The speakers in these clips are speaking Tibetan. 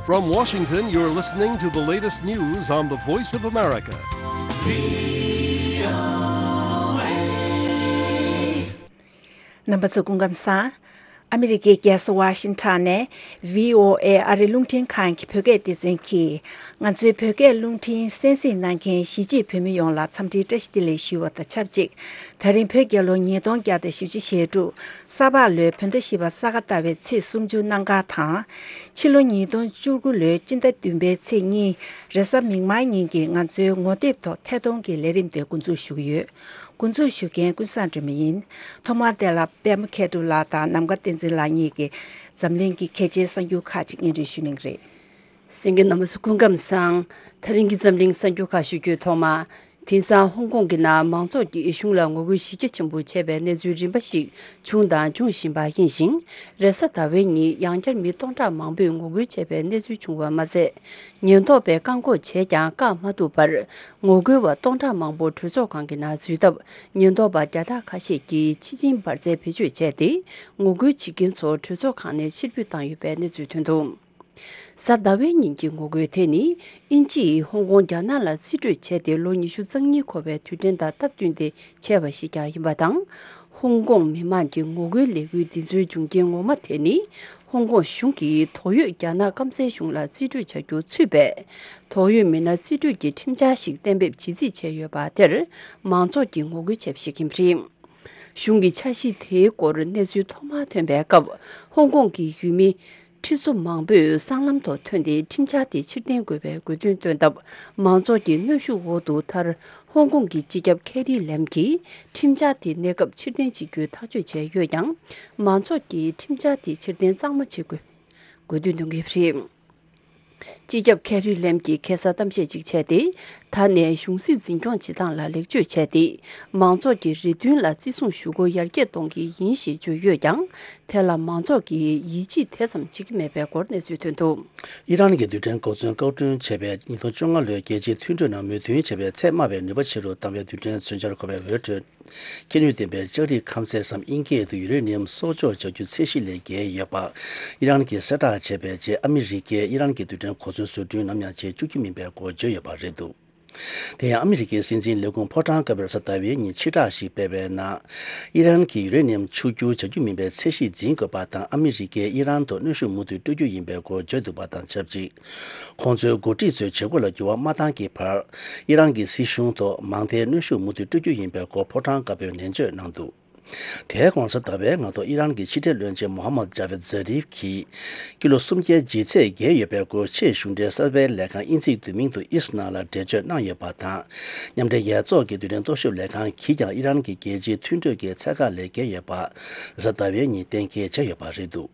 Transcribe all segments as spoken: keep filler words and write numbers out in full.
From Washington, you're listening to the latest news on the Voice of America. རྣམ་པ་ཚོ་སྐུ་ཁམས་བཟང་། ཨ་མི་རི་ཀའི་རྒྱལ་ས་ཝ་ཤིང་ཊོན་ནས་བྷི་ཨོ་ཨེ་ཨ་རི་རླུང་འཕྲིན་ཁང་གི་བོད་སྐད་སྡེ་ཚན་གྱིས། ང་ཚོའི་བོད་སྐད་རླུང་འཕྲིན་གསན་གཟིགས་གནང་མཁན་གཞིས་བྱེས་བོད་མི་ཡོངས་ལ་འཚམས་འདྲིའི་བཀྲ་ཤིས་བདེ་ལེགས་ཞུ་བ་དང་ཆབས་ཅིག་ད་རིང་བོད་རྒྱལ་ལོ་ཉིས་སྟོང་བརྒྱ་དང་བཞི་བཅུ་ཞེ་དྲུག་ས་ཕག་ལོའི་བོད་ཟླ་བཞི་པ་ས་ག་ཟླ་བའི་ཚེས་སུམ་ཅུ་གནམ་གང་དང་། ཕྱི་ལོ་ཉིས་སྟོང་བཅུ་དགུ་ལོའི་སྤྱི་ཟླ་བདུན་པའི་ཚེས་གཉིས་རེས་གཟའ་མིག་དམར་ཉིན་གྱི་ང་ཚོའི་ངོ་དེབ་ཐོག་ཐད་གཏོང་གི་ལས་རིམ་དེ་འགོ་འཛུགས་ཞུ་གི་ཡོད། འགོ་འཛུགས་ཞུ་མཁན་ཀུན་བཟང་སྒྲོལ་མ་ཡིན། ཐོག་མར་དེ་ལ་པད་མ་མཁས་གྲུབ་ལགས་དང་ནམ་མཁའ་བསྟན་འཛིན་ལགས་གཉིས་ཀྱིས་འཛམ་གླིང་གི་གལ་ཆེའི་གསར་འགྱུར་ཁག་ཅིག་སྙན་སྒྲོན་ཞུ་གནང་གི་རེད། གསན་མཁན་རྣམ་པ་ཚོ་སྐུ་ཁམས་བཟང་། ད་རིང་གི་འཛམ་གླིང་གསར་འགྱུར་ཁག་ཞུ་རྒྱུའི་ཐོག་མ། དེང་སང་ཧོང་ཀོང་གི་ནང་མང་ཚོགས་ཀྱིས་གཞུང་ལ་ངོ་རྒོལ་གཞི་རྒྱ་ཆེན་པོ་བྱས་པའི་གནས་ཚུལ་རིམ་པ་ཞིག་བྱུང་དང་འབྱུང་བཞིན་པ་ཡིན་ཞིང་། རེས་གཟའ་ཟླ་བའི་ཉིན་ཡང་བསྐྱར་མི་སྟོང་ཕྲག་མང་པོས་ངོ་རྒོལ་བྱས་པའི་གནས་ཚུལ་བྱུང་བ་མ་ཟད། ཉེན་རྟོག་པས་བཀག་འགོག་བྱས་ཀྱང་བཀག་མ་ཐུབ་པར། ངོ་རྒོལ་བ་སྟོང་ཕྲག་མང་པོ་གྲོས་ཚོགས་ཁང་གི་ནང་འཛུལ་སྟབས། ཉེན་རྟོག་པ་བརྒྱ་ཕྲག་ཁ་ཤས་ཀྱིས་ཕྱི་ཆིངས་འབར་རྫས་བེད་སྤྱོད་བྱས་ཏེ། ངོ་རྒོལ་བྱེད་མཁན་ཚོ་གྲོས་ཚོགས་ཁང་ནས་ཕྱིར་འབུད་བཏང་ཡོད་པའི་གནས་ཚུལ་ཐོན་འདུག་གཟའ་ཟླ་བའི་ཉིན་གྱི་ངོ་རྒོལ་དེ་ནི། དབྱིན་ཇིས་ཧོང་ཀོང་རྒྱ་ནག་ལ་རྩིས་སྤྲོད་བྱས་ཏེ་ལོ་ཉི་ཤུ་རྩ་གཉིས་འཁོར་བའི་དུས་དྲན་དང་སྟབས་བསྟུན་ཏེ་བྱས་པ་ཞིག་ཀྱང་ཡིན་པ་དང་། ཧོང་ཀོང་མི་མང་གི་ངོ་རྒོལ་ལས་འགུལ་འདི་ཚོའི་འབྱུང་རྐྱེན་ངོ་མ་དེ་ནི། ཧོང་ཀོང་གཞུང་གིས་དོགས་ཡོད་རྒྱ་ནག་སྐམ་སའི་གཞུང་ལ་རྩིས་སྤྲོད་བྱ་རྒྱུ་ཚུད་པས། དོགས་ཡོད་མི་སྣར་རྩིས་སྤྲོད་ཀྱི་ཁྲིམས་འཆར་ཞིག་གཏན་འབེབས་བྱེད་རྩིས་བྱས་ཡོད་པ་དེར། མང་ཚོགས་ཀྱིས་ངོ་རྒོལ་བྱས་པ་ཞིག་ཡིན་པ་རེད། གཞུང་གི་འཆར་གཞི་དེའི་སྐོར་གནས་ཚུལ་ཐོག་མར་ཐོན་པའི་སྐབས། ཧོང་ཀོང་གི་ཡུལ་མི་ཁྲི་ཚོ་མང་པོས་སྲང་ལམ་ཐོག་ཐོན་ཏེ་ཁྲིམས་འཆར་དེ་ཕྱིར་འཐེན་དགོས་པའི་དགོས་འདུན་བཏོན་སྟབས། མང་ཚོགས་ཀྱི་གནོན་ཤུགས་འོག་ཏུ་མཐར་ཧོང་ཀོང་གི་སྤྱི་ཁྱབ་ཁེ་རི་ལེམ་གྱིས་ཁྲིམས་འཆར་དེ་གནས་སྐབས་ཕྱིར་འཐེན་བྱེད་རྒྱུའི་ཐག་གཅོད་བྱས་ཡོད་ཀྱང་། མང་ཚོགས་ཀྱིས་ཁྲིམས་འཆར་དེ་ཕྱིར་འཐེན་གཙང་མ་བྱེད་དགོས་དགོས་འདུན་འདོན་གྱི་རེད། སྤྱི་ཁྱབ་ཁེ་རི་ལེམ་གྱིས་ཁ་སང་གཏམ་བཤད་ཅིག་བྱས་ཏེ། ད་ནས་གཞུང་སྲིད་འཛིན་སྐྱོང་བྱེད་སྟངས་ལ་ལེགས་བཅོས་བྱས་ཏེ། མང་ཚོགས་ཀྱི་རེ་འདུན་ལ་བརྩི་སྲུང་ཞུ་སྒོ་ཡར་རྒྱས་གཏོང་གི་ཡིན་ཞེས་བརྗོད་ཡོད་ཀྱང་། དེ་ལ་མང་ཚོགས་ཀྱིས་ཡིད་ཆེས་དེ་ཙམ་བྱེད་ཀྱི་མེད་པའི་སྐོར་གནས་ཚུལ་ཐོན་འདུག་ཨི་རན་གྱི་རྡུལ་ཕྲན་གོ་མཚོན་བཀག་སྐྲུན་བྱས་པའི་ཉིས་སྟོང་བཅོ་ལྔ་ལོའི་རྒྱལ་སྤྱིའི་མཐུན་གྲོས་ནང་མོས་མཐུན་བྱས་པའི་ཚད་དམའ་བའི་ནུས་པ་ཆེ་རུ་བཏང་བའི་རྡུལ་ཕྲན་མཚོན་ཆར་འཁོར་བའི་འོད་འཕྲོས། ཁྱད་ནུས་ལྡན་པའི་ལྕགས་རིགས་ཁམས་ཚད་སམ་དབྱིན་སྐད་དུ་ཡུ་རེ་ནི་ཡམ་གསོག་འཇོག་བྱ་རྒྱུ་ཚད་གཞི་ལས་བརྒལ་ཡོད་པ། ཨི་རན་གྱིས་གསལ་བསྒྲགས་བྱས་པའི་རྗེས་ཨ་མི་རི་ཀས་ཨི་རན་གྱི་རྡུལ་ཕྲན་གོ་མཚོན་བཟོ་སྐྲུན་ནམ་ཡང་བྱེད་བཅུག་རྒྱུ་མིན་པའི་སྐོར་བརྗོད་ཡོད་པ་རེད་འདུག་དེ་ཡང་ཨ་མི་རི་ཀའི་སྲིད་འཛིན་ལས་ཁུངས་ཕོ་བྲང་དཀར་པོས་གཟའ་ཟླ་བའི་ཉིན་ཕྱིར་བསྒྲགས་ཤིག་སྤེལ་བའི་ནང་། ཨི་རན་གྱིས་ཡུ་རེ་ནི་ཡམ་ཕྱུག་འགྱུར་བྱ་རྒྱུ་མིན་པའི་ཚད་གཞི་འཛིན་དགོས་པ་དང་ཨ་མི་རི་ཀས་ཨི་རན་དུ་གནོན་ཤུགས་མུ་མཐུད་སྤྲོད་རྒྱུ་ཡིན་པའི་སྐོར་བརྗོད་འདུག་པ་དང་ཆབས་ཅིག་ཁོང་ཚོའི་འགོ་ཁྲིད་ཚོས་བྱེད་སྒོ་ལ་འགྱུར་བ་མ་བཏང་གི་བར། ཨི་རན་གྱི་སྲིད་གཞུང་ཐོག་མང་མཐའི་གནོན་ཤུགས་མུ་མཐུད་སྤྲོད་རྒྱུ་ཡིན་པའི་སྐོར་ཕོ་བྲང་དཀར་པོས་ནན་བརྗོད་གནང་འདུག་དེའི་གོང་གཟའ་ཟླ་བའི་སྔ་དྲོ་ཨི་རན་གྱི་ཕྱི་འབྲེལ་བློན་ཆེན་མོ་ཧམ་མད་ཇཱ་བེད་ཛ་རིབ་ཀྱིས། ཀི་ལོ་སུམ་བརྒྱའི་ལྗིད་ཚད་བརྒལ་ཡོད་པའི་སྐོར་ཆེས་གཞུང་འབྲེལ་གསར་པའི་ལས་ཁང་དབྱིན་ཚིག་བསྡུས་མིང་དུ་ཨིས་ནང་ལ་འགྲེལ་བརྗོད་གནང་ཡོད་པ་དང་། མཉམ་འབྲེལ་རྒྱལ་ཚོགས་ཀྱི་རྡུལ་ཕྲན་རྟོག་ཞིབ་ལས་ཁང་གིས་ཀྱང་ཨི་རན་གྱི་རྒྱལ་སྤྱིའི་མཐུན་གྲོས་ཀྱི་ཚད་བཀག་ལས་བརྒལ་ཡོད་པ། གཟའ་ཟླ་བའི་ཉིན་གཏན་འཁེལ་བྱས་ཡོད་པ་རེད་འདུག་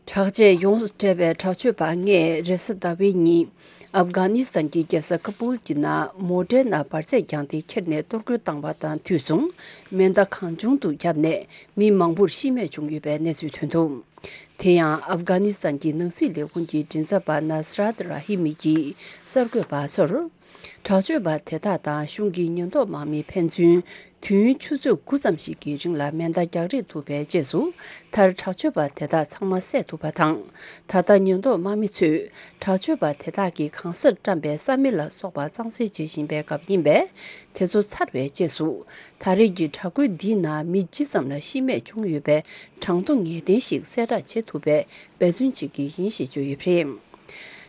དྲག་ཆས་ཡོངས་སུ་གྲས་པའི་དྲག་སྤྱོད་པ་ལྔས་རེས་གཟའ་ཟླ་བའི་ཉིན་ཨབ་གྷ་ནི་སི་ཐན་གྱི་རྒྱལ་ས་ཀ་པུལ་གྱི་ནང་མོ་ཊའི་ནང་འབར་རྫས་བརྒྱངས་ཏེ་ཁྱེར་ནས་གཏོར་རྒོལ་བཏང་བ་དང་དུས་མཚུངས་མེ་མདའ་གང་བྱུང་དུ་བརྒྱབ་ནས་མི་མང་པོར་ཤི་རྨས་བྱུང་ཡོད་པའི་གནས་ཚུལ་ཐོན་འདུག་དེ་ཡང་ཨབ་གྷ་ནི་སི་ཐན་གྱི་ནང་སྲིད་ལས་ཁུངས་ཀྱི་མགྲིན་ཚབ་པ་ནཱ་སི་རཱད་ར་ཧི་མི་གྱིས་གསར་འགོད་པ་ཚོར། དྲག་སྤྱོད་པ་དེ་དག་དང་གཞུང་གི་ཉེན་རྟོག་དམག་མི་ཕན་ཚུན་དུས་ཡུན་ཆུ་ཚོད་དགུ་ཙམ་ཞིག་གི་རིང་ལ་མེ་མདའ་རྒྱག་རེས་ཐུབ་པའི་རྗེས་སུ། མཐར་དྲག་སྤྱོད་པ་དེ་དག་ཚང་མ་བསད་ཐུབ་པ་དང་། ད་ལྟ་ཉེན་རྟོག་དམག་མི་ཚོས་དྲག་སྤྱོད་པ་དེ་དག་གིས་གང་སར་བཀྲམ་པའི་ས་མེ་ལ་སོགས་པ་གཙང་སེལ་བྱེད་བཞིན་པའི་སྐབས་ཡིན་པས། དེ་ཚོ་ཚར་བའི་རྗེས་སུ། ད་རེས་ཀྱི་དྲག་རྒོལ་འདིའི་ནང་མི་ཇི་ཙམ་ལ་ཤི་རྨས་བྱུང་ཡོད་པའི་གྲངས་ཐོ་ངེས་གཏན་ཞིག་གསལ་བསྒྲགས་བྱེད་ཐུབ་པའི་འབད་བརྩོན་བྱེད་ཀྱི་ཡིན་ཞེས་བརྗོད་ཡོད་པ་རེད།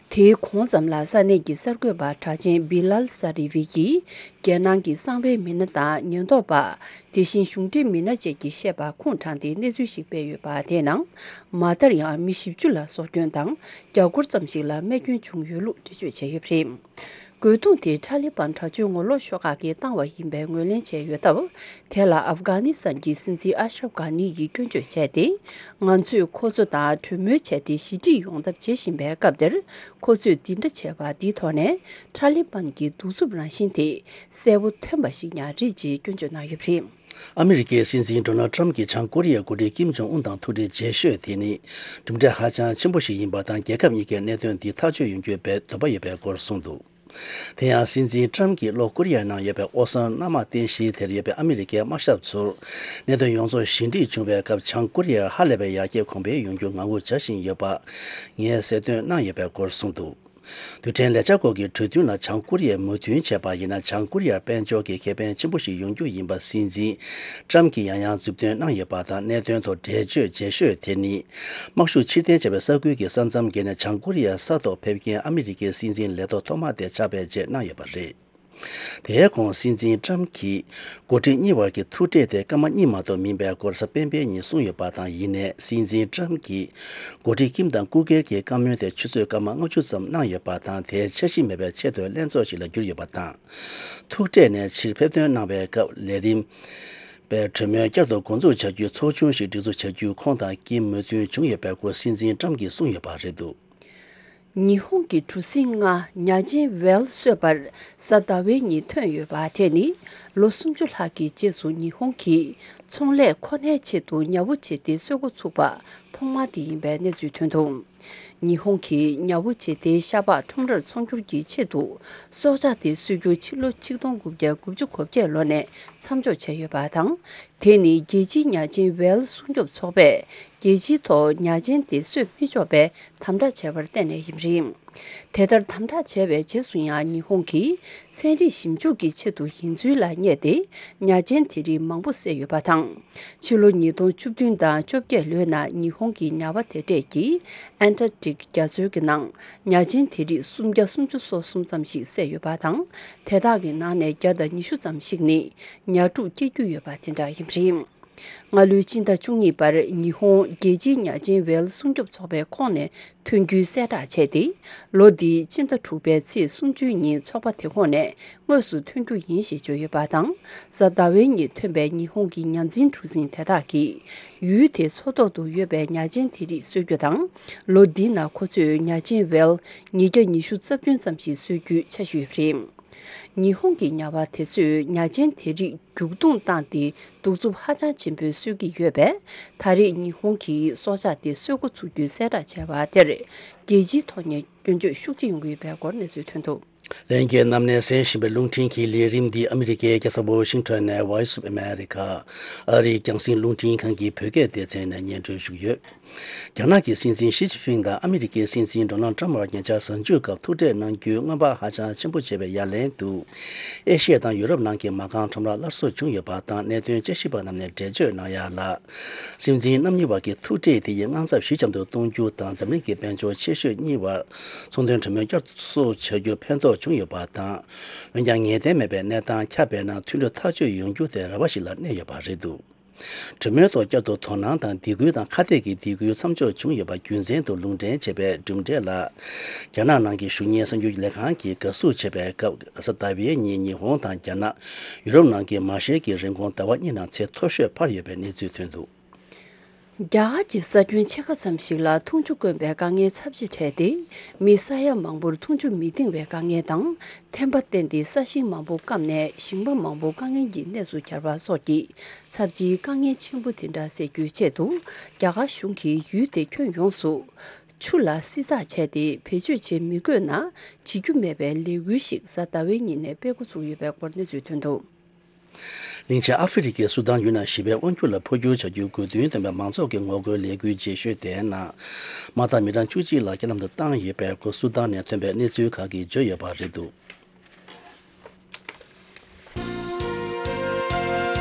དེའི་གོང་ཙམ་ལ་ས་གནས་ཀྱི་གསར་འགོད་པ་གྲགས་ཅན་བི་ལལ་ས་རི་ཝི་ཡིས་རྒྱལ་ནང་གི་གསང་བའི་མི་སྣ་དང་ཉེན་རྟོག་པ། དེ་བཞིན་གཞུང་འབྲེལ་མི་སྣ་བཅས་ཀྱིས་བཤད་པ་ཁུངས་དྲངས་ཏེ་གནས་ཚུལ་ཞིག་སྤེལ་ཡོད་པ་དེའི་ནང་མ་མཐར་ཡང་མི་བཞི་བཅུ་ལ་སྲོག་སྐྱོན་དང་བརྒྱ་སྐོར་ཙམ་ཞིག་ལ་རྨས་སྐྱོན་བྱུང་ཡོད་ལུགས་འགྲེལ་བརྗོད་བྱས་ཡོད་པ་རེད། རྒོལ་རྡུང་དེ་ཊ་ལི་བན་དྲག་སྤྱོད་ངོ་ལོག་ཤོག་ཁག་གིས་བཏང་བ་ཡིན་པའི་ངོས་ལེན་བྱས་ཡོད་སྟབས། དེ་ལ་ཨབ་གྷ་ནི་སི་ཐན་གྱི་སྲིད་འཛིན་ཨ་ཤྲབ་གྷ་ནི་ཡིས་སྐྱོན་བརྗོད་བྱས་ཏེ། ང་ཚོས་ཁོ་ཚོ་དང་གྲོས་མོལ་བྱས་ཏེ་ཞི་འགྲིག་ཡོང་ཐབས་བྱེད་བཞིན་པའི་སྐབས་དེར། ཁོ་ཚོས་འདི་འདྲ་བྱས་པ་འདིའི་ཐོག་ནས་ཊ་ལི་བན་གྱི་གདུག་རྩུབ་རང་བཞིན་དེ་གསལ་པོ་ཐོན་པ་ཞིག་ཀྱང་རེད་ཅེས་སྐྱོན་བརྗོད་གནང་ཡོད་པ་རེད། ཨ་མི་རི་ཀའི་སྲིད་འཛིན་ཌོ་ནལ་ཊམ་གྱིས་བྱང་ཀོ་རི་ཡའི་འགོ་ཁྲིད་ཀིམ་ཇོང་ཨུན་དང་ཐུག་འཕྲད་བྱེད་ཤོས་དེ་ནི་གྲུབ་འབྲས་ཧ་ཅང་ཆེན་པོ་ཞིག་ཡིན་པ་དང་། རྒྱལ་ཁབ་གཉིས་ཀའི་གནད་དོན་འདི་ཐག་གཅོད་ཡོང་རྒྱུའི་འདོད་པ་ཡོད་པའི་སྐོར་གསུངས་འདུག་དེ་ཡང་སྲིད་འཛིན་ཏྲམ་གྱིས་ལྷོ་ཀོ་རི་ཡའི་ནང་ཡོད་པའི་ཨོ་སོང་གནམ་དམག་རྟེན་གཞི་དེར་ཡོད་པའི་ཨ་མི་རི་ཀའི་དམག་ཞབས་ཚོར་གནད་དོན་ཡོངས་རྫོགས་ཞི་འགྲིག་བྱུང་བའི་སྐབས། བྱང་ཀོ་རི་ཡར་ཧ་ལས་པའི་ཡར་རྒྱས་གོང་འཕེལ་ཡོང་རྒྱུ་ངང་སྒུག་བྱ་བཞིན་ཡོད་པ་ངས་གསལ་སྟོན་གནང་ཡོད་པའི་སྐོར་གསུངས་འདུག། རྡུལ་ཕྲན་ལས་འཆར་སྐོར་གྱི་གྲོས་མཐུན་ལ་བྱང་ཀོ་རི་ཡས་མོས་མཐུན་བྱས་པ་ཡིན་ན། བྱང་ཀོ་རི་ཡར་དཔལ་འབྱོར་གྱི་ཁེ་ཕན་ཆེན་པོ་ཞིག་ཡོང་རྒྱུ་ཡིན་པ་སྲིད་འཛིན་ཏྲམ་གྱིས་ཡང་ཡང་མཛུབ་སྟོན་གནང་ཡོད་པ་དང་། གནད་དོན་ཐོག་འགྲེལ་བརྗོད་རྗེས་ཤོས་དེ་ནི། དམག་ཤུགས་ཕྱིར་འཐེན་བྱས་པའི་ས་ཁུལ་གྱི་ས་མཚམས་བརྒལ་ནས་བྱང་ཀོ་རི་ཡའི་ས་ཐོག་ཕེབས་མཁན་ཨ་མི་རི་ཀའི་སྲིད་འཛིན་ལས་ཐོག་ཐོག་མ་དེ་ཆགས་པའི་རྗེས་གནང་ཡོད་པ་རེད། དེའི་གོང་སྲིད་འཛིན་ཏྲམ་གྱིས་འགོ་ཁྲིད་གཉིས་བར་གྱི་ཐུག་འཕྲད་དེ་སྐར་མ་གཉིས་མ་གཏོགས་མིན་པའི་སྐོར་གཟའ་སྤེན་པའི་ཉིན་གསུངས་ཡོད་པ་དང་། ཡིན་ནའི་སྲིད་འཛིན་ཏྲམ་གྱིས་འགོ་ཁྲིད་ཀིམ་དང་སྐུ་སྒེར་གྱི་བཀའ་མོལ་དེ་ཆུ་ཚོད་སྐར་མ་ལྔ་བཅུ་ཙམ་གནང་ཡོད་པ་དང་། དེའི་འཆར་གཞི་མེད་པའི་ཆེས་མཐོའི་ལྷན་ཚོགས་ཤིག་ལ་གྱུར་ཡོད་པ་དང་། ཐུག་འཕྲད་ནས་ཕྱིར་ཕེབས་ཐོན་གནང་བའི་སྐབས་ལས་རིམ་པའི་གྲོས་མོལ་བསྐྱར་དུ་འགོ་འཛུགས་བྱ་རྒྱུའི་ཚོགས་ཆུང་ཞིག་སྒྲིག་འཛུགས་བྱ་རྒྱུའི་ཁོང་དང་ཀིམ་མོས་མཐུན་བྱུང་ཡོད་པའི་སྐོར་སྲིད་འཛིན་ཏྲམ་གྱིས་གསུངས་ཡོད་པ་རེད་འདུག། ཉི་ཧོང་གི་གྲུ་གཟིངས་ལྔ་ཉ་ཆེན་ཝེལ་གསོད་པར་གཟའ་ཟླ་བའི་ཉིན་ཐོན་ཡོད་པ་དེ་ནི་ལོ་སུམ་ཅུ་ལྷག་གི་རྗེས་སུ་ཉི་ཧོང་གིས་ཚོང་ལས་ཁོ་ནའི་ཆེད་དུ་ཉ་བོ་བྱས་ཏེ་གསོད་འགོ་ཚུགས་པ་ཐོག་མ་དེ་ཡིན་པའི་གནས་ཚུལ་ཐོན་འདུག། ཉི་ཧོང་གིས་ཉ་བོ་བྱས་ཏེ་ཤ་པགས་ཁྲོམ་རར་ཚོང་སྒྱུར་གྱི་ཆེད་དུ་སྲོག་ཆགས་དེ་གསོད་རྒྱུ་ཕྱི་ལོ་ཆིག་སྟོང་དགུ་བརྒྱ་དགུ་བཅུ་གོ་བརྒྱད་ལོ་ནས་མཚམས་འཇོག་བྱས་ཡོད་པ་དང་། དེ་ནི་རྒྱལ་སྤྱིའི་ཉ་ཆེན་ཝེལ་སྲུང་སྐྱོབ་ཚོགས་པས་རྒྱལ་སྤྱིའི་ཐོག་ཉ་ཆེན་དེ་གསོད་མི་ཆོག་པའི་དམ་དྲག་བྱས་པར་བརྟེན་ནས་ཡིན་པ་རེད། དེ་ལྟར་དམ་དྲག་བྱས་པའི་རྗེས་སུ་ཡང་ཉི་ཧོང་གིས་ཚན་རིག་ཞིབ་འཇུག་གི་ཆེད་དུ་ཡིན་ཚུལ་ལ་བསྙད་དེ་ཉ་ཆེན་དེ་རིགས་མང་པོ་བསད་ཡོད་པ་དང་། ཕྱི་ལོ་ཉིས་སྟོང་བཅུ་བདུན་དང་བཅོ་བརྒྱད་ལོའི་ནང་ཉི་ཧོང་གི་ཉ་པ་དེ་གྲས་ཀྱིས་ཨན་ཊར་ཀ་ཊིག་རྒྱ་མཚོའི་གི་ནང་ཉ་ཆེན་དེ་རིགས་སུམ་བརྒྱ་སུམ་ཅུ་སོ་གསུམ་ཙམ་ཞིག་བསད་ཡོད་པ་དང་། དེ་དག་གི་ནང་ནས་བརྒྱ་དང་ཉི་ཤུ་ཙམ་ཞིག་ནི་ཉ་ཕྲུག་སྐྱེ་རྒྱུ་ཡོད་པ་དེ་འདྲ་ཡིན་པ་རེད། སྔ་ལོའི་སྤྱི་ཟླ་བཅུ་གཉིས་པར་ཉི་ཧོང་རྒྱལ་སྤྱིའི་ཉ་ཆེན་ཝེལ་སྲུང་སྐྱོབ་ཚོགས་པའི་ཁོངས་ནས་ཐོན་རྒྱུའི་གསལ་བསྒྲགས་བྱས་ཏེ། ལོ་འདིའི་སྤྱི་ཟླ་དྲུག་པའི་ཚེས་སུམ་ཅུའི་ཉིན་ཚོགས་པ་དེ་ཁོངས་ནས་དངོས་སུ་ཐོན་རྒྱུ་ཡིན་ཞེས་བརྗོད་ཡོད་པ་དང་། གཟའ་ཟླ་བའི་ཉིན་ཐོན་པའི་ཉི་ཧོང་གི་ཉ་འཛིན་གྲུ་གཟིངས་དེ་དག་གིས་ཡུལ་དེའི་མཚོ་ཐོག་ཏུ་ཡོད་པའི་ཉ་ཆེན་དེ་རིགས་གསོད་རྒྱུ་དང་། ལོ་འདིའི་ནང་ཁོ་ཚོས་ཉ་ཆེན་ཝེལ་ཉིས་བརྒྱ་ཉི་ཤུ་རྩ་བདུན་ཙམ་ཞིག་གསོད་རྒྱུའི་འཆར་གཞི་ཡོད་པ་རེད། ཉི་ཧོང་གི་ཉ་པ་དེ་ཚོས་ཉ་ཆེན་དེ་རིགས་རྒྱུག་རྡུང་བཏང་སྟེ་གདུག་རྩུབ་ཧ་ཅང་ཆེན་པོས་གསོད་ཀྱི་ཡོད་པས། ད་རེས་ཉི་ཧོང་གིས་སྲོག་ཆགས་དེ་གསོད་འགོ་ཚུགས་རྒྱུའི་གསལ་བསྒྲགས་བྱས་པ་དེར་རྒྱལ་སྤྱིའི་ཐོག་ནས་སྐྱོན་བརྗོད་ཤུགས་ཆེ་ཡོང་གི་ཡོད་པའི་སྐོར་གནས་ཚུལ་ཐོན་འདུག། ལྷན་རྒྱས་རྣམས་ནས་གསན་བཞིན་པའི་རླུང་འཕྲིན་གྱི་ལས་རིམ་འདི་ཨ་མི་རི་ཀའི་རྒྱལ་ས་ཝོ་ཤིང་ཊོན་ནས་Voice of America ཨ་རིའི་རྒྱང་སྲིང་རླུང་འཕྲིན་ཁང་གི་བོད་སྐད་སྡེ་ཚན་ནས་སྙན་སྒྲོན་ཞུས་ཡོད། རྒྱ་ནག་གི་སྲིད་འཛིན་ཞི་ཅིན་ཕིང་དང་ཨ་མི་རི་ཀའི་སྲིད་འཛིན་ཌོ་ནལ་ཊམ་བར་ཉེ་ཆར་གཟའ་མཇུག་སྐབས་ཐུག་འཕྲད་གནང་རྒྱུའི་སྔོན་དཔག་ཧ་ཅང་ཆེན་པོ་བྱས་པའི་ཡ་ལན་དུ། ཨེ་ཤི་ཡ་དང་ཡུ་རོབ་ནང་གི་མ་རྐང་ཁྲོམ་ར་སླར་གསོ་བྱུང་ཡོད་པ་དང་། གནད་དོན་དཔྱད་ཞིབ་པ་རྣམས་ནས་འགྲེལ་བརྗོད་གནང་ཡ་ལ། སྲིད་འཛིན་རྣམ་གཉིས་བར་གྱི་ཐུག་འཕྲད་དེ་ཡི་དངངས་འཚབ་ཞི་འཇམ་དུ་གཏོང་རྒྱུ་དང་། འཛམ་གླིང་གི་དཔལ་འབྱོར་ཆེ་ཤོས་གཉིས་བར་ཚོང་དོན་གྲོས་མོལ་བསྐྱར་གསོ་བྱ་རྒྱུར་ཕན་ཐོགས་བྱུང་ཡོད་པ་དང་། འོན་ཀྱང་ངེས་གཏན་མེད་པའི་གནས་སྟངས་ཁྱབ་པས་ན། མཐུན་གྲོས་ཐག་གཅོད་ཡོང་རྒྱུ་དེ་རེ་བ་ཞིག་ལ་གནས་ཡོད་པ་རེད་འདུག། གྲོས་མོལ་ཐོག་བསྐྱར་དུ་དོ་སྣང་དང་སྡིགས་སྐུལ་དང་ཁ་གཏད་ཀྱི་སྡིགས་སྐུལ་མཚམས་འཇོག་བྱུང་ཡོད་པ་རྒྱུ་མཚན་དུ་ལུང་འདྲེན་བྱས་པའི་གྲུབ་འབྲས་ལ། རྒྱ་ནག་ནང་གི་གཞུང་གཉེར་གསར་འགྱུར་ལས་ཁང་གིས་དགའ་བསུ་བྱས་པའི་སྐབས། གཟའ་ཟླ་བའི་ཉིན་ཉི་ཧོང་དང་རྒྱ་ནག་ཡུ་རོབ་ནང་གི་མ་ཤེལ་གྱི་རིན་གོང་ཟླ་བ་གཉིས་ནང་ཚད་མཐོ་ཤོས་འཕར་ཡོད་པའི་གནས་ཚུལ་ཐོན་འདུག། རྒྱ་གར་གྱི་ས་ཁྱོན་ཕྱེད་ཀ་ཙམ་ཞིག་ལ་འཐུང་ཆུ་དཀོན་པའི་དཀའ་ངལ་ཚབས་ཆེ་འཕྲད་དེ། མི་ས་ཡ་མང་པོར་འཐུང་ཆུ་མི་འདང་བའི་དཀའ་ངལ་དང་། ཐན་པ་བརྟེན་ཏེ་ས་ཞིང་མང་པོ་སྐམ་ནས་ཞིང་པ་མང་པོ་དཀའ་ངལ་གྱི་གནས་སུ་གྱར་བ་སོགས་ཀྱི་ཚབས་ཆེའི་དཀའ་ངལ་ཆེན་པོ་དེ་འདྲ་སེལ་རྒྱུའི་ཆེད་དུ། རྒྱ་གར་གཞུང་གིས་ཡུལ་དེ་ཁྱོན་ཡོངས་སུ་ཆུ་ལ་བསྲི་ཚགས་བྱས་ཏེ། བེད་སྤྱོད་བྱེད་མི་དགོས་ན་བྱེད་རྒྱུ་མེད་པའི་ལས་འགུལ་ཞིག་གཟའ་ཟླ་བའི་ཉིན་ནས་སྤེལ་འགོ་ཚུགས་ཡོད་པའི་སྐོར་གནས་ཚུལ་ཐོན་འདུག། གླིང་ཆེན་ཨ་ཧྥེ་རི་ཁའི་སུ་དཱན་ཡུལ་ནང་ཞི་བའི་དབང་སྒྱུར་ལ་འཕོ་འགྱུར་བྱ་རྒྱུའི་དགོས་འདུན་ལྡན་པའི་མང་ཚོགས་ཀྱི་ངོ་རྒོལ་ལས་འགུལ་རྗེས་ཤོས་དེའི་ནང་། མ་དག་མི་གྲངས་བཅུ་གཅིག་ལ་རྐྱེན་ལམ་དུ་བཏང་ཡོད་པའི་སྐོར་སུ་དཱན་ནས་ཐོན་པའི་གནས་ཚུལ་ཁག་གིས་བརྗོད་ཡོད་པ་རེད་འདུག།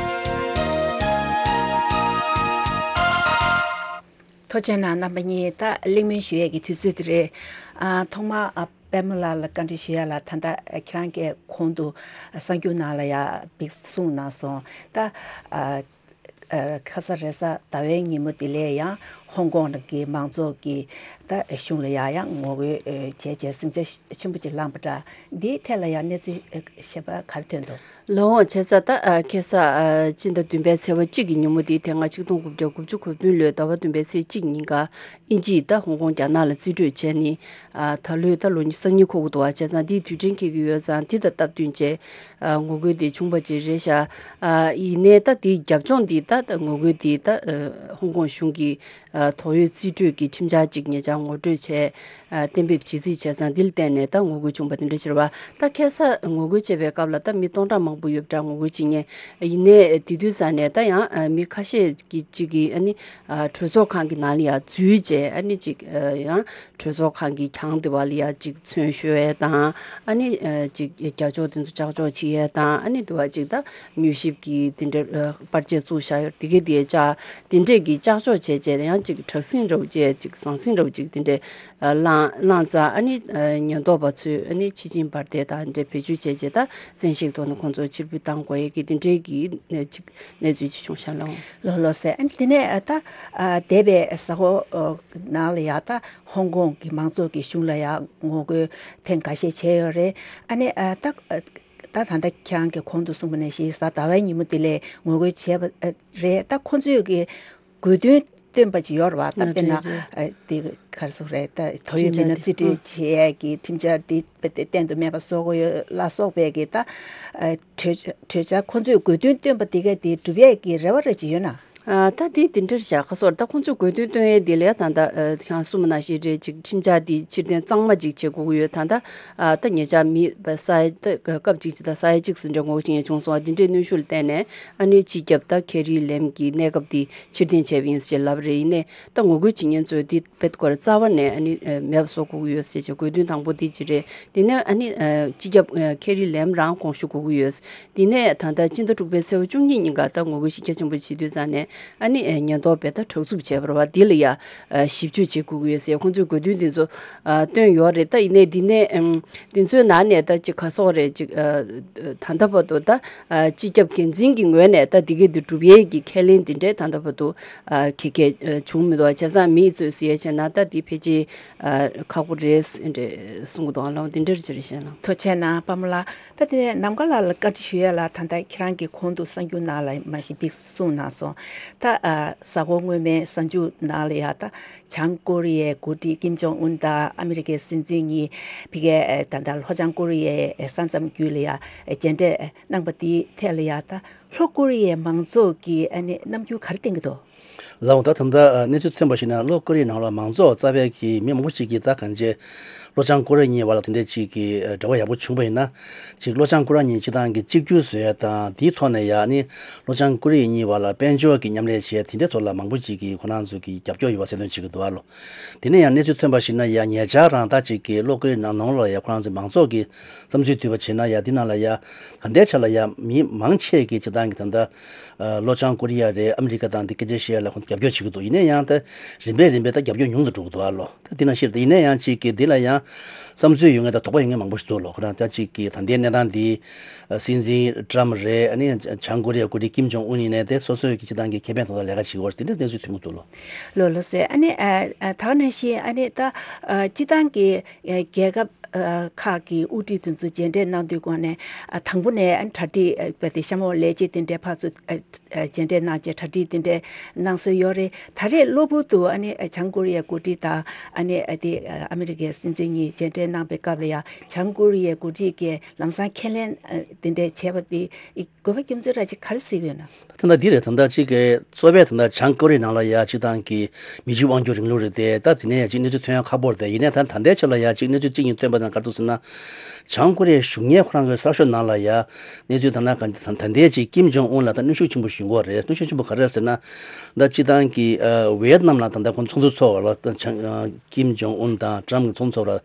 ཐུགས་རྗེ་གནང་རྣམ་པ་གཉིས། ད་གླེང་མོལ་ཞུ་ཡས་ཀྱི་དུས་ཚོད་དེ་རེད། ཨ། ཐོག་མར། ཨ། པད་མ་ལགས་ལ་བཀའ་འདྲི་ཞུ་ཡ་ལ། ད་ལྟ་ཁྱེད་རང་གིས་གོང་དུ་གསར་འགྱུར་ནང་ལ་ཡང་འབིགས་གསུངས་གནང་སོང་། ད་ཨ་ཨ་ཁ་ས་རེས་གཟའ་ཟླ་བའི་ཉིན་མོ་དེ་ལ་ཡང་ཧོང་ཀོང་གི་མང་ཚོགས་ཀྱིས་ད་གཞུང་ལ་ཡང་ཡང་ངོ་རྒོལ་བྱས་བྱས་ཟིང་ཆ་ཆེན་པོ་ཅིག་བསླངས་པ་འདྲ། འདིའི་ཐད་ལ་ཡང་གནས་ཚུལ་གཞན་པ་ག་རེ་ཐོན་འདུག། ལགས་འོང་། བྱས་ཙང་ད་ཨ་ཁ་སང་ཨ་སྤྱི་ཟླ་བདུན་པའི་ཚེས་པ་གཅིག་གི་ཉིན་མོ་དེ། དེ་སྔ་ཆིག་སྟོང་དགུ་བརྒྱ་དགུ་བཅུ་གོ་བདུན་ལོའི་ཟླ་བ་བདུན་པའི་ཚེས་གཅིག་ཉིན་ཀ། དབྱིན་ཇིས་ད་ཧོང་ཀོང་རྒྱ་ནག་ལ་རྩིས་སྤྲོད་བྱས་ནས། ཨ། ད་ལོའི་ད་ལོ་སང་ཉིན་འཁོར་གྱི་འདུག་པ། བྱས་ཙང་འདིའི་དུས་དྲན་འཁེལ་གྱི་ཡོད་ཙང་། འདི་དང་སྟབས་བསྟུན་བྱས། ཨ། ངོ་རྒོལ་དེ་བྱུང་བ་ཅིག་རེད་ཤག། ཨ། ཡིན་ནའི་ད་དེའི་རྒྱབ་ལྗོངས་འདི་ད་ད་ངོ་རྒོལ་འདི་ད་ཨ་ཧོང་ཀོང་གཞུང་གིས་ ཨ་ཐོ་ཡོད་རྩིས་སྤྲོད་ཀྱི་ཁྲིམས་འཆར་ཅིག་ཉེ་ཆར་ངོ་སྤྲོད་བྱས། ཨ་གཏན་འབེབས་བྱེད་རྩིས་བྱས་ཙང་འདི་ལ་བརྟེན་ནས་ད་ངོ་རྒོལ་བྱུང་བ་དེ་འདྲ་ཞིག་རེད་བ། ད་ཁ་སང་ངོ་རྒོལ་བྱས་པའི་སྐབས་ལ་ད་མི་སྟོང་ཕྲག་མང་པོ་ཡོད་པ་འདྲ་ངོ་རྒོལ་བྱེད་མཁན། ཡིན་ནའི་དེ་དུས་ཙང་ནས་ད་ཡང་ཨ་མི་ཁ་ཤས་ཀྱིས་ཅིག་གིས་ཨ་ནི་ཨ་གྲོས་ཚོགས་ཁང་གི་ནང་ལ་ཡང་འཛུལ་བྱས། ཨ་ནི་ཅིག་ཨ་ཡང་གྲོས་ཚོགས་ཁང་གི་གྱང་དེ་བ་ལ་ཡང་ཅིག་མཚོན་གཞོལ་ཡས་དང་། ཨ་ནི་ཨ་ཅིག་རྒྱག་ཕྱོགས་དེ་ཚོ་ལྕགས་ཕྱོགས་བྱེད་ཡས་དང་། ཨ་ནི་དེ་བ་ཅིག་ད་མྱུལ་ཞིབ་ཀྱི་དེ་འདྲ་ཨ་པར་ཆས་བཙུགས་བཞག་ཡོད་དེ་གའི་དེ་ལྕགས་དེ་འདྲས་ཀྱི་ལྕགས་ཕྱོགས་བྱས་བྱས། ཡང་ཅིག་དྲག་ཟིང་རབ་བྱས། ཅིག་ཟང་ཟིང་རབ་ཅིག་དེ་འདྲས་ཨ་བསླངས་བསླངས་ཙང་། ཨ་ནི་ཨ་ཉེན་རྟོག་པ་ཚོས་ཨ་ནི་ཕྱི་ཆིངས་འབར་མདེལ་དང་འདྲ་བེད་སྤྱོད་བྱས་བྱས། ད་བཙན་ཤེད་ཐོག་ནས་ཁོང་ཚོ་ཕྱིར་འབུད་བཏང་དགོས་ཡས་ཀྱི་དེ་འདྲའི་གི་ཨ་ཅིག་གནས་ཚུལ་ཅིག་བྱུང་ཤག་ལགས། ལགས་ལགས་སེ། ཨ་ནི་དེ་ནས་ཨ་ད་ཨ་འདས་པའི་གཟའ་འཁོར་ཨ་ནང་ལ་ཡ་ད་ཧོང་ཀོང་གི་མང་ཚོགས་ཀྱི་གཞུང་ལ་ཡ་ངོ་རྒོལ་ཐེངས་འགའ་ཤས་བྱས་ཡོད་རེད། ཨ་ནི་ཨ་ད་ཨ་ད་ད་ལྟ་ཁྱེད་རང་གིས་གོང་དུ་གསུངས་པ་ནང་བཞིན་གཟའ་ཟླ་བའི་ཉིན་མོ་དེ་ལ་ངོ་རྒོལ་བྱས་པ་ཨ་རེད། ད་ཁོང་ཚོས་ཀྱི་དགོས་འདུན་བཏོན་པ་ཅིག་ཡོད་རེད་བ། ད་ཨ་དཔེར་ན་རེད་རེད། ཨ་དེ་ག་རེ་ཟེར་དགོས་རེད། ད་ཐོ་ཡོད་ཁྲིམས་མི་སྣ་འཆར་དེ་རྩིས་སྤྲོད་ཨ་བྱེད་ཡས་ཀྱི་ཁྲིམས་འཆར་དེ་དཔེ་དེ་གཏན་དུ་མེད་པ་བཟོ་དགོས་ཡོད་ལ་སོགས་པའི་གི་ད་ཨ་གྲོས་གྲོས་འཆར་ཁོང་ཚོས་དགོས་འདུན་བཏོན་པ་དེ་ག་དེ་འགྲུབ་ཡས་ཀྱི་རེ་བ་རེ་ཅིག་ཡོད་ན། ཨ་ད་དེ་དེ་འདྲར་བཞག་ག་སོར་ད་ཁོང་ཚོས་དགོས་འདུན་བཏོན་ཡས་དེ་ལ་ད་ལྟ་ཨ་ཁྱེད་རང་གསུངས་པ་ནང་བཞིན་རེད། ཅིག་ཁྲིམས་འཆར་དེ་ཕྱིར་འཐེན་གཙང་མ་ཅིག་བྱེད་དགོས་ཀྱི་ཡོད། ད་ལྟ་ཨ་ད་ཉེ་ཆར་མི་ས་ཡ་ད་སྐབས་གཅིག་ཅིག་ད་ས་ཡ་གཅིག་ཙམ་འདྲ་ངོ་རྒོལ་བྱེད་མཁན་བྱུང་སོང་བ། དེ་འདྲའི་གནོན་ཤུགས་ལ་བརྟེན་ནས་ཨ་ནི་སྤྱི་ཁྱབ་ད་ཁེ་རི་ལེམ་གྱི་གནས་སྐབས་དེ་ཕྱིར་འཐེན་བྱས་པ་ཡིན་ཟེར་ལབ་རེད། ཡིན་ནའི་ད་ངོ་རྒོལ་བྱེད་མཁན་ཚོས་དེ་དཔེ་སྐོར་རྩ་བ་ནས་ཨ་ནི་ཨ་མེད་པ་བཟོ་དགོས་ཀྱི་ཡོད་ཟེར་བྱས། དགོས་འདུན་དང་པོ་དེ་ཅི་རེད། དེ་ནས་ཨ་ནི་ཨ་སྤྱི་ཁྱབ་ཨ་ཁེ་རི་ལེམ་རང་དགོངས་ཞུ་དགོས་ཀྱི་ཡོད། དེ་ནས་ད་ལྟ་སྤྱི་ཟླ་དྲུག་པའི་ཚེས་པ་བཅུ་གཉིས་ཉིན་ཀ་ད་ངོ་རྒོལ་གཞི་རྒྱ་ཆེན་པོ་བྱེད་དུས་ཙང་ནས་ཨ་ནི་ཨ་ཉེན་རྟོག་པས་ད་དྲག་འཛུགས་བྱས་པ་རེད་བ། འདི་ལ་ཡ་ཨ་ཞིབ་དཔྱོད་བྱེད་དགོས་ཀྱི་ཡོད་ཟེར་ཁོང་ཚོས་དགོས་འདུན་དེ་ཚོ་ཨ་བཏོན་ཡོད་རེད། ད་ཡིན་ནའི་འདི་ནས་ཨམ་དེ་ཚོའི་ནང་ནས་ད་ཅིག་ག་སོགས་རེད། ཅིག་ཨ་ད་ལྟ་བར་དུ་ད་ཨ་སྤྱི་ཁྱབ་འགན་འཛིན་གྱི་ངོས་ནས་ད་འདི་གའི་འདི་སྒྲུབ་ཡས་ཀྱི་ཁས་ལེན་འདི་འདྲའི་ད་ལྟ་བར་དུ་ཨ་ག་ག་ཨ་བྱུང་མི་འདུག་བྱས་ཙང་མི་ཚོས་ཟེར་ཡས་བྱས་ན་ད་འདི་ཕལ་ཆེར་ཨ་ཁག་པོ་རེད་ཟེར་འདྲ་གསུང་གི་འདུག་ཨ་ལགས། འདི་འདྲར་ཅི་རེད་ཤེས་ལགས། ཐུགས་རྗེ་གནང་པ་མོ་ལགས། ད་དེ་ནས་ནམ་མཁའ་ལགས་ལ་བཀའ་འདྲི་ཞུ་ཡས་ལ། ད་ལྟ་ཁྱེད་རང་གིས་གོང་དུ་གསར་འགྱུར་ནང་ལ་མ་གཞི་འདི་གསུངས་གནང་སོང་། ད་ཨ་གཟའ་འཁོར་སྔོན་མའི་གསར་འགྱུར་ནང་ལ་ཡ་ད་བྱང་ཀོ་རི་ཡའི་འགོ་ཁྲིད་ཀིམ་ཇོང་ཨུན་དང་ཨ་མི་རི་ཀའི་སྲིད་འཛིན་གཉིས་ཕ་གིའི་ཨ་ད་ལྟ་ལྷོ་བྱང་ཀོ་རི་ཡའི་ས་མཚམས་བརྒྱུད་ལ་ཡ་མཇལ་འཕྲད་གནང་པ་དེའི་ཐད་ལ་ཡ་ད་ལྷོ་ཀོ་རི་ཡའི་མང་ཚོགས་ཀྱིས་ཨ་ནི་རྣམ་འགྱུར་ག་རེ་བསྟན་གྱི་འདུག་ལགས་འོང་། ད་ད་ལྟ་གནས་ཚུལ་ཐོན་པར་གཞིགས་ན་ལྷོ་ཀོ་རི་ཡའི་ནང་ལ་མང་ཚོགས་རྩ་བའི་གི་མི་མང་པོ་ཞིག་གིས་ད་གང་ཅི་ལྷོ་བྱང་ཀོ་རི་ཡ་གཉིས་བར་ལ་དེ་འདྲའི་ཅིག་གི་འབྲེལ་བ་ཡག་པོ་བྱུང་བ་ཡིན་ན། ཅིག་ལྷོ་བྱང་ཀོ་རི་ཡ་གཉིས་སྤྱི་བཏང་གི་གཅིག་གྱུར་བཟོ་ཡ་དང་དེའི་ཐོག་ནས་ཡ་ནི་ལྷོ་བྱང་ཀོ་རི་ཡ་གཉིས་བར་ལ་དཔལ་འབྱོར་གྱི་མཉམ་ལས་བྱས། དེ་འདྲའི་ཐོག་ལ་མང་པོ་ཅིག་གིས་ཁོ་རང་ཚོ་གི་རྒྱབ་སྐྱོར་ཡོད་པ་གསལ་སྟོན་བྱེད་ཀྱི་འདུག་ཨ་ལོ། དེ་ནས་ཡང་གནས་ཚུལ་ཐོན་པར་གཞིགས་ན་ཡ་ཉེ་ཆར་རང་ད་ཅིག་གི་ལྷོ་ཀོ་རི་ཡ་ནང་ནང་ལ་ཡ་ཁོ་རང་ཚོའི་མང་ཚོགས་ཀྱི་བསམ་ཚུལ་བསྡུས་པ་བྱས་ན་ཡ་འདི་ནང་ལ་ཡ་ད་ལྟའི་ཆ་ལ་ཡ་མི་མང་ཆེ་གིས་སྤྱི་བཏང་གི་ད་ལྟ་ལྷོ་བྱང་ཀོ་རི་ཡ་རེད། ཨ་མི་རི་ཀ་དང་འདི་སྐད་ཆ་བཤད་ཡ་ལ་ཁོང་རྒྱབ་སྐྱོར་བྱེད་ཀྱི་འདུག་ཡིན་ན་ཡང་ད་རིམ་པས་རིམ་པས་ད་རྒྱབ་སྐྱོར་ཉུང་དུ་འགྲོ་གི་འདུག་ཨ་ལོ། ད་འདི་ནང་བཞིན་ད་ཡིན་ན་ཡང་ཅིག་གི་འདི་ལ་ཡང་བསམ་ཚུལ་ཡོད་མཁན་དང་དོགས་པ་ཡོད་མཁན་མང་པོ་ཞིག་འདུག་ལོ། ཁོ་རང་ད་ཅིག་གི་ད་ལྟའི་གནས་སྟངས་འདི་སྲིད་འཛིན་ཀྲམ་རེད། ཨ་ནི་བྱང་ཀོ་རི་ཡའི་འགོ་ཁྲིད་ཀིམ་ཇོང་ཨུན་ཡིན་ནའི་དེ་སོ་སོའི་གི་སྤྱི་བཏང་གི་ཁེ་ཕན་ཐོག་ལ་ལས་ཀ་བྱེད་ཀྱི་ཡོད་རེད། དེ་འདྲའི་གནས་ཚུལ་ཐོན་གྱི་འདུག་ལོ། ལོ་ལོ་ཟེར། ཨ་ནི་ཨ་ཨ་ད་ག་ནང་བཞིན་ཨ་ནི་ད་ཨ་སྤྱི་བཏང་གི་ཨ་རྒྱལ་ཁབ་ཨ་ཁག་གི་དབུ་ཁྲིད་དེ་ཚོ་མཇལ་འཕྲད་གནང་དུས་གོང་ནས་ཨ་དང་པོ་ནས་ཨ་གྲ་སྒྲིག་ཨ་དཔེ་དེ་གཤམ་འོག་ལས་བྱེད་དེ་འདྲའི་ཕར་ཚུར་ཨ་ཨ་མཇལ་འཕྲད་གནང་བྱས་གྲ་སྒྲིག་དེ་འདྲའི་གནང་སྲོལ་ཡོད་རེད། ད་རེས་གློ་བུར་དུ་ཨ་ནི་ཨ་བྱང་ཀོ་རི་ཡའི་འགོ་ཁྲིད་དང་ཨ་ནི་ཨ་དེ་ཨ་ཨ་མི་རི་ཀའི་སྲིད་འཛིན་གཉིས་མཇལ་འཕྲད་གནང་པའི་སྐབས་ལ་ཡ་བྱང་ཀོ་རི་ཡའི་འགོ་ཁྲིད་ཀྱིས་ལམ་སང་ཁས་ལེན་ཨ་དེ་འདྲའི་བྱས་པ་དེ་དགོས་པ་རྒྱུ་མཚན་ར་ཅིག་ག་རེ་གཟིགས་ཡོད་ན། ད་ལྟ་འདི་རེད། ད་ལྟ་གཅིག་གི་གཙོ་བོ་ད་ལྟ་བྱང་ཀོ་རི་ཡ་ནང་ལ་ཡ་གཅིག་དང་གི་མི་རྒྱུ་དབང་སྒྱུར་རིང་ལུགས་རེད་དེ། ད་དེ་ནས་ཡ་གཅིག་གནས་ཚུལ་ཐོན་ཡ་ཁག་པོ་རེད་དེ། ཡིན་ནའི་ད་ད་ལྟའི་ཆ་ལ་ཡ་གཅིག་གནས་ཚུལ་གཅིག་གཉིས་ཐོན་པ་དང་ག་རེ་འདུག་ཟེར་ན། བྱང་ཀོ་རི་ཡའི་གཞུང་གཉེར་ཁོ་རང་གི་གསར་ཤོག་ནང་ལ་ཡ་གནས་ཚུལ་ད་ལྟ་ག་ད་ད་ལྟའི་གཅིག་ཀིམ་ཇོང་ཨུན་ལ་ད་གནོན་ཤུགས་ཆེན་པོ་ཞིག་ཡོང་གི་རེད། གནོན་ཤུགས་ཆེན་པོ་ག་རེ་རེད་ཟེར་ན། ད་གཅིག་དང་གི་ཨ་ཝེ་ཡེད་ནམ་ལ་ད་ལྟ་ཁོང་ཚོགས་འདུ་ཚོགས་པ་ལ་ད་བྱང་ཀིམ་ཇོང་ཨུན་དང་ཀྲམ་གྱི་ཚོགས་འདུ་ཚོགས་པ་ལ་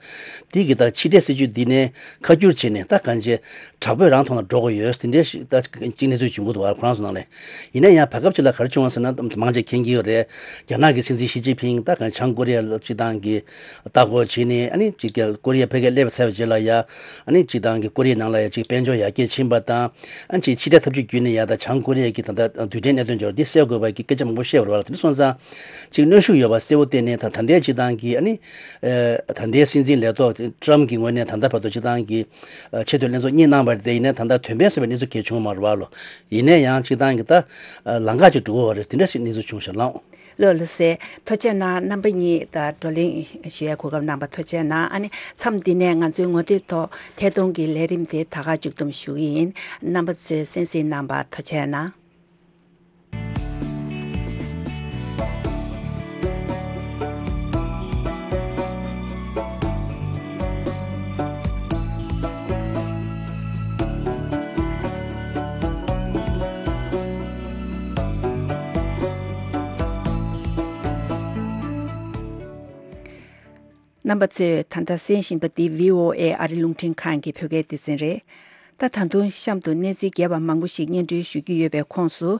དེ་གི་ད་ཕྱི་འབྲེལ་སྲིད་ཇུས་འདི་ནས་ཁ་བསྒྱུར་བྱས་ནས་ད་གང་ཅི། དྲག་པོས་རང་ཐོག་ལ་འགྲོ་དགོས་ཡོད། དེ་འདྲའི་ཞིག་ད་གཅིག་གནས་ཚུལ་བྱུང་གི་འདུག་བ། ཁོ་རང་ཚོ་ནང་ལ། ཡིན་ན་ཡང་བར་སྐབས་ཅིག་ལ་ག་རེ་བྱུང་བ་ཟེར་ན། མང་ཆེ་མཁྱེན་གྱི་ཡོད་རེད། རྒྱ་ནག་གི་སྲིད་འཛིན་ཞི་ཅིན་ཕིང་ད་གང་བྱང་ཀོ་རི་ཡ་ལ་སྤྱི་བཏང་གི་ལྟ་སྐོར་བྱས་ནས། ཨ་ནི་ཅིག་ཀོ་རི་ཡ་ཕ་གིར་སླེབས་ཚར་བའི་རྗེས་ལ་ཡ། ཨ་ནི་སྤྱི་བཏང་གི་ཀོ་རི་ཡའི་ནང་ལ་ཡ་ཅིག་དཔལ་འབྱོར་ཡར་རྒྱས་ཕྱིན་པ་དང་། ཨ་ནི་ཅིག་ཕྱི་འབྲེལ་ཐབས་ཇུས་བརྒྱུད་ནས་ཡ་ད་བྱང་ཀོ་རི་ཡ་གི་ད་ལྟ་རྡུལ་ཕྲན་གནད་དོན་འབྱོར་འདི་སེལ་དགོས་པ་གི་སྐད་ཆ་མང་པོ་བཤད་པ་རེད་བ། དེ་འདྲ་སོང་ཙང་ཅིག་གནོན་ཤུགས་ཡོད་པ་གསལ་བོ་བསྟན་ནས། ད་ད་ལྟའི་སྤྱི་བཏང་གི་ཨ་ནི་ཨ་ད་ལྟའི་སྲིད་འཛིན་ལས་ཐོག་ཀྲམ་གྱི་ངོས་ནས་ད་ལྟ་བར་དུ་སྤྱི་བཏང་གི་ཆེས་མཐོའི་ལྷན་ཚོགས་གཉིས་གནང་བ་རེད་དེ། ཡིན་ནའི་ད་ལྟ་དོན་ཕན་གསོས་པའི་གནས་ཚུལ་གང་ཡང་བྱུང་མ་རེད་བ་ལོ། ཡིན་ནའི་ཡང་སྤྱི་བཏང་གི་ད་ལམ་ཁ་ཅིག་འགྲོ་དགོས་པ་རེད། དེ་འདྲ་ཞིག་གནས་ཚུལ་བྱུང་ཤག་ལགས། ལགས་ལགས་སེ། ཐུགས་རྗེ་གནང་། རྣམ་པ་གཉིས་ད་བགྲོ་གླེང་ཞུ་ཡའི་གོ་སྐབས་གནང་བ་ཐུགས་རྗེ་གནང་། ཨ་ནི་མཚམས་འདི་ནས་ང་ཚོའི་ངོ་དེབ་ཐོག་ཐད་གཏོང་གི་ལས་རིམ་དེ་ད་ག་མཇུག་བསྡོམས་ཞུ་གི་ཡིན། རྣམ་པ་ཚོས་གསན་གཟིགས་གནང་བ་ཐུགས་རྗེ་གནང་། རྣམ་པ་ཚོས་ད་ལྟ་གསན་བཞིན་པ་འདི་བྷི་ཨོ་ཨེ་ཨ་རི་རླུང་འཕྲིན་ཁང་གི་བོད་སྐད་སྡེ་ཚན་རེད། ད་ད་དུང་གཤམ་དུ་གནས་ཚུལ་རྒྱས་པ་མང་པོ་ཞིག་སྙན་སྒྲོན་ཞུ་རྒྱུ་ཡོད་པའི་ཁོངས་སུ།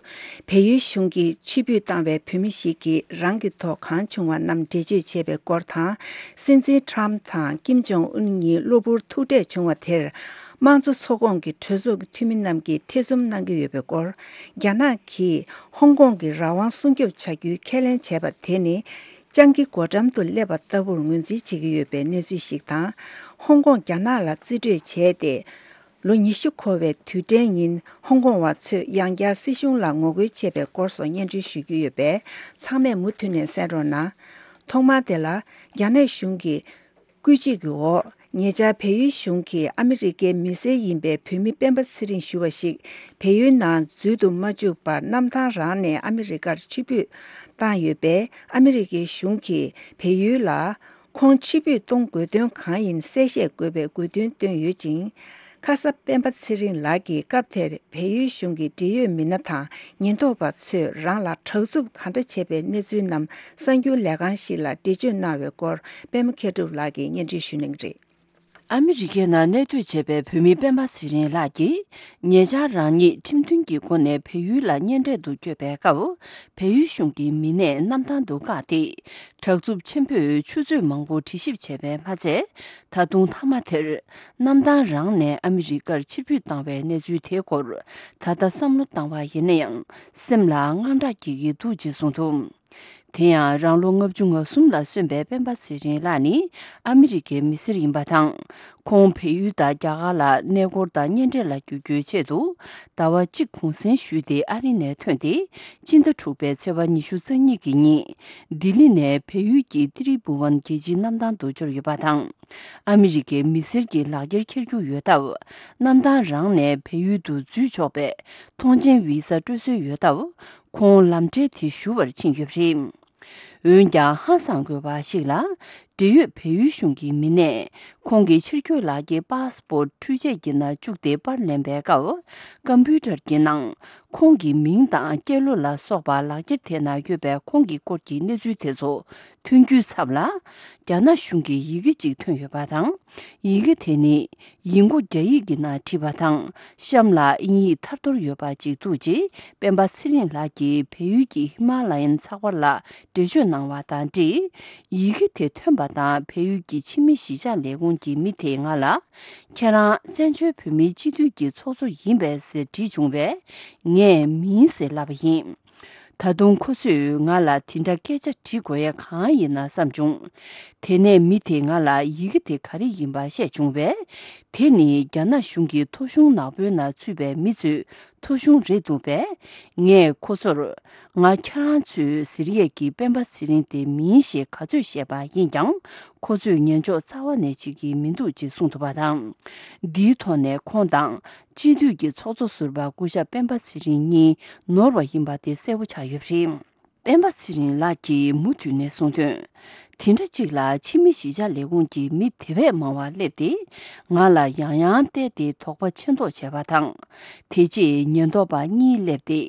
བལ་ཡུལ་གཞུང་གིས་ཕྱིར་འབུད་བཏང་བའི་བོད་མི་ཞིག་གིས་རང་གི་ཐོག་གང་བྱུང་བ་རྣམས་འགྲེལ་བརྗོད་བྱས་པའི་སྐོར་དང་། སྲིད་འཛིན་ཁྲམ་དང་ཀིམ་ཇོང་ཨུན་གཉིས་གློ་བུར་ཐུག་འཕྲད་བྱུང་བ་དེར། དམངས་གཙོ་ཚོགས་ཁོངས་ཀྱི་གྲོས་ཚོགས་ཀྱི་འཐུས་མི་རྣམས་ཀྱིས་ཐེ་ཚོམ་གནང་གི་ཡོད་པའི་སྐོར། རྒྱ་ནག་གིས་ཧོང་ཀོང་གི་རང་དབང་སྲུང་སྐྱོབ་བྱ་རྒྱུའི་ཁས་ལེན་བྱས་པ་དེ་ནི། སྤྱང་ཀི་སྒོ་འགྲམ་དུ་སླེབས་པ་ལྟ་བུར་ངོས་འཛིན་བྱེད་ཀྱི་ཡོད་པའི་གནས་ཚུལ་ཞིག་དང་། ཧོང་ཀོང་རྒྱ་ནག་ལ་རྩིས་སྤྲོད་བྱས་ཏེ། ལོ་ཉི་ཤུ་འཁོར་བའི་དུས་དྲན་ཉིན་ཧོང་ཀོང་བ་ཚོས་ཡང་བསྐྱར་སྲིད་གཞུང་ལ་ངོ་རྒོལ་བྱས་པའི་སྐོར་སོགས་སྙན་སྒྲོན་ཞུ་རྒྱུ་ཡོད་པས། ཚང་མས་མུ་མཐུད་ནས་གསན་རོགས་གནང་། ཐོག་མར་དེ་ལ། རྒྱ་ནག་གཞུང་གི་བཀོད་སྒྲིག་གི་འོག་ཉེ་ཆར་བལ་ཡུལ་གཞུང་གིས་ཨ་མི་རི་ཀའི་མི་སེར་ཡིན་པའི་བོད་མི་སྤེན་པ་ཚེ་རིང་ཞུ་བ་ཞིག་བལ་ཡུལ་ནང་འཛུལ་དུ་མ་བཅུག་པར་གནམ་ཐང་རང་ནས་ཨ་མི་རི་ཀར་ཕྱིར་འབུད་བཏང་ཡོད་པས། ཨ་མི་རི་ཀའི་གཞུང་གིས་བལ་ཡུལ་ལ་ཁོང་ཕྱིར་འབུད་གཏོང་དགོས་དོན་གང་ཡིན་གསལ་བཤད་དགོས་པའི་དགོས་འདུན་བཏོན་ཡོད་ཅིང་། ཁ་ས་སྤེན་པ་ཚེ་རིང་ལགས་ཀྱིས་སྐབས་དེར་བལ་ཡུལ་གཞུང་གི་འབྲེལ་ཡོད་མི་སྣ་དང་ཉེན་རྟོག་པ་ཚོས་རང་ལ་དྲག་རྩུབ་གང་འདྲ་བྱས་པའི་གནས་ཚུལ་རྣམས་གསར་འགྱུར་ལས་ཁང་ཞིག་ལ་འགྲེལ་བརྗོད་གནང་བའི་སྐོར། པད་མ་མཁས་གྲུབ་ལགས་ཀྱིས་སྙན་སྒྲོན་ཞུ་གནང་གི་རེད། ཨ་མི་རི་ཀའི་ནང་གནས་སྡོད་བྱས་པའི་བོད་མི་སྤེན་པ་ཚེ་རིང་ལགས་ཀྱིས། ཉེ་ཆར་རང་ཉིད་ཁྲིམས་མཐུན་གྱི་སྒོ་ནས་བལ་ཡུལ་ལ་གཉེན་འཕྲད་དུ་བསྐྱོད་པའི་སྐབས། བལ་ཡུལ་གཞུང་གི་མི་སྣས་གནམ་ཐང་དུ་བཀག་སྟེ། དྲག་རྩུབ་ཆེན་པོས་ཆུ་ཚོད་མང་པོ་དྲི་ཞིབ་བྱས་པས་མ་ཚད། ད་དུང་མཐའ་མ་དེར། གནམ་ཐང་རང་ནས་ཨ་མི་རི་ཀར་ཕྱིར་འབུད་བཏང་བའི་གནས་ཚུལ་དེའི་སྐོར། ད་ལྟ་བསམ་བློ་བཏང་བ་ཡིན་ན་ཡང་། སེམས་ལ་དངངས་སྐྲག་སྐྱེ་གི་འདུག་ཅེས་གསུངས་འདུག་དེ་ཡང་རང་ལོ་ལྔ་བཅུ་ང་གསུམ་ལ་སོན་པའི་སྤེན་པ་ཚེ་རིང་ལགས་ནི་ཨ་མི་རི་ཀའི་མི་སེར་ཡིན་པ་དང་། ཁོང་བལ་ཡུལ་དང་རྒྱ་གར་ལ་གནས་སྐོར་དང་གཉེན་འཕྲད་ལ་བསྐྱོད་རྒྱུའི་ཆེད་དུ། ཟླ་བ་གཅིག་གུང་སེང་ཞུས་ཏེ་ཨ་རི་ནས་ཐོན་ཏེ། སྤྱི་ཟླ་དྲུག་པའི་ཚེས་པ་ཉི་ཤུ་རྩ་གཉིས་ཀྱི་ཉིན། ལྡི་ལི་ནས་བལ་ཡུལ་གྱི་ཏི་རི་བུ་ཝན་རྒྱལ་སྤྱིའི་གནམ་ཐང་དུ་འབྱོར་ཡོད་པ་དང་། ཨ་མི་རི་ཀའི་མི་སེར་གྱི་ལག་འཁྱེར་འཁྱེར་རྒྱུ་ཡོད་སྟབས། གནམ་ཐང་རང་ནས་བལ་ཡུལ་དུ་འཛུལ་ཆོག་པའི་ཐོངས་མཆན་བི་ས་སྤྲོད་སྲོལ་ཡོད་སྟབས། ཁོང་ལམ་འཕྲལ་དེ་ཞུ་བར་ཕྱིན་ཡོད་པ་རེད། འོན་ཀྱང་ཧང་སང་དགོས་པ་ཞིག་ལ། འབྲེལ་ཡོད་བལ་ཡུལ་གཞུང་གི་མི་སྣས་ཁོང་གི་ཕྱིར་སྐྱོད་ལག་འཁྱེར་པཱ་སི་པོར་ཊི་འཕྲུལ་ཆས་ཀྱི་ནང་བཅུག་སྟེ་པར་ལེན་པའི་སྐབས། ཀམ་པུ་ཊར་གྱི་ནང་ཁོང་གི་མིང་དང་སྐྱེས་ལོ་ལ་སོགས་པ་ལག་འཁྱེར་དེ་ནང་ཡོད་པའི་ཁོང་གི་སྐོར་གྱི་གནས་ཚུལ་དེ་ཚོ་ཐོན་རྒྱུའི་ཚབ་ལ། རྒྱ་ནག་གཞུང་གི་ཡི་གེ་གཅིག་ཐོན་ཡོད་པ་དང་། ཡི་གེ་དེ་ནི། ཡིག་མགོ་རྒྱ་ཡིག་གི་ནང་བྲིས་པ་དང་གཤམ་ལ་དབྱིན་ཡིག་ཐར་ཐོར་ཡོད་པ་ཅིག་འདུག་ཅེས་སྤེན་པ་ཚེ་རིང་ལགས་ཀྱིས་བལ་ཡུལ་གྱི་ཧི་མ་ལ་ཡན་ཚགས་པར་ལ་འགྲེལ་བརྗོད་གནང་བ་དང་འབྲེལ། ཡི་གེ་དེ་ཐོན་པ་དང་བལ་ཡུལ་གྱི་ཕྱི་མི་གཞིས་ཆགས་ལས་ཁུངས་ཀྱི་མི་དེས་ང་ལ། ཁྱེད་རང་བཙན་བྱོལ་བོད་མིའི་སྤྱི་འཐུས་ཀྱི་ཚོགས་གཙོ་ཡིན་པས་ཟེར་དྲིས་བྱུང་བས། ངས་མིན་ཟེར་ལབ་པ་ཡིན། ད་དུང་ཁོ་ཚོས་ང་ལ་དེ་འདྲ་སྐད་ཆ་དྲི་དགོས་ཡ་གང་ཡིན་ན་བསམ་བྱུང་། དེ་ནས་མི་དེས་ང་ལ་ཡི་གེ་དེ་ག་རེ་ཡིན་པ་བཤད་བྱུང་བས། དེ་ནི་རྒྱ་ནག་གཞུང་གི་ཐོ་གཞུང་ནག་པོའི་ནང་ཚུད་པའི་མི་ཚོའི་ཐོ་གཞུང་རེད་འདུག་པས། ངས་ཁོ་ཚོར། ང་ཁྱེད་རང་ཚོའི་ཟེར་ཡས་ཀྱི་སྤེན་པ་ཚེ་རིང་དེ་མིན་ཞེས་ག་ཚོད་བཤད་པ་ཡིན་ཀྱང་། ཁོ་ཚོས་ཉན་འཇོག་རྩ་བ་ནས་བྱེད་ཀྱི་མི་འདུག་ཅེས་གསུངས་འདུག་པ་དང་། འདིའི་ཐོག་ནས་ཁོང་དང་། སྤྱི་འཐུས་ཀྱི་ཚོགས་གཙོ་ཟུར་པ་སྐུ་ཞབས་སྤེན་པ་ཚེ་རིང་གཉིས་ནོར་བ་ཡིན་པ་དེ་གསལ་པོ་ཆགས་ཡོད་པ་རེད། སྤེན་པ་ཚེ་རིང་ལགས་ཀྱིས་མུ་མཐུད་ནས་གསུངས་དོན། དེ་འདྲ་གཅིག་ལ་ཕྱི་མི་གཞིས་ཆགས་ལས་ཁུངས་ཀྱི་མི་དེ་བས་མང་བ་སླེབས་ཏེ། ང་ལ་ཡང་ཡང་བལྟས་ཏེ་དོགས་པ་ཆེ་མདོག་བྱས་པ་དང་། དེ་རྗེས་ཉེན་རྟོག་པ་གཉིས་སླེབས་ཏེ།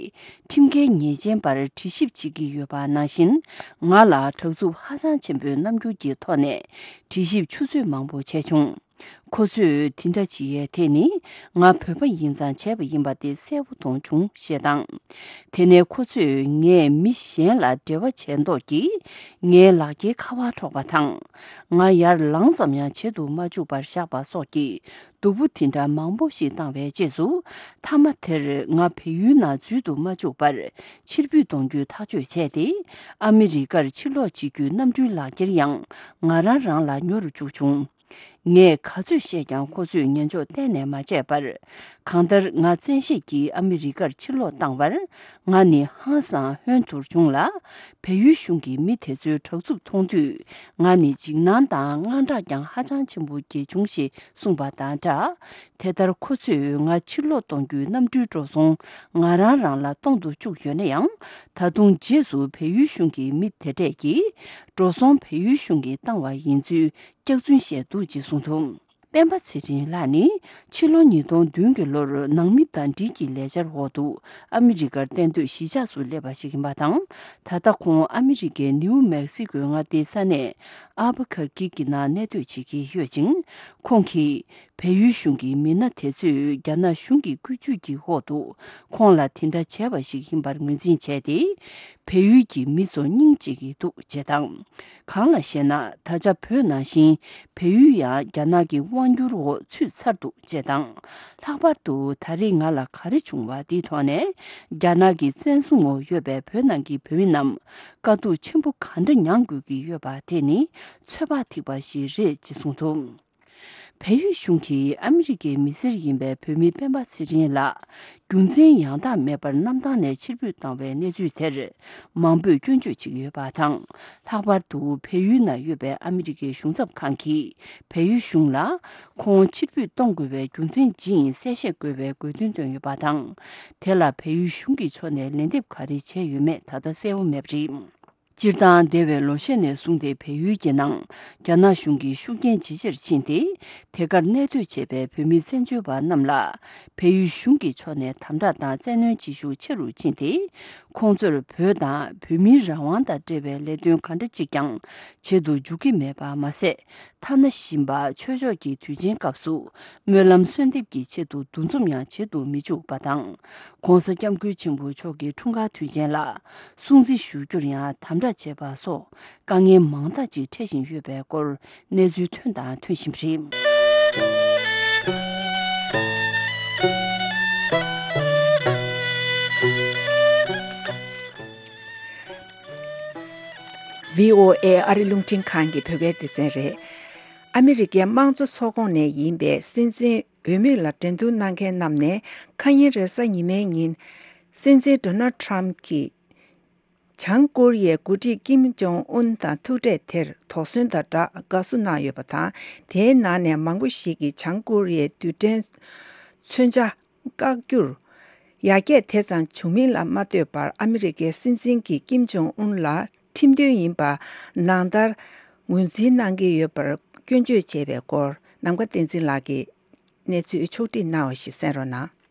ཁྲིམས་འགལ་ཉེས་ཅན་པར་དྲི་ཞིབ་བྱེད་ཀྱི་ཡོད་པ་ནང་བཞིན། ང་ལ་དྲག་རྩུབ་ཧ་ཅང་ཆེན་པོའི་རྣམ་འགྱུར་གྱི་ཐོག་ནས་དྲི་ཞིབ་ཆུ་ཚོད་མང་པོ་བྱས་བྱུང་། ཁོ་ཚོས་དེ་འདྲ་བྱེད་ཡས་དེ་ནི་ང་བོད་པ་ཡིན་ཙང་བྱས་པ་ཡིན་པ་དེ་གསལ་པོ་མཐོང་བྱུང་ཞེས་དང་། དེ་ནས་ཁོ་ཚོས་ངས་མི་གཞན་ལ་འབྲེལ་བ་བྱས་མདོག་གིས་ངའི་ལག་འཁྱེར་ཁ་པར་འཕྲོག་པ་དང་། ང་ཡར་ལངས་ཙམ་ཡང་བྱེད་དུ་མ་བཅུག་པར་བཞག་པ་སོགས་ཀྱི་སྡུག་པོ་དེ་འདྲ་མང་པོ་ཞིག་བཏང་བའི་རྗེས་སུ། མཐའ་མ་དེར་ང་བལ་ཡུལ་ནང་འཛུལ་དུ་མ་བཅུག་པར་ཕྱིར་འབུད་གཏོང་རྒྱུའི་ཐག་གཅོད་བྱས་ཏེ། ཨ་མི་རི་ཀར་ཕྱིར་ལོག་བྱེད་རྒྱུའི་གནམ་གྲུའི་ལག་འཁྱེར་ཡང་ང་རང་རང་ལ་ཉོ་རུ་བཅུག་བྱུང་། ངས་ག་ཚོད་བཤད་ཀྱང་ཁོ་ཚོས་ཉན་འཇོག་གཏན་ནས་མ་བྱས་པར། གང་ལྟར་ང་བཙན་ཤེད་ཀྱིས་ཨ་མི་རི་ཀར་ཕྱིར་ལོག་བཏང་བར། ང་ནི་ཧང་སང་ཧོན་ཐུར་བྱུང་ལ། བལ་ཡུལ་གཞུང་གི་མི་དེ་ཚོའི་དྲག་རྩུབ་མཐོང་དུས། ང་ནི་འཇིགས་སྣང་དང་དངངས་སྐྲག་ཀྱང་ཧ་ཅང་ཆེན་པོ་སྐྱེས་བྱུང་ཞེས་གསུངས་པ་དང་སྦྲགས། དེ་ལྟར་ཁོ་ཚོས་ང་ཕྱིར་ལོག་གཏོང་རྒྱུའི་གནམ་གྲུའི་འགྲོ་སོང་ང་རང་རང་ལ་གཏོང་དུ་བཅུག་ཡོད་ན་ཡང་། ད་དུང་རྗེས་སུ་བལ་ཡུལ་གཞུང་གི་མི་དེ་གྲས་ཀྱིས། འགྲོ་སོང་བལ་ཡུལ་གཞུང་གིས་བཏང་བ་ཡིན་ཚུལ། སྐྱག་རྫུན་བཤད་འདུག་ཅེས་གསུངས་འདུག་སྤེན་པ་ཚེ་རིང་ལགས་ནི་ཕྱི་ལོ་ཉིས་སྟོང་བདུན་གྱི་ལོར་ནང་མི་དང་འབྲེལ་གྱི་ལས་འཆར་འོག་ཏུ་ཨ་མི་རི་ཀར་གཏན་སྡོད་གཞིས་ཆགས་སུ་སླེབས་པ་ཞིག་ཡིན་པ་དང་། ད་ལྟ་ཁོང་ཨ་མི་རི་ཀའི་ནིའུ་མེག་སི་ཀོའི་མངའ་སྡེའི་ས་གནས་ཨལ་བྷ་ཁར་ཀི་གི་ནང་གནས་སྡོད་བྱེད་ཀྱི་ཡོད་ཅིང་། ཁོང་གིས་བལ་ཡུལ་གཞུང་གི་མི་སྣ་དེ་ཚོས་རྒྱ་ནག་གཞུང་གི་བཀོད་ཇུས་ཀྱི་འོག་ཏུ་ཁོང་ལ་དེ་འདྲ་བྱས་པ་ཞིག་ཡིན་པར་ངོས་འཛིན་བྱས་ཏེ། བལ་ཡུལ་གྱི་མི་ཚོ་སྙིང་རྗེ་གི་འདུག་ཅེས་དང་། གང་ལ་ཞེ་ན། ད་ཆ་བོད་ནང་བཞིན་བལ་ཡུལ་ཡང་རྒྱ་ནག་གི་དབང་སྒྱུར་འོག་ཚུད་ཚར་འདུག་ཅེས་དང་། ལྷག་པར་དུ་ད་རེས་ང་ལ་ག་རེ་བྱུང་བ་འདིའི་ཐོག་ནས། རྒྱ་ནག་གི་བཙན་བཟུང་འོག་ཡོད་པའི་བོད་ནང་གི་བོད་མི་རྣམས་དཀའ་སྡུག་ཆེན་པོ་ག་འདྲ་མྱངས་དགོས་ཀྱི་ཡོད་པ་དེ་ནི་ཚོད་དཔག་ཐིག་པ་ཞིག་རེད་ཅེས་གསུངས་འདུག་བལ་ཡུལ་གཞུང་གིས་ཨ་མི་རི་ཀའི་མི་སེར་ཡིན་པའི་བོད་མི་སྤེན་པ་ཚེ་རིང་ལ་རྒྱུ་མཚན་ཡང་དག་མེད་པར་གནམ་ཐང་ནས་ཕྱིར་འབུད་བཏང་བའི་གནས་ཚུལ་དེར་མང་པོས་སྐྱོན་བརྗོད་བྱེད་ཀྱི་ཡོད་པ་དང་། ལྷག་པར་དུ་བལ་ཡུལ་ནང་ཡོད་པའི་ཨ་མི་རི་ཀའི་གཞུང་ཚབ་ཁང་གིས་བལ་ཡུལ་གཞུང་ལ་ཁོང་ཕྱིར་འབུད་གཏོང་དགོས་པའི་རྒྱུ་མཚན་ཇི་ཡིན་གསལ་བཤད་དགོས་པའི་དགོས་འདུན་བཏོན་ཡོད་པ་དང་། དེ་ལ་བལ་ཡུལ་གཞུང་གི་ཕྱོགས་ནས་ལན་འདེབས་ག་རེ་བྱས་ཡོད་མེད་ད་ལྟ་གསལ་པོ་མེད་པ་རེད། སྤྱིར་བཏང་འདས་པའི་ལོ་ཤས་ནས་བཟུང་སྟེ་བལ་ཡུལ་གྱི་ནང་རྒྱ་ནག་གཞུང་གིས་ཤུགས་རྐྱེན་ཇེ་ཆེར་ཕྱིན་ཏེ། དེ་གར་གནས་སྡོད་བྱེད་པའི་བོད་མི་བཙན་བྱོལ་བ་རྣམས་ལ་བལ་ཡུལ་གཞུང་གི་ཕྱོགས་ནས་དམ་དྲག་དང་བཙན་གནོན་བྱེད་ཤུགས་ཆེ་རུ་ཕྱིན་ཏེ། ཁོང་ཚོར་བོད་དང་བོད་མིའི་རང་དབང་དང་འབྲེལ་བའི་ལས་དོན་ག་འདྲ་གཅིག་ཀྱང་བྱེད་དུ་འཇུག་གི་མེད་པ་མ་ཟད། ཐ་ན་ཞིང་པ་ཆོས་ཕྱོགས་ཀྱི་དུས་ཆེན་སྐབས་སུ་སྨོན་ལམ་གསོལ་འདེབས་ཀྱི་ཆེད་དུ་འདུ་འཛོམས་ཡང་བྱེད་དུ་མི་འཇུག་པ་དང་། ྋགོང་ས་ྋསྐྱབས་མགོན་ཆེན་པོ་མཆོག་གི་འཁྲུངས་སྐར་དུས་ཆེན་ལ་སྲུང་བརྩི་ཞུ་རྒྱུར་ཡང་དམ་དྲག་བྱེད་པ་སོགས་དཀའ་ངལ་མང་དག་ཅིག་འཕྲད་བཞིན་ཡོད་པའི་སྐོར་གནས་ཚུལ་ཐོན་དང་ཐོན་བཞིན་པ་རེད། ཝི་ཨོ་ཨེ་ཨ་རི་རླུང་འཕྲིན་ཁང་གི་བོད་སྐད་སྡེ་ཚན་རེད། ཨ་མི་རི་ཀའི་དམངས་གཙོ་ཚོགས་ཁོངས་ནས་ཡིན་པའི་སྲིད་འཛིན་འོས་མི་ལ་འགྲན་བསྡུར་གནང་མཁན་རྣམས་ནས་ཁ་ཉིན་རེས་གཟའ་ཉི་མའི་ཉིན། སྲིད་འཛིན་ཌོ་ནལ་ཊམ་གྱིས་བྱང་ཀོ་རི་ཡའི་འགོ་ཁྲིད་ཀིམ་ཇོང་ཨུན་དང་ཐུག་འཕྲད་དེར་དོགས་ཟོན་དང་སྦྲགས་དགའ་བསུ་གནང་ཡོད་པ་དང་། དེའི་ནང་ནས་མང་པོ་ཞིག་གིས་བྱང་ཀོ་རི་ཡའི་རྡུལ་ཕྲན་མཚོན་ཆ་བཀག་རྒྱུར་ཡར་རྒྱས་དེ་ཙམ་བྱུང་མིན་ལ་མ་ལྟོས་པར། ཨ་མི་རི་ཀའི་སྲིད་འཛིན་གྱིས་ཀིམ་ཇོང་ཨུན་ལ་ཁྲིམས་མཐུན་ཡིན་པ་ནང་ལྟར་ངོས་འཛིན་གནང་གི་ཡོད་པར་སྐྱོན་བརྗོད་བྱས་པའི་སྐོར། ནམ་མཁའ་བསྟན་འཛིན་ལགས་ཀྱིས་གནས་ཚུལ་ཕྱོགས་བསྒྲིགས་གནང་བ་ཞིག་གསན་རོགས་གནང་།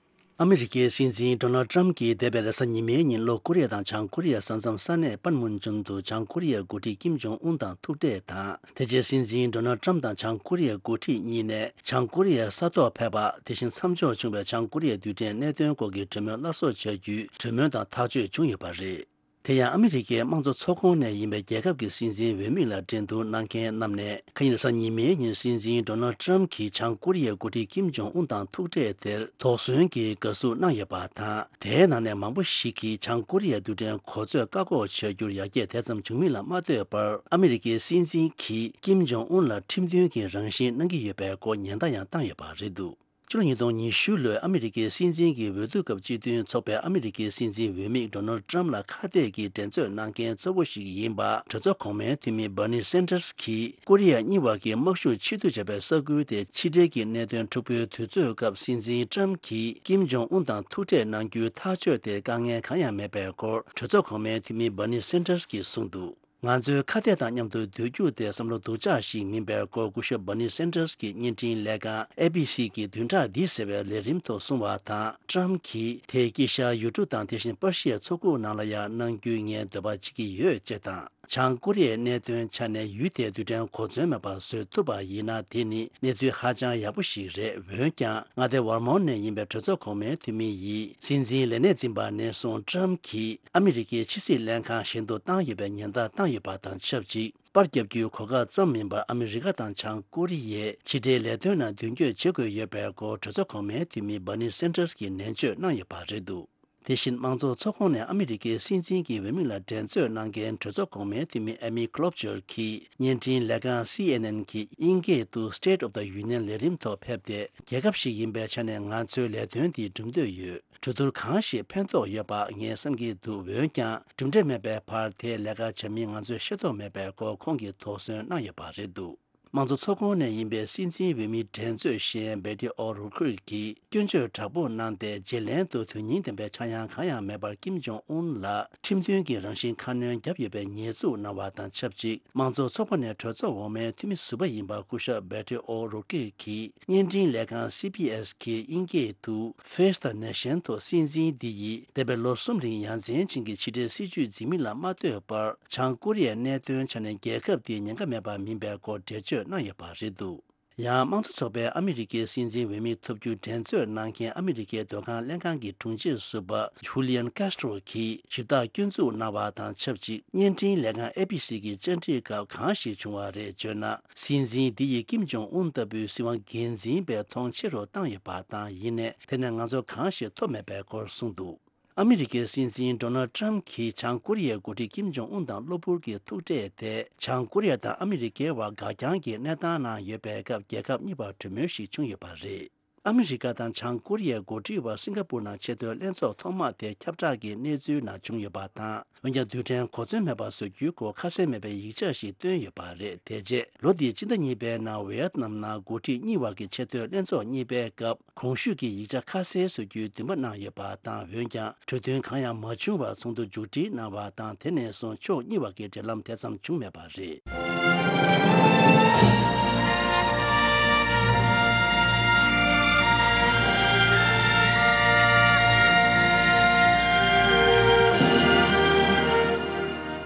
ཨ་མི་རི་ཀའི་སྲིད་འཛིན་ཌོ་ནལ་ཊམ་གྱིས་འདས་པའི་རེས་གཟའ་ཉི་མའི་ཉིན་ལྷོ་ཀོ་རི་ཡ་དང་བྱང་ཀོ་རི་ཡའི་ས་མཚམས་ས་གནས་པན་མུན་ཇོན་དུ་བྱང་ཀོ་རི་ཡའི་འགོ་ཁྲིད་ཀིམ་ཇོང་ཨུན་དང་ཐུག་འཕྲད་དང་། དེ་རྗེས་སྲིད་འཛིན་ཌོ་ནལ་ཊམ་དང་བྱང་ཀོ་རི་ཡའི་འགོ་ཁྲིད་གཉིས་ནས་བྱང་ཀོ་རི་ཡའི་ས་ཐོག་ཕེབས་པ། དེ་བཞིན་མཚམས་འཇོག་བྱུང་བའི་བྱང་ཀོ་རི་ཡའི་རྡུལ་ཕྲན་གནད་དོན་སྐོར་གྱི་གྲོས་མོལ་སླར་གསོ་བྱ་རྒྱུའི་གྲོས་མོལ་དང་ཐག་གཅོད་བྱུང་ཡོད་པ་རེད། དེ་ཡང་ཨ་མི་རི་ཀའི་དམངས་གཙོ་ཚོགས་ཁོངས་ནས་ཡིན་པའི་རྒྱལ་ཁབ་ཀྱི་སྲིད་འཛིན་འོས་མི་ལ་འགྲན་བསྡུར་གནང་མཁན་རྣམས་ནས། ཁ་ཉིན་རེས་གཟའ་ཉི་མའི་ཉིན་སྲིད་འཛིན་ཌོ་ནལ་ཊམ་གྱིетབྱང་ཀོ་རི་ཡའི་འགོ་ཁྲིད་ཀིམ་ཇོང་ཨུན་དང་ཐུག་འཕྲད་དེར་དོགས་ཟོན་གྱིས་དགའ་བསུ་གནང་ཡོད་པ་དང་། དེའི་ནང་ནས་མང་པོ་ཞིག་གིས་བྱང་ཀོ་རི་ཡའི་རྡུལ་ཕྲན་གོ་མཛོད་བཀག་འགོག་བྱ་རྒྱུར་ཡར་རྒྱས་དེ་ཙམ་བྱུང་མིན་ལ་མ་ལྟོས་པར། ཨ་མི་རི་ཀའི་སྲིད་འཛིན་གྱིས་ཀིམ་ཇོང་ཨུན་ལ་ཁྲིམས་མཐུན་གྱི་རང་བཞིན་གནང་གི་ཡོད་པའི་སྐོར་ཉེན་བརྡ་ཡང་བཏང་ཡོད་པ་རེད་འདུག་ཕྱི་ལོ་ཉིས་སྟོང་ཉི་ཤུ་ལོའི་ཨ་མི་རི་ཀའི་སྲིད་འཛིན་གྱི་འོས་བསྡུ་སྐབས་སྤྱི་མཐུན་ཚོགས་པས་ཨ་མི་རི་ཀའི་སྲིད་འཛིན་འོས་མི་ཌོ་ནལ་ཊམ་ལ་ཁ་གཏད་ཀྱིས་འགྲན་རྩོད་གནང་མཁན་གཙོ་བོ་ཞིག་ཡིན་པ། གྲོས་ཚོགས་གོང་མའི་འཐུས་མི་སྦར་ནི་སན་ཏར་སི་གིས་ཀོ་རི་ཡ་གཉིས་བར་གྱི་དམག་ཤུགས་ཆེ་བསྡུ་བྱས་པའི་ས་ཁུལ་དེ་ཕྱི་འབྲེལ་གྱི་གནད་དོན་འཁྲུག་པོའི་དུས་ཚོད་སྐབས། སྲིད་འཛིན་ཊམ་གྱིས་ཀིམ་ཇོང་ཨུན་དང་ཐུག་འཕྲད་གནང་རྒྱུའི་ཐག་གཅོད་དེ་དཀའ་ངལ་གང་ཡང་མེད་པའི་སྐོར། གྲོས་ཚོགས་གོང་མའི་འཐུས་མི་སྦར་ནི་སན་ཏར་སི་གིས་གསུངས་འདུག་ང་ཚོའི་ཁ་གཏད་དང་མཉམ་དུ་སྡོད་རྒྱུ་དེ་བསམ་བློ་སྡུག་ཅག་ཞིག་མིན་པའི་སྐོར། སྐུ་ཞབས་སྦར་ནི་སན་ཏར་སི་གིས་བརྙན་འཕྲིན་ལས་ཁང་ཨེ་བི་སི་གི་བདུན་ཕྲག་འདིའི་ཟེར་བའི་ལས་རིམ་ཐོག་གསུངས་པ་དང་། ཊམ་གྱིས་དེ་དཀྱིལ་ཤར་ཡུལ་གྲུ་དང་དེ་བཞིན་པར་ཤི་ཡའི་མཚོ་ཁུག་ནང་ལ་ཡང་གནང་རྒྱུའི་ངས་འདོད་པ་བྱེད་ཀྱི་ཡོད་ཅེས་དང་། བྱང་ཀོ་རི་ཡའི་གནད་དོན་ཆ་ནས་ཡུལ་དེའི་རྡུལ་ཕྲན་གོ་མཚོན་མེད་པར་བཟོ་ཐུབ་པ་ཡིན་ན། དེ་ནི་གནས་ཚུལ་ཧ་ཅང་ཡག་པོ་ཞིག་རེད། འོན་ཀྱང་། མངའ་སྡེ་ཝར་མོན་ནས་ཡིན་པའི་གྲོས་ཚོགས་གོང་མའི་འཐུས་མི་ཡིས། སྲིད་འཛིན་ལས་གནས་འཛིན་པ་ནས་བཟུང་ཊམ་གྱིས་ཨ་མི་རི་ཀའི་ཕྱི་སྲིད་ལྷན་ཁང་གཞན་དུ་བཏང་ཡོད་པའི་ཉེན་བརྡ་བཏང་ཡོད་པ་དང་ཆབས་ཅིག་པར་རྒྱབ་རྒྱུའི་གོ་སྐབས་ཙམ་མིན་པར། ཨ་མི་རི་ཀ་དང་བྱང་ཀོ་རི་ཡའི་ཕྱི་འབྲེལ་ལས་དོན་ནང་མདུན་སྐྱོད་བྱེད་དགོས་ཡོད་པའི་སྐོར། གྲོས་ཚོགས་གོང་མའི་འཐུས་མི་སྦར་ནི་སན་ཏར་སི་གིས་ནན་བརྗོད་གནང་ཡོད་པ་རེད་འདུག་དེ་བཞིན་དམངས་གཙོ་ཚོགས་ཁོངས་ནས་ཨ་མི་རི་ཀའི་སྲིད་འཛིན་གྱི་འོས་མི་ལ་འགྲན་རྩོད་གནང་མཁན་གྲོས་ཚོགས་གོང་མའི་འཐུས་མི་ཨེ་མི་ཀློབ་ཅར་གྱིས་བརྙན་འཕྲིན་ལས་ཁང་སི་ཨེན་ཨེན་གྱི་དབྱིན་སྐད་དུ་State of the Union་ལས་རིམ་ཐོག་ཕེབས་ཏེ། རྒྱལ་ཁབ་ཞིག་ཡིན་པའི་ཆ་ནས་ང་ཚོའི་ལས་དོན་འདི་གྲུབ་འདོད་ཡོད། གྲོས་བསྡུར་གང་ཞིག་ཕན་ཐོགས་ཡོད་པ་ངས་བསམ་གྱི་འདུག་འོན་ཀྱང་། གྲུབ་འབྲས་མེད་པའི་བར་དེའི་ལས་ཀ་བྱ་མིན་ང་ཚོས་ཤེས་རྟོགས་མེད་པའི་སྐོར་ཁོང་གིས་དོགས་ཟོན་གནང་ཡོད་པ་རེད་འདུག་དམངས་གཙོ་ཚོགས་ཁོངས་ནས་ཡིན་པའི་སྲིད་འཛིན་འོས་མི་འགྲན་རྩོད་གཞན་བེ་ཏི་ཨོ་རུ་ཁུར་གྱིས་སྐྱོན་བརྗོད་དྲག་པོ་གནང་སྟེ། རྗེས་ལན་དུ་དོན་སྙིང་ལྡན་པའི་ཆག་ཡང་གང་ཡང་མེད་པར་ཀིམ་ཇོང་ཨུན་ལ་ཁྲིམས་མཐུན་གྱི་རང་བཞིན་ཁ་སྣོན་བརྒྱབ་ཡོད་པའི་ཉེས་འཛུགས་གནང་བ་དང་ཆབས་ཅིག་དམངས་གཙོ་ཚོགས་པ་ནས་གྲོས་ཚོགས་འོག་མའི་འཐུས་མི་ཟུར་པ་ཡིན་པ་སྐུ་ཞབས་བེ་ཏི་ཨོ་རུ་ཁུར་གྱིས་བརྙན་འཕྲིན་ལས་ཁང་སི་བི་ཨེས་ཀྱིས་དབྱིན་སྐད་དུ་Face the Nation ཐོག་སྲིད་འཛིན་འདི་ཡིས་འདས་པའི་ལོ་གསུམ་རིང་ཡ་མཚན་ཅན་གྱི་ཕྱི་འབྲེལ་སྲིད་ཇུས་འཛིན་མིན་ལ་མ་ལྟོས་པར། བྱང་ཀོ་རི་ཡའི་གནད་དོན་ཆ་ནས་རྒྱལ་ཁབ་དེའི་ཉེན་ཁ་མེད་པ་མིན་པའི་སྐོར་འགྲེལ་བརྗོད་གནང་ཡོད་པ་རེད་འདུག་ཡང་དམངས་གཙོ་ཚོགས་པའི་ཨ་མི་རི་ཀའི་སྲིད་འཛིན་འོས་མི་ཐོབ་རྒྱུ་འགྲན་རྩོད་གནང་མཁན་ཨ་མི་རི་ཀའི་སྡོད་ཁང་ལྷན་ཁང་གི་དྲུང་ཆེ་ཟུར་པ་ཇུ་ལི་ཡན་ཀཱ་སི་ཏྲོ་གིས་ཞིབ་བརྟག་སྐྱོན་འཛུགས་གནང་བ་དང་ཆབས་ཅིག་བརྙན་འཕྲིན་ལས་ཁང་ཨེ་བྷི་སི་གི་བཅར་འདྲི་སྐབས་གང་ཞིག་བྱུང་བ་རེད་བརྗོད་ན། སྲིད་འཛིན་འདི་ཡིས་ཀིམ་ཇོང་ཨུན་ལྟ་བུའི་སྲིད་དབང་སྒེར་འཛིན་པའི་མཐོང་ཆེ་རུ་བཏང་ཡོད་པ་དང་། ཡིན་ནའི་དེ་ནས་ང་ཚོ་གང་ཞིག་ཐོབ་མེད་པའི་སྐོར་གསུངས་འདུག་ཨ་མི་རི་ཀའི་སྲིད་འཛིན་ཌོ་ནལ་ཌི་ཊརམ་ཕི་གྱིས་བྱང་ཀོ་རི་ཡའི་འགོ་ཁྲིད་ཀིམ་ཇོང་ཨུན་དང་གློ་བུར་གྱི་ཐུག་འཕྲད་དེ། བྱང་ཀོ་རི་ཡ་དང་ཨ་མི་རི་ཀའི་བར་འགག་རྐྱང་གི་གནས་སྟངས་ནང་ཡོད་པའི་སྐབས། རྒྱལ་ཁབ་གཉིས་བར་གྲོས་མོལ་ཞིག་བྱུང་ཡོད་པ་རེད། ཨ་མི་རི་ཀ་དང་བྱང་ཀོ་རི་ཡའི་འགོ་ཁྲིད་བར་སིང་ག་པུར་ནང་ཆེས་མཐོའི་ལྷན་ཚོགས་ཐོག་མ་དེ་ཁྱབ་བསྒྲགས་ཀྱི་གནས་ཚུལ་ནང་བྱུང་ཡོད་པ་དང་། འོན་ཀྱང་རྡུལ་ཕྲན་གོ་མཚོན་མེད་པ་བཟོ་རྒྱུའི་སྐོར་ཁ་གསལ་མེད་པའི་ཡིག་ཆ་ཞིག་བཏོན་ཡོད་པ་རེད། དེ་རྗེས་ལོ་འདིའི་སྤྱི་ཟླ་གཉིས་པའི་ནང་ཝི་ཡེད་ནམ་ནང་འགོ་ཁྲིད་གཉིས་བར་གྱི་ཆེས་མཐོའི་ལྷན་ཚོགས་གཉིས་པའི་སྐབས། གོང་ཞུས་ཀྱི་ཡིག་ཆ་ཁ་གསལ་བཟོ་རྒྱུའི་འདུན་པ་གནང་ཡོད་པ་དང་། འོན་ཀྱང་གྲོས་མཐུན་གང་ཡང་མ་བྱུང་བར་ཚོགས་འདུ་མཇུག་སྒྲིལ་གནང་བ་དང་། དེ་ནས་བཟུང་ཕྱོགས་གཉིས་བར་གྱི་འབྲེལ་ལམ་དེ་ཙམ་བྱུང་མེད་པ་རེད།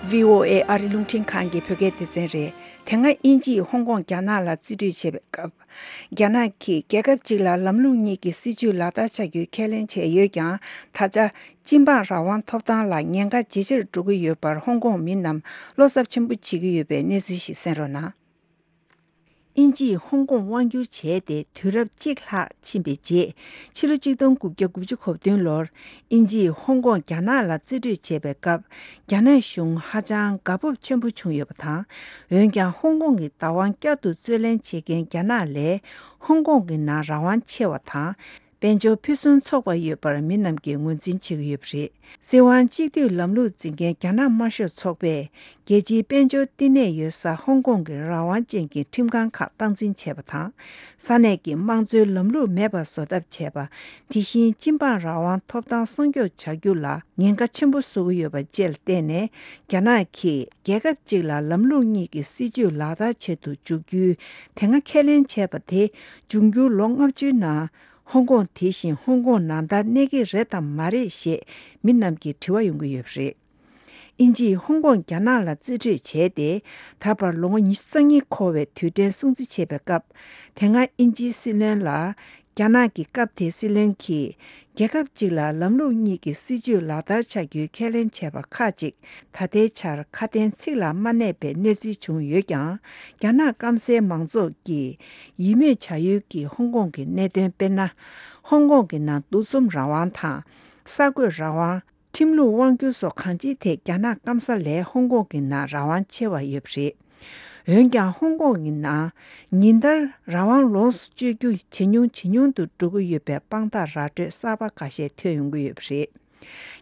བྷི་ཨོ་ཨེ་ཨ་རི་རླུང་འཕྲིན་ཁང་གི་བོད་སྐད་སྡེ་ཚན་རེད། དེ་སྔ་དབྱིན་ཇིས་ཧོང་ཀོང་རྒྱ་ནག་ལ་རྩིས་སྤྲོད་བྱས་པའི་སྐབས། རྒྱ་ནག་གིས་རྒྱལ་ཁབ་གཅིག་ལ་ལམ་ལུགས་གཉིས་ཀྱི་སྲིད་ཇུས་ལག་བསྟར་བྱ་རྒྱུའི་ཁས་ལེན་བྱས་ཡོད་ཀྱང་། ད་ཆ་སྤྱི་འབངས་རང་དབང་ཐོབ་ཐང་ལ་ཉེན་ཁ་ཇེ་ཆེར་འགྲོ་གི་ཡོད་པར་ཧོང་ཀོང་མི་རྣམས་བློ་འཚབ་ཆེན་པོ་བྱེད་ཀྱི་ཡོད་པའི་གནས་ཚུལ་ཞིག་གསན་རོགས་གནང་། དབྱིན་ཇིས་ཧོང་ཀོང་དབང་བསྒྱུར་བྱས་ཏེ་དུས་རབས་གཅིག་ལྷག་ཕྱིན་པའི་རྗེས། ཕྱི་ལོ་ཆིག་སྟོང་དགུ་བརྒྱ་དགུ་བཅུ་གོ་བདུན་ལོར་དབྱིན་ཇིས་ཧོང་ཀོང་རྒྱ་ནག་ལ་རྩིས་སྤྲོད་བྱས་པའི་སྐབས། རྒྱ་ནག་གཞུང་ཧ་ཅང་དགའ་སྤོབས་ཆེན་པོ་བྱུང་ཡོད་པ་དང་། འོན་ཀྱང་ཧོང་ཀོང་གི་བདག་དབང་བསྐྱར་དུ་རྩོད་ལེན་བྱེད་མཁན་རྒྱ་ནག་ལས་ཧོང་ཀོང་གི་ནང་རང་དབང་ཆེ་བ་དང་། དཔལ་འབྱོར་ཕུན་སུམ་ཚོགས་པ་ཡོད་པར་མི་རྣམས་ཀྱིས་ངོས་འཛིན་བྱེད་ཀྱི་ཡོད་པ་རེད། སྲིད་དབང་གཅིག་སྡུད་ལམ་ལུགས་འཛིན་མཁན་རྒྱ་ནག་དམར་ཤོག་ཚོགས་པས་རྒྱལ་སྤྱིའི་དཔལ་འབྱོར་བསྟི་གནས་ཡོད་ས་ཧོང་ཀོང་གི་རང་དབང་ཅན་གྱི་ཁྲིམས་ཁང་ཁག་སྟངས་འཛིན་བྱས་པ་དང་། ས་གནས་ཀྱི་དམངས་གཙོའི་ལམ་ལུགས་མེད་པ་བཟོ་ཐབས་བྱས་པ། དེ་བཞིན་སྤྱི་འབངས་རང་དབང་ཐོབ་ཐང་སྲུང་སྐྱོབ་བྱ་རྒྱུ་ལ་ཉེན་ཁ་ཆེན་པོ་བཟོ་གི་ཡོད་པ་བཅས་ལ་བརྟེན་ནས། རྒྱ་ནག་གིས་རྒྱལ་ཁབ་གཅིག་ལ་ལམ་ལུགས་གཉིས་ཀྱི་སྲིད་ཇུས་ལག་བསྟར་བྱེད་དུ་འཇུག་རྒྱུའི་དེ་སྔ་ཁས་ལེན་བྱས་པ་དེ། འབྱུང་འགྱུར་ལོ་ལྔ་བཅུའི་ནང་། ཧོང་ཀོང་། དེ་བཞིན་ཧོང་ཀོང་ནང་ལྟར་གནས་ཀྱི་རེད་དམ་མ་རེད་ཞེས་མི་རྣམས་ཀྱིས་དྲི་བ་ཡོང་གི་ཡོད་པ་རེད། དབྱིན་ཇིས་ཧོང་ཀོང་རྒྱ་ནག་ལ་རྩིས་སྤྲོད་བྱས་ཏེ། ད་བར་ལོ་ངོ་ཉི་ཤུ་རྩ་གཉིས་འཁོར་བའི་དུས་དྲན་སྲུང་བརྩི་བྱེད་པའི་སྐབས། དེ་སྔ་དབྱིན་ཇིའི་སྲིད་བློན་ལ། རྒྱ་ནག་གི་སྐབས་དེའི་སྲིད་བློན་གྱིས། རྒྱལ་ཁབ་གཅིག་ལ་ལམ་ལུགས་གཉིས་ཀྱི་སྲིད་ཇུས་ལག་བསྟར་བྱ་རྒྱུའི་ཁས་ལེན་བྱས་པ་ཁག་ཅིག་ད་ལྟའི་ཆར་ཁ་དན་ཚིག་ལ་མ་གནས་པའི་གནས་ཚུལ་བྱུང་ཡོད་ཀྱང་། རྒྱ་ནག་སྐམ་སའི་མང་ཚོགས་ཀྱིས་ཡིད་སྨོན་བྱ་ཡུལ་གྱི་ཧོང་ཀོང་གི་གནད་དོན། དཔེར་ན། ཧོང་ཀོང་གི་ནང་འདུ་འཛོམས་རང་དབང་དང་། གསར་འགོད་རང་དབང་། ཁྲིམས་ལུགས་དབང་སྒྱུར་སོགས་གང་ཅིའི་ཐད་རྒྱ་ནག་སྐམ་ས་ལས་ཧོང་ཀོང་གི་ནང་རང་དབང་ཆེ་བ་ཡོད་པ་རེད། འོན་ཀྱང་ཧོང་ཀོང་གི་ནང་ཉིན་ལྟར་རང་དབང་ལོངས་སུ་སྤྱོད་རྒྱུ་ཇེ་ཉུང་ཇེ་ཉུང་དུ་འགྲོ་གི་ཡོད་པའི་དཔང་རྟགས་ར་སྤྲོད་གསར་པ་འགའ་ཤས་ཐོན་ཡོང་གི་ཡོད་པ་རེད།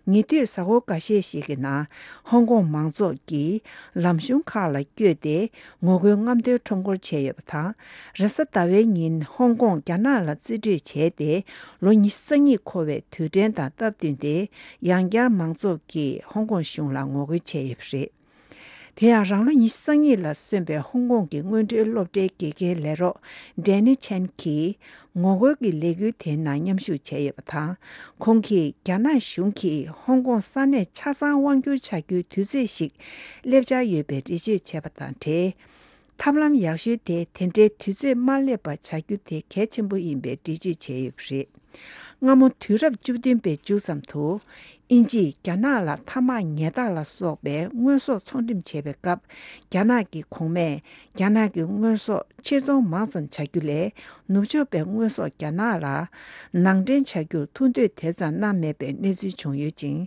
ཉེ་དུས་གཟའ་འཁོར་འགའ་ཤས་ཤིག་གི་ནང་ཧོང་ཀོང་མང་ཚོགས་ཀྱིས་ལམ་གཞུང་ཁག་ལ་བསྐྱོད་དེ་ངོ་རྒོལ་རྔམ་སྟོན་ཁྲོམ་སྐོར་བྱས་ཡོད་པ་དང་། རེས་གཟའ་ཟླ་བའི་ཉིན་ཧོང་ཀོང་རྒྱ་ནག་ལ་རྩིས་སྤྲོད་བྱས་ཏེ་ལོ་ཉི་ཤུ་རྩ་གཉིས་འཁོར་བའི་དུས་དྲན་དང་སྟབས་བསྟུན་ཏེ། ཡང་བསྐྱར་མང་ཚོགས་ཀྱིས་ཧོང་ཀོང་གཞུང་ལ་ངོ་རྒོལ་བྱས་ཡོད་པ་རེད། དེ་ཡང་རང་ལོ་ཉི་ཤུ་རྩ་གཉིས་ལ་སོན་པའི་ཧོང་ཀོང་གི་སྔོན་འགྲོའི་སློབ་གྲྭའི་དགེ་རྒན་ལས་རོགས་ཌེ་ནི་ཆན་གྱིས་ངོ་རྒོལ་གྱི་ལས་འགུལ་དེའི་ནང་མཉམ་ཞུགས་བྱས་ཡོད་པ་དང་། ཁོང་གིས་རྒྱ་ནག་གཞུང་གིས་ཧོང་ཀོང་ས་གནས་ཆ་ཚང་དབང་བསྒྱུར་བྱ་རྒྱུའི་དུས་ཚོད་ཞིག་སླེབས་འཆར་ཡོད་པའི་འགྲེལ་བརྗོད་བྱས་པ་དང་འབྲེལ། ཐབས་ལམ་ཡག་ཤོས་དེ་དེ་འདྲའི་དུས་ཚོད་མ་སླེབས་པ་བྱ་རྒྱུ་དེ་གལ་ཆེན་པོ་ཡིན་པའི་འགྲེལ་བརྗོད་བྱས་ཡོད་པ་རེད། སྔ་མོ་དུས་རབས་བཅུ་བདུན་པའི་མཇུག་ཙམ་དུ། དབྱིན་ཇིས་རྒྱ་ནག་ལ་ཐ་མག་ཉལ་ཐག་ལ་སོགས་པའི་དངོས་ཟོག་ཚོང་འགྲེམས་བྱེད་པའི་སྐབས། རྒྱ་ནག་གི་གོང་མས་རྒྱ་ནག་གི་དངོས་ཟོག་ཕྱིར་ཚོང་མང་ཙམ་བྱ་རྒྱུ་ལས། ནུབ་ཕྱོགས་པའི་དངོས་ཟོག་རྒྱ་ནག་ལ་ནང་འདྲེན་བྱ་རྒྱུར་ཐུགས་འདོད་དེ་ཙམ་གནང་མེད་པའི་གནས་ཚུལ་བྱུང་ཡོད་ཅིང་།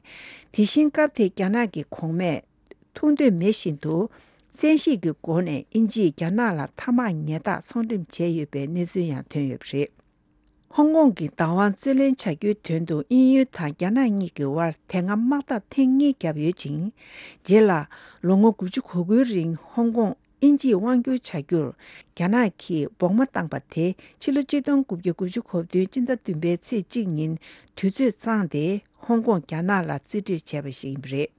དེ་བཞིན་སྐབས་དེའི་རྒྱ་ནག་གི་གོང་མས། ཐུགས་འདོད་མེད་བཞིན་དུ། བཙན་ཤེད་ཀྱི་སྒོ་ནས་དབྱིན་ཇིས་རྒྱ་ནག་ལ་ཐ་མག་ཉལ་ཐག་ཚོང་འགྲེམས་བྱས་ཡོད་པའི་གནས་ཚུལ་ཡང་ཐོན་ཡོད་པ་རེད། ཧོང་ཀོང་གི་བདག་དབང་རྩོད་ལེན་བྱ་རྒྱུའི་དོན་དུ་དབྱིན་ཡུལ་དང་རྒྱ་ནག་གཉིས་ཀྱི་དབར་དེ་སྔ་དམག་འཐབ་ཐེངས་གཉིས་བརྒྱབ་ཡོད་ཅིང་། རྗེས་ལ་ལོ་ངོ་དགུ་བཅུ་གོ་དགུའི་རིང་ཧོང་ཀོང་ དབྱིན་ཇིས་དབང་བསྒྱུར་བྱ་རྒྱུར་རྒྱ་ནག་གིས་སྦོག་མ་བཏང་པ་དེ་ཕྱི་ལོ་གཅིག་སྟོང་དགུ་བརྒྱ་དགུ་བཅུ་གོ་བདུན་སྤྱི་ཟླ་བདུན་པའི་ཚེས་གཅིག་ཉིན་དུས་ཚོད་ཚང་སྟེ་ཧོང་ཀོང་རྒྱ་ནག་ལ་རྩིས་སྤྲོད་བྱས་པ་ཞིག་ཡིན་པ་རེད།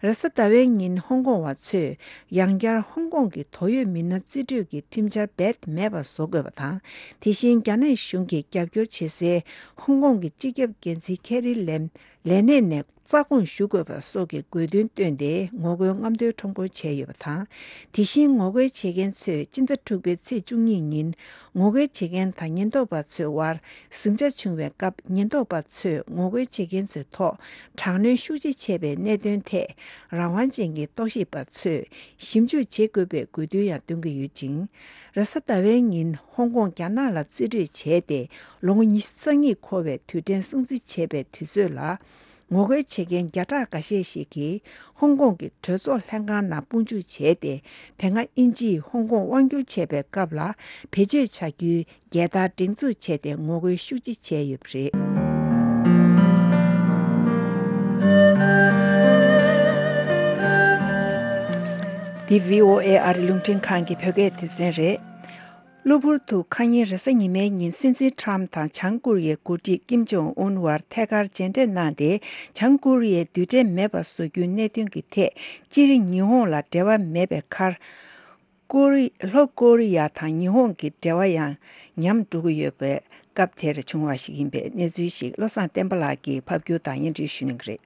རེས་གཟའ་ཟླ་བའི་ཉིན་ཧོང་ཀོང་བ་ཚོས་ཡང་བསྐྱར་ཧོང་ཀོང་གི་དོགས་ཡོད་མི་སྣ་རྩིས་སྤྲོད་ཀྱི་ཁྲིམས་འཆར་རྦད་མེད་པར་བཟོ་དགོས་པ་དང་། དེ་བཞིན་རྒྱ་ནག་གཞུང་གིས་རྒྱབ་སྐྱོར་བྱེད་སའི་ཧོང་ཀོང་གི་སྤྱི་ཁྱབ་འགན་འཛིན་ཁེ་རི་ལེམ་ལས་གནས་ནས་རྩ་དགོངས་ཞུ་དགོས་པ་སོགས་ཀྱི་དགོས་འདུན་བཏོན་ཏེ་ངོ་རྒོལ་རྔམ་སྟོན་ཁྲོམ་སྐོར་བྱས་ཡོད་པ་དང་། དེ་བཞིན་ངོ་རྒོལ་བྱེད་མཁན་ཚོས་སྤྱི་ཟླ་དྲུག་པའི་ཚེས་བཅུ་གཉིས་ཉིན་ངོ་རྒོལ་བྱེད་མཁན་དང་ཉེན་རྟོག་པ་ཚོའི་དབར་ཟིང་ཆ་བྱུང་བའི་སྐབས། ཉེན་རྟོག་པ་ཚོས་ངོ་རྒོལ་བྱེད་མཁན་ཚོའི་ཐོག་དྲག་གནོན་ཤུགས་ཆེ་བྱས་པའི་གནད་དོན་ཐད་རང་དབང་ཅན་གྱི་རྟོག་ཞིབ་པ་ཚོས་ཞིབ་འཇུག་བྱེད་དགོས་པའི་དགོས་འདུན་ཡང་བཏོན་གྱི་ཡོད་ཅིང་། རེས་གཟའ་ཟླ་བའི་ཉིན་ཧོང་ཀོང་རྒྱ་ནག་ལ་རྩིས་སྤྲོད་བྱས་ཏེ་ལོ་ངོ་ཉི་ཤུ་རྩ་གཉིས་འཁོར་བའི་དུས་དྲན་སྲུང་བརྩི་བྱེད་པའི་དུས་ཚོད་ལ། ངོ་རྒོལ་བྱེད་མཁན་བརྒྱ་ཕྲག་འགའ་ཤས་ཤིག་གིས་ཧོང་ཀོང་གི་གྲོས་ཚོགས་ལྷན་ཁང་ནང་དཔུང་འཇུག་བྱས་ཏེ། དེ་སྔ་དབྱིན་ཇིས་ཧོང་ཀོང་དབང་བསྒྱུར་བྱས་པའི་སྐབས་ལ་བེད་སྤྱོད་བྱ་རྒྱུའི་རྒྱལ་དར་སྒྲེང་འཛུགས་བྱས་ཏེ་ངོ་རྒོལ་ཤུགས་ཆེ་བྱས་ཡོད་པ་རེད། འདི་བྷི་ཨོ་ཨེ་ཨ་རི་རླུང་འཕྲིན་ཁང་གི་བོད་སྐད་སྡེ་ཚན་རེད། གློ་བུར་དུ་ཁ་ཉིན་རེས་གཟའ་ཉི་མའི་ཉིན་སྲིད་འཛིན་ཁྲམ་དང་བྱང་ཀོ་རི་ཡའི་འགོ་ཁྲིད་ཀིམ་ཇོང་ཨུན་བར་ཐད་ཀར་མཇལ་འཕྲད་གནང་སྟེ། བྱང་ཀོ་རི་ཡས་རྡུལ་ཕྲན་མེད་པར་བཟོ་རྒྱུའི་གནད་དོན་གྱི་ཐད་སྤྱིར་ཉི་ཧོང་ལ་འབྲེལ་བ་མེད་པའི་ཁར། ཀོ་རི། ལྷོ་ཀོ་རི་ཡ་དང་ཉི་ཧོང་གི་འབྲེལ་བ་ཡང་ཉམས་འགྲོ་གི་ཡོད་པའི་སྐབས་དེར་བྱུང་བ་ཞིག་ཡིན་པའི་གནས་ཚུལ་ཞིག་བློ་བཟང་བསྟན་པ་ལགས་ཀྱིས་ཕབ་སྒྱུར་དང་སྙན་སྒྲོན་ཞུ་གནང་གི་རེད།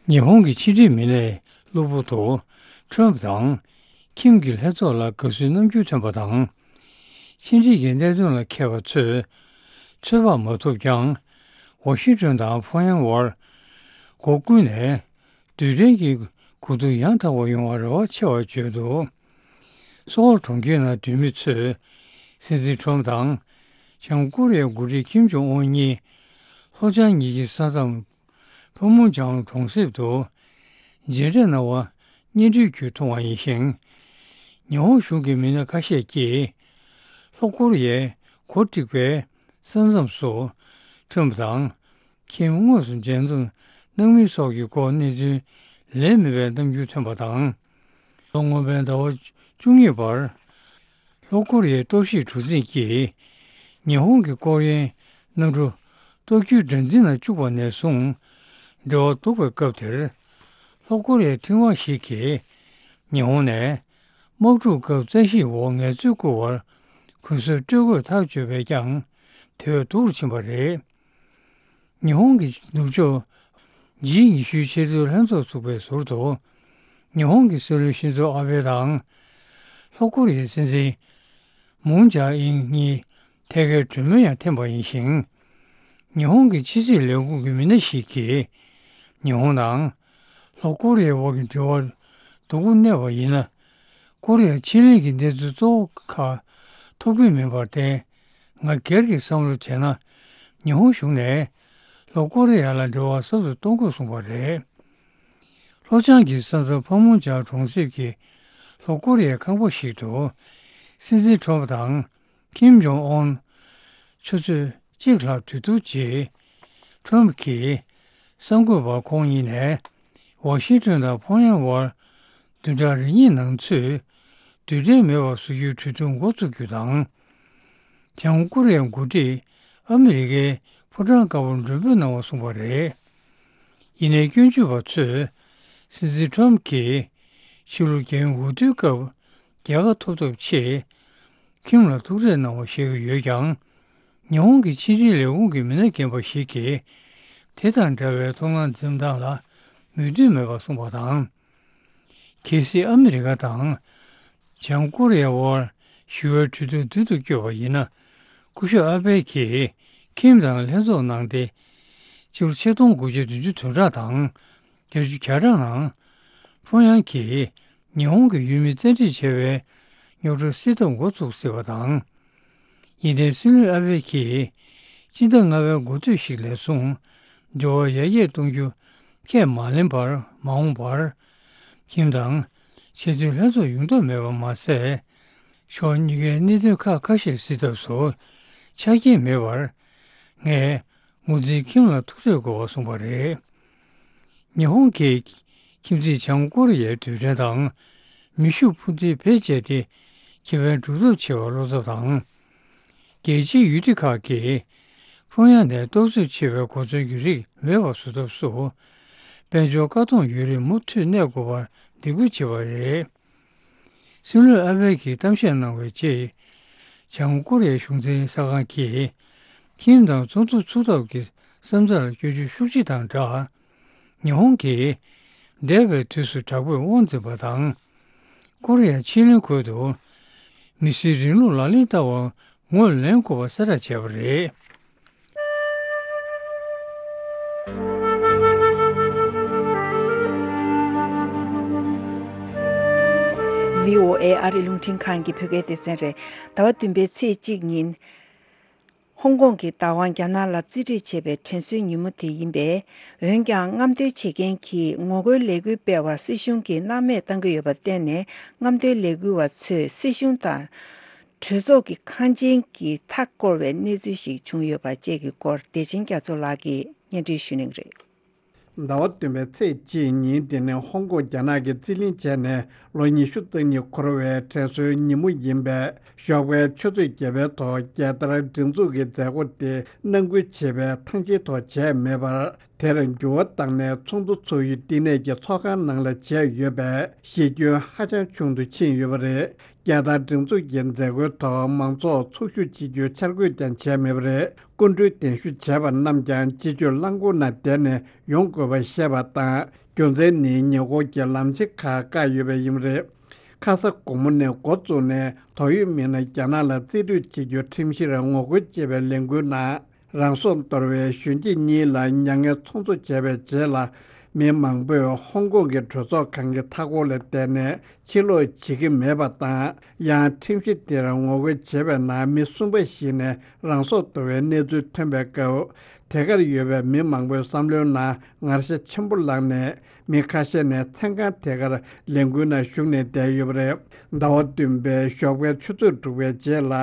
ཉི་ཧོང་གི་ཕྱི་འབྲེལ་མི་སྣས་གློ་བུར་དུ་ཁྲོམ་དང་ཁིམ་གྱི་ལྷན་ཚོགས་ལ་དགའ་བསུའི་རྣམ་འགྱུར་ཐོན་པ་དང་། ཕྱི་འབྲེལ་གྱི་གནད་དོན་ལ་མཁས་པ་ཚོས་ཚོད་དཔག་མ་ཐུབ་ཀྱང་། ཝ་ཤིང་ཏོན་དང་ཕོ་ཡང་བར་སྒོ་ཀུན་ནས་རྡུལ་ཕྲན་གྱི་གོ་རྟོགས་ཡང་དག་པ་ཡོང་བར་རེ་བ་ཆེ་བར་བརྗོད་འདུག། སོའོལ་གྲོང་ཁྱེར་ནང་སྡོད་མི་ཚོས་སྲིད་འཛིན་ཁྲོམ་དང་བྱང་ཀོ་རི་ཡའི་འགོ་ཁྲིད་ཀིམ་ཇོང་ཨུན་གཉིས་ལྷོ་བྱང་གཉིས་ཀྱི་ས་མཚམས་ཕ་མུང་ཅང་གྲོང་གསེབ་ཏུ་མཇལ་འཕྲད་གནང་བ་སྙན་སྒྲོན་བརྒྱུད་མཐོང་བ་ཡིན་ཞིང་། ཉི་ཧོང་གཞུང་གི་མི་སྣ་ཁ་ཤས་ཀྱིས་ལྷོ་ཀོ་རི་ཡའི་གོ་དཀྲིགས་པའི་ས་མཚམས་སུ་ཁྲོམ་དང་ཁིམ་དངོས་སུ་མཇལ་འཛོམས་གནང་མིན་སོགས་ཀྱི་སྐོར་གནས་ཚུལ་ལན་མེད་པའི་རྣམ་འགྱུར་ཐོན་པ་དང་། ལོ་སྔོན་མའི་ཟླ་བ་བཅུ་གཉིས་བར་ལྷོ་ཀོ་རི་ཡའི་གཏོར་བཤིག་གྲུ་གཟིངས་ཀྱིས་ཉི་ཧོང་གི་ཀོ་རི་ཡའི་གནམ་གྲུ་གཏོར་རྒྱུའི་སྒྲ་འཛིན་ནང་བཅུག་པ་ནས་བཟུང་འབྲེལ་བ་གཏོར་བའི་སྐབས་དེར། ལྷོ་ཀོ་རི་ཡའི་ཕྲེང་བ་ཞིག་གིས་ཉི་ཧོང་ནས་དམག་འཁྲུག་སྐབས་རྩ་ཞིག་འོག་ངལ་རྩོལ་བསྐུལ་བར་གུན་གསབ་སྤྲོད་དགོས་ཐག་གཅོད་པས་ཀྱང་དེ་བས་སྡུག་རུ་ཕྱིན་པ་རེད། ཉི་ཧོང་གི་ནུབ་ཕྱོགས་ཇི་ཉི་ཤུའི་ཆེས་མཐོའི་ལྷན་ཚོགས་ཚུགས་པའི་ཟུར་དུ། ཉི་ཧོང་གི་སྲིད་བློན་ཤིན་ཛོ་ཨ་བྷེ་དང་། ལྷོ་ཀོ་རི་ཡའི་སྲིད་འཛིན་མུན་ཇཱ་ཨིན་གཉིས་ཐད་ཀའི་གྲོས་མོལ་ཡང་འཐེན་པ་ཡིན་ཞིང་། ཉི་ཧོང་གི་ཕྱི་སྲིད་ལས་ཁུངས་ཀྱི་མི་སྣ་ཞིག་གིས་ཉི་ཧོང་དང་ལྷོ་ཀོ་རི་ཡའི་དབར་གྱི་འབྲེལ་བར་སྡུག་པོ་གནས་པ་ཡིན་ན། ཀོ་རི་ཡ་ཕྱེད་གླིང་གི་གནས་ཚུལ་གཙོ་བོ་ཁག་ཐོབ་ཀྱི་མིན་པར་བརྟེན། ང་སྒེར་གྱི་བསམ་བློ་བྱས་ན། ཉི་ཧོང་གཞུང་ནས་ལྷོ་ཀོ་རི་ཡ་ལ་འབྲེལ་བ་ཟབ་ཏུ་གཏོང་དགོས་གསུངས་པ་རེད། ལྷོ་བྱང་གི་ས་མཚམས་ཕ་མུང་ཅང་གྲོང་གསེབ་ཀྱི་ལྷོ་ཀོ་རི་ཡའི་ཁང་པ་ཞིག་ཏུ། སྲིད་འཛིན་ཁྲོམ་དང་ཀིམ་ཇོང་ཨོན་ཆུ་ཚོད་གཅིག་ལྷག་དུས་ཐུང་རྗེས། ཁྲོམ་གྱིས་གསར་འགོད་པར་ཁོང་གཉིས་ནས་ཝ་ཤིང་ཏོན་དང་ཕོང་ཡང་བར་བདུན་ཕྲག་རེ་གཉིས་ནང་ཚུད་རྡུལ་ཕྲན་མེད་པར་བཟོ་རྒྱུའི་གྲོས་བསྡུར་འགོ་བཙུགས་རྒྱུ་དང་། བྱང་ཀོ་རི་ཡའི་འགོ་ཁྲིད་ཨ་མི་རི་ཀའི་ཕོ་བྲང་དཀར་པོར་མགྲོན་འབོད་གནང་བ་གསུངས་པ་རེད། ཡིན་ནའི་སྐྱོན་བརྗོད་པ་ཚོས་སྲིད་འཛིན་ཁྲོམ་གྱིས་ཕྱི་ལོ་རྒྱལ་ཡོངས་འོས་བསྡུའི་སྐབས་རྒྱལ་ཁ་ཐོབ་ཐབས་ཆེད་ཁིམ་ལ་ཐུག་འཕྲད་གནང་བ་བཤད་ཀྱི་ཡོད་ཀྱང་། ཉི་ཧོང་གི་ཕྱི་འབྲེལ་ལས་ཁུངས་ཀྱི་མི་སྣ་རྒན་པ་ཞིག་གིས་དེ་དང་འདྲ་བའི་ཐོབ་སྣང་འཛེམ་སྟངས་ལ་མོས་མཐུན་མེད་པར་གསུངས་པ་དང་། གལ་སྲིད་ཨ་མི་རི་ཀ་དང་བྱང་ཀོ་རི་ཡའི་དབར་ཞི་བའི་གྲོས་བསྡུར་མདུན་དུ་བསྐྱོད་པ་ཡིན་ན། སྐུ་ཞབས་ཨ་བྷེ་གྱིས་ཁིམ་དང་ལྷན་ཚོགས་གནང་སྟེ། སྤྱི་ལོ་ཆིག་སྟོང་དགུ་བརྒྱ་བདུན་ཅུ་དོན་གྲངས་དང་བརྒྱད་ཅུ་གྱ་གྲངས་ནང་། ཕོང་ཡང་གིས་ཉི་ཧོང་གི་ཡུལ་མི་བཙན་ཁྲིད་བྱས་པའི་རྙོག་དྲའི་སེལ་ཐབས་འགོ་ཚུགས་སྲིད་པ་དང་། ཡིན་ནའི་སྲིད་བློན་ཨ་བྷེ་གྱིས་སྤྱི་ཟླ་ལྔ་པའི་འགོ་སྟོད་ཞིག་ལས་བཟུང་འབྲེལ་བ་ཡར་རྒྱས་གཏོང་རྒྱུ་ཁས་མ་ལེན་པར། མ་འོངས་པར་ཁིམ་དང་ཆེས་མཐོའི་ལྷན་ཚོགས་ཡོང་ཐབས་མེད་པ་མ་ཟད། ཕྱོགས་གཉིས་ཀའི་གནད་དོན་ཁག་ཁ་ཤས་སེལ་ཐབས་སུ་ཆ་རྐྱེན་མེད་པར། ངས་ངོས་འཛིན་ཁིམ་ལ་ཐུག་འཕྲད་དགོས་པ་གསུངས་པ་རེད། ཉི་ཧོང་གིས་ཁྱིམ་མཚེས་བྱང་ཀོ་རི་ཡའི་རྡུལ་ཕྲན་དང་ མེ་ཤུགས་འཕུར་མདེལ་བེད་སྤྱད་དེ་ཁེ་ཕན་སྒྲུབ་ཐབས་བྱེད་པར་བློ་འཚབ་དང་། རྒྱལ་སྤྱིའི་ཡུལ་སྡེ་ཁག་གིས་ཕངས་ཡག་ནས་གཏོར་རྒོལ་བྱེད་པའི་གོ་མཚོན་གྱི་རིགས་མེད་པར་བཟོ་ཐབས་སུ། དཔལ་འབྱོར་བཀག་སྡོམ་ཡོད་རིགས་མུ་མཐུད་གནས་དགོས་པར་འདེད་སྐུལ་བྱས་པ་རེད། སྲིད་བློན་ཨ་བྷེ་ཡེ་གིས་གཏམ་བཤད་གནང་བའི་རྗེས། བྱང་ཀོ་རི་ཡའི་གཞུང་འཛིན་གསར་ཁང་གིས་ཁྱིམ་དང་ཚོགས་འདུ་ཚུགས་ཐབས་ཀྱི་བསམ་འཆར་སྐྱོན་བརྗོད་ཤུགས་ཆེ་དང་སྦྲགས། ཉི་ཧོང་གིས་འདས་པའི་དུས་སུ་དྲག་པོས་དབང་འཛིན་པ་དང་། ཀོ་རི་ཡ་ཕྱེད་གླིང་ཁུལ་དུ་མི་སེར་རིང་ལུགས་ལག་ལེན་བསྟར་བར་ངོས་ལེན་དགོས་པ་གསལ་བསྒྲགས་བྱས་པ་རེད། བྷི་ཨོ་ཨེ་ཨ་རི་རླུང་འཕྲིན་ཁང་གི་བོད་སྐད་སྡེ་ཚན་རེད། ཟླ་བ་བདུན་པའི་ཚེས་གཅིག་ཉིན། ཧོང་ཀོང་གི་བདག་དབང་རྒྱ་ནག་ལ་རྩིས་སྤྲོད་བྱས་པའི་དྲན་གསོའི་ཉིན་མོ་དེ་ཡིན་པས། འོན་ཀྱང་། རྔམ་སྟོན་བྱེད་མཁན་གྱིས་ངོ་རྒོལ་ལས་འགུལ་སྤེལ་བར་སྲིད་གཞུང་གིས་སྣང་མེད་བཏང་གི་ཡོད་པར་བརྟེན་ནས། རྔམ་སྟོན་ལས་འགུལ་བ་ཚོས་སྲིད་གཞུང་དང་། གྲོས་ཚོགས་ཀྱི་ཁང་ཆེན་གྱི་མཐའ་བསྐོར་བའི་གནས་ཚུལ་ཞིག་བྱུང་ཡོད་པ་བཅས་ཀྱི་སྐོར། བདེ་ཆེན་རྒྱ་མཚོ་ལགས་ཀྱིས་སྙན་སྒྲོན་ཞུ་གནང་རེད། ཟླ་བ་བདུན་པའི་ཚེས་གཅིག་ཉིན་དེ་ནི་ཧོང་ཀོང་རྒྱ་ནག་གིས་རྩིས་ལེན་བྱས་ནས་ལོ་ཉི་ཤུ་རྩ་གཉིས་འཁོར་བའི་དྲན་གསོའི་ཉིན་མོ་ཡིན་པས། ཞོགས་པའི་ཆུ་ཚོད་བརྒྱད་པའི་ཐོག་རྒྱལ་དར་སྒྲེང་འཛུགས་ཀྱི་མཛད་སྒོ་དེ་ནང་ཁུལ་བྱེད་པའི་ཐང་ཆེན་ཐོག་བྱས་མེད་པར། དེར་འགྱུར་བ་བཏང་ནས་ཚོགས་འདུ་ཚོགས་ཡུལ་བསྟི་གནས་ཀྱི་ཚོགས་ཁང་ནང་ལ་བྱས་ཡོད་པས། ཞི་རྒྱས་ཧ་ཅང་ཆུང་དུ་ཕྱིན་ཡོད་པ་རེད། རྒྱལ་དར་སྒྲེང་འཛུགས་ཀྱི་མཛད་སྒོའི་ཐོག་མང་ཚོགས་ཚོགས་ཞུགས་བྱེད་རྒྱུའི་འཆར་འགོད་ཀྱང་བྱས་མེད་པ་རེད། སྐུ་མགྲོན་གདན་ཞུ་བྱས་པ་རྣམས་ཀྱང་སྤྱི་སྤྱོད་རླངས་འཁོར་ནང་བསྡད་ནས་ཡོང་དགོས་པ་བཤད་པ་དང་། རྒྱུ་མཚན་ནི་ཉེ་འཁོར་གྱི་ལམ་ཆེན་ཁག་བཀག་ཡོད་པས་ཡིན་པ་རེད། ཁ་ས་དགོང་མོ་ནས་འགོ་བཙུགས་ནས་དོགས་ཡོད་མི་སྣ་རྒྱ་ནག་ལ་རྩིས་སྤྲོད་བྱེད་རྒྱུ་ཁྲིམས་གཞིར་ངོ་རྒོལ་བྱེད་པའི་ལས་འགུལ་ནང་། རང་སྲོག་དོར་བའི་གཞོན་སྐྱེས་གཉིས་ལ་མྱ་ངན་ཚོགས་འཛུགས་བྱས་པའི་རྗེས་ལ། མི་མང་པོས་ཧོང་ཀོང་གི་གྲོས་ཚོགས་ཁང་གི་མཐའ་འཁོར་ལ་བསྡད་ནས་ཕྱིར་ལོག་བྱེད་ཀྱི་མེད་པ་དང་། ཡང་ཁྲིམས་གཞི་དེར་ངོ་རྒོལ་བྱས་པའི་ནང་མི་གསུམ་པ་ཞིག་ནས་རང་སྲོག་དོར་བའི་གནས་ཚུལ་ཐོན་པའི་སྐབས། དེ་གར་ཡོད་པའི་མི་མང་པོའི་བསམ་བློའི་ནང་ངར་ཤ་ཆེན་པོ་ལངས་ནས། མི་ཁ་ཤས་ནས་མཚན་གང་དེ་གར་ལས་འགུལ་ནང་ཞུགས་ནས་བསྡད་ཡོད་པ་རེད། ཟླ་བ་བདུན་པའི་ཞོགས་པའི་ཆུ་ཚོད་དྲུག་པའི་རྗེས་ལ།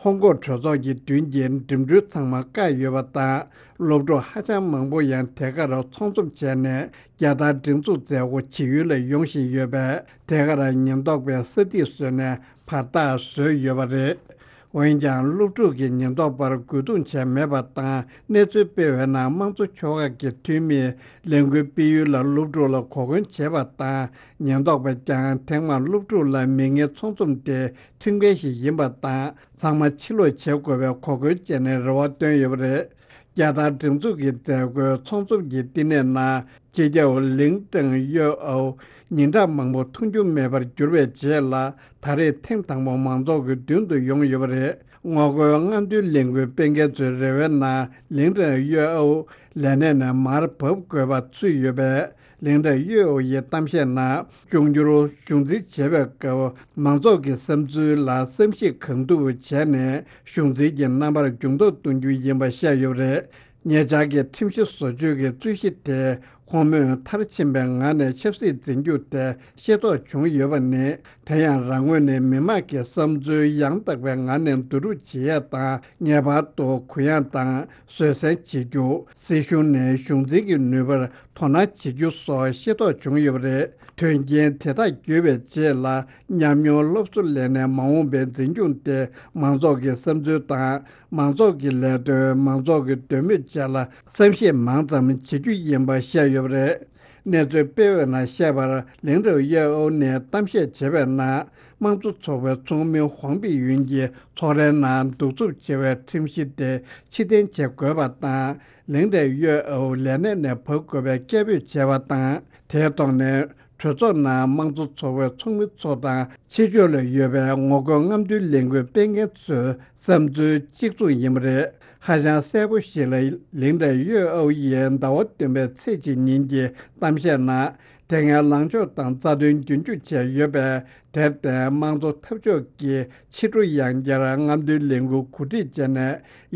ཧོང་ཀོང་གྲོས་ཚོགས་ཀྱི་མདུན་གྱི་འགྲིམ་འགྲུལ་ཚང་མ་བཀག་ཡོད་པ་དང་། སློབ་ཕྲུག་ཧ་ཅང་མང་པོ་ཡང་དེ་གར་ཚོགས་འཛོམས་བྱས་ནས་རྒྱལ་དར་སྒྲེང་འཛུགས་མཛད་སྒོ་བྱེད་ཡུལ་ལ་ཡོང་བཞིན་ཡོད་པས། དེ་གར་ཉེན་རྟོག་པས་ས་ཐིག་བཟོས་ནས་བར་ཐག་བཟོས་ཡོད་པ་རེད། འོན་ཀྱང་། སློབ་ཕྲུག་གི་ཉེན་རྟོག་པར་རྒོལ་རྡུང་བྱས་མེད་པ་དང་། གནས་ཚུལ་སྤེལ་བའི་ནང་། དམངས་གཙོ་ཤོག་ཁག་གི་འཐུས་མིтурn ལས་འགུལ་སྤེལ་ཡུལ་ལ་སློབ་ཕྲུག་ལ་གོ་སྐོན་བྱས་པ་དང་། ཉེན་རྟོག་པས་ཀྱང་ཐེངས་མང་སློབ་ཕྲུག་ལ་མི་ངན་ཚོགས་འཛོམས་དེ་ཁྲིམས་འགལ་ཞིག་ཡིན་པ་དང་། ཚང་མ་ཕྱིར་ལོག་བྱེད་དགོས་པའི་གོ་སྐོན་བྱས་ནས་རེ་བ་བཏོན་ཡོད་པ་རེད། རྒྱལ་དར་སྒྲེང་འཛུགས་ཀྱི་མཛད་སྒོའི་ཚོགས་འཛོམས་ཀྱི་བསྟི་གནས་ནང་། སྤྱི་ཁྱབ་ལིང་ཀྲང་ཡོས་ཨའོ་ཉིན་གྲངས་མང་པོ་མཐོང་རྒྱུ་མེད་པར་གྱུར་པའི་རྗེས་ལ། ད་རེས་ཐེངས་དང་པོ་མང་ཚོགས་ཀྱི་མདུན་དུ་ཡོང་ཡོད་པ་རེད། ངོ་རྒོལ་རྔམ་སྟོན་ལས་འགུལ་སྤེལ་མཁན་ཚོའི་རེ་བའི་ནང་། ལིང་ཀྲང་ཡོས་ཨའོ་ལས་གནས་ནས་མར་བབས་དགོས་པ་ཚུད་ཡོད་པས། ལིང་ཀྲང་ཡོས་ཨའོ་ཡི་གཏམ་བཤད་ནང་། འབྱུང་འགྱུར་གཞུང་འཛིན་བྱེད་པའི་སྐབས། མང་ཚོགས་ཀྱི་བསམ་ཚུལ་ལ་བསམ་གཞིག་གང་ཐུབ་བྱས་ནས། གཞུང་འཛིན་གྱི་རྣམ་པར་འགྱུར་ལྡོག་གཏོང་རྒྱུ་ཡིན་པ་བཤད་ཡོད་པ་རེད། ཉེ་ཆར་གྱི་ཁྲིམས་གཞི་བཟོ་བཅོས་ཀྱི་རྩོད་གཞི་དེ། ཁོང་མོས་མཐར་ཕྱིན་པའི་ངང་ནས་ཆབ་སྲིད་འཛིན་རྒྱུ་དེ་ཤེས་རྟོགས་བྱུང་ཡོད་པ་ནི། དེ་ཡང་། རང་ངོས་ནས་མི་མང་གི་བསམ་ཚུལ་ཡང་དག་པའི་ངང་ནས་བསྡུ་རུབ་བྱེད་ཡས་དང་། ངེས་པར་དུ་གུ་ཡངས་དང་བཟོད་བསྲན་བྱེད་རྒྱུ། སྲིད་གཞུང་ནས་གཞུང་འཛིན་གྱི་ནུས་པར་དོ་སྣང་བྱེད་རྒྱུ་སོགས་ཤེས་རྟོགས་བྱུང་ཡོད་པ་རེད། དོན་རྐྱེན་དེ་དག་བརྒྱུད་པའི་རྗེས་ལ། ཉམས་མྱོང་སློབ་གསོ་ལེན་ནས་མ་འོངས་པའི་འཛིན་སྐྱོང་སྟེ། མང་ཚོགས་ཀྱི་བསམ་ཚུལ་དང་། མང་ཚོགས་ཀྱི་ལས་དོན། མང་ཚོགས་ཀྱི་འདོད་མོས་བཅས་ལ་བསམ་གཞིག་མང་ཙམ་བྱེད་རྒྱུ་ཡིན་པ་བཤད་ཡོད་པ་རེད། གནས་ཚུལ་སྤེལ་བའི་ནང་བཤད་པར། ལིང་ཀྲང་ཡོས་ཨའོ་ནས་གཏམ་བཤད་བྱས་པའི་ནང་། དམངས་གཙོ་ཚོགས་པའི་ཚོགས་མི་ཧོང་པི་ཡུན་གྱིས་ཚོགས་རའི་ནང་གདུག་རྩུབ་ཆེ་བའི་ཁྲིམས་གཞི་དེ་ཕྱིར་འཐེན་བྱེད་དགོས་པ་དང་། ལིང་ཀྲང་ཡོས་ཨའོ་ལས་གནས་ནས་བབས་དགོས་པའི་སྐད་འབོད་བྱས་པ་དང་། དེའི་ཐོག་ནས། གྲོས་ཚོགས་ནང་དམངས་གཙོ་ཚོགས་པའི་ཚོགས་མི་ཚོ་དང་། ཕྱི་ཕྱོགས་ལ་ཡོད་པའི་ངོ་རྒོལ་རྔམ་སྟོན་ལས་འགུལ་སྤེལ་མཁན་ཚོའི་བསམ་ཚུལ་གཅིག་མཚུངས་ཡིན་པ་རེད། ཧ་ཅང་གསལ་པོ་ཞིག་ལ། ལིང་ཀྲང་ཡོས་ཨའོ་ཡིས་ཟླ་བ་བདུན་པའི་ཚེས་གཅིག་ཉིན་གྱི་གཏམ་བཤད་ནང་། དེ་སྔའི་ལངས་ཕྱོགས་དང་རྩ་དོན་རྒྱུན་འཁྱོངས་བྱས་ཡོད་པས། དེར་བརྟེན། དམངས་གཙོ་འཐབ་ཕྱོགས་ཀྱིས་ཕྱི་དྲོ་ཡང་བསྐྱར་རྔམ་སྟོན་ལས་འགུལ་གོ་སྒྲིག་བྱས་ནས།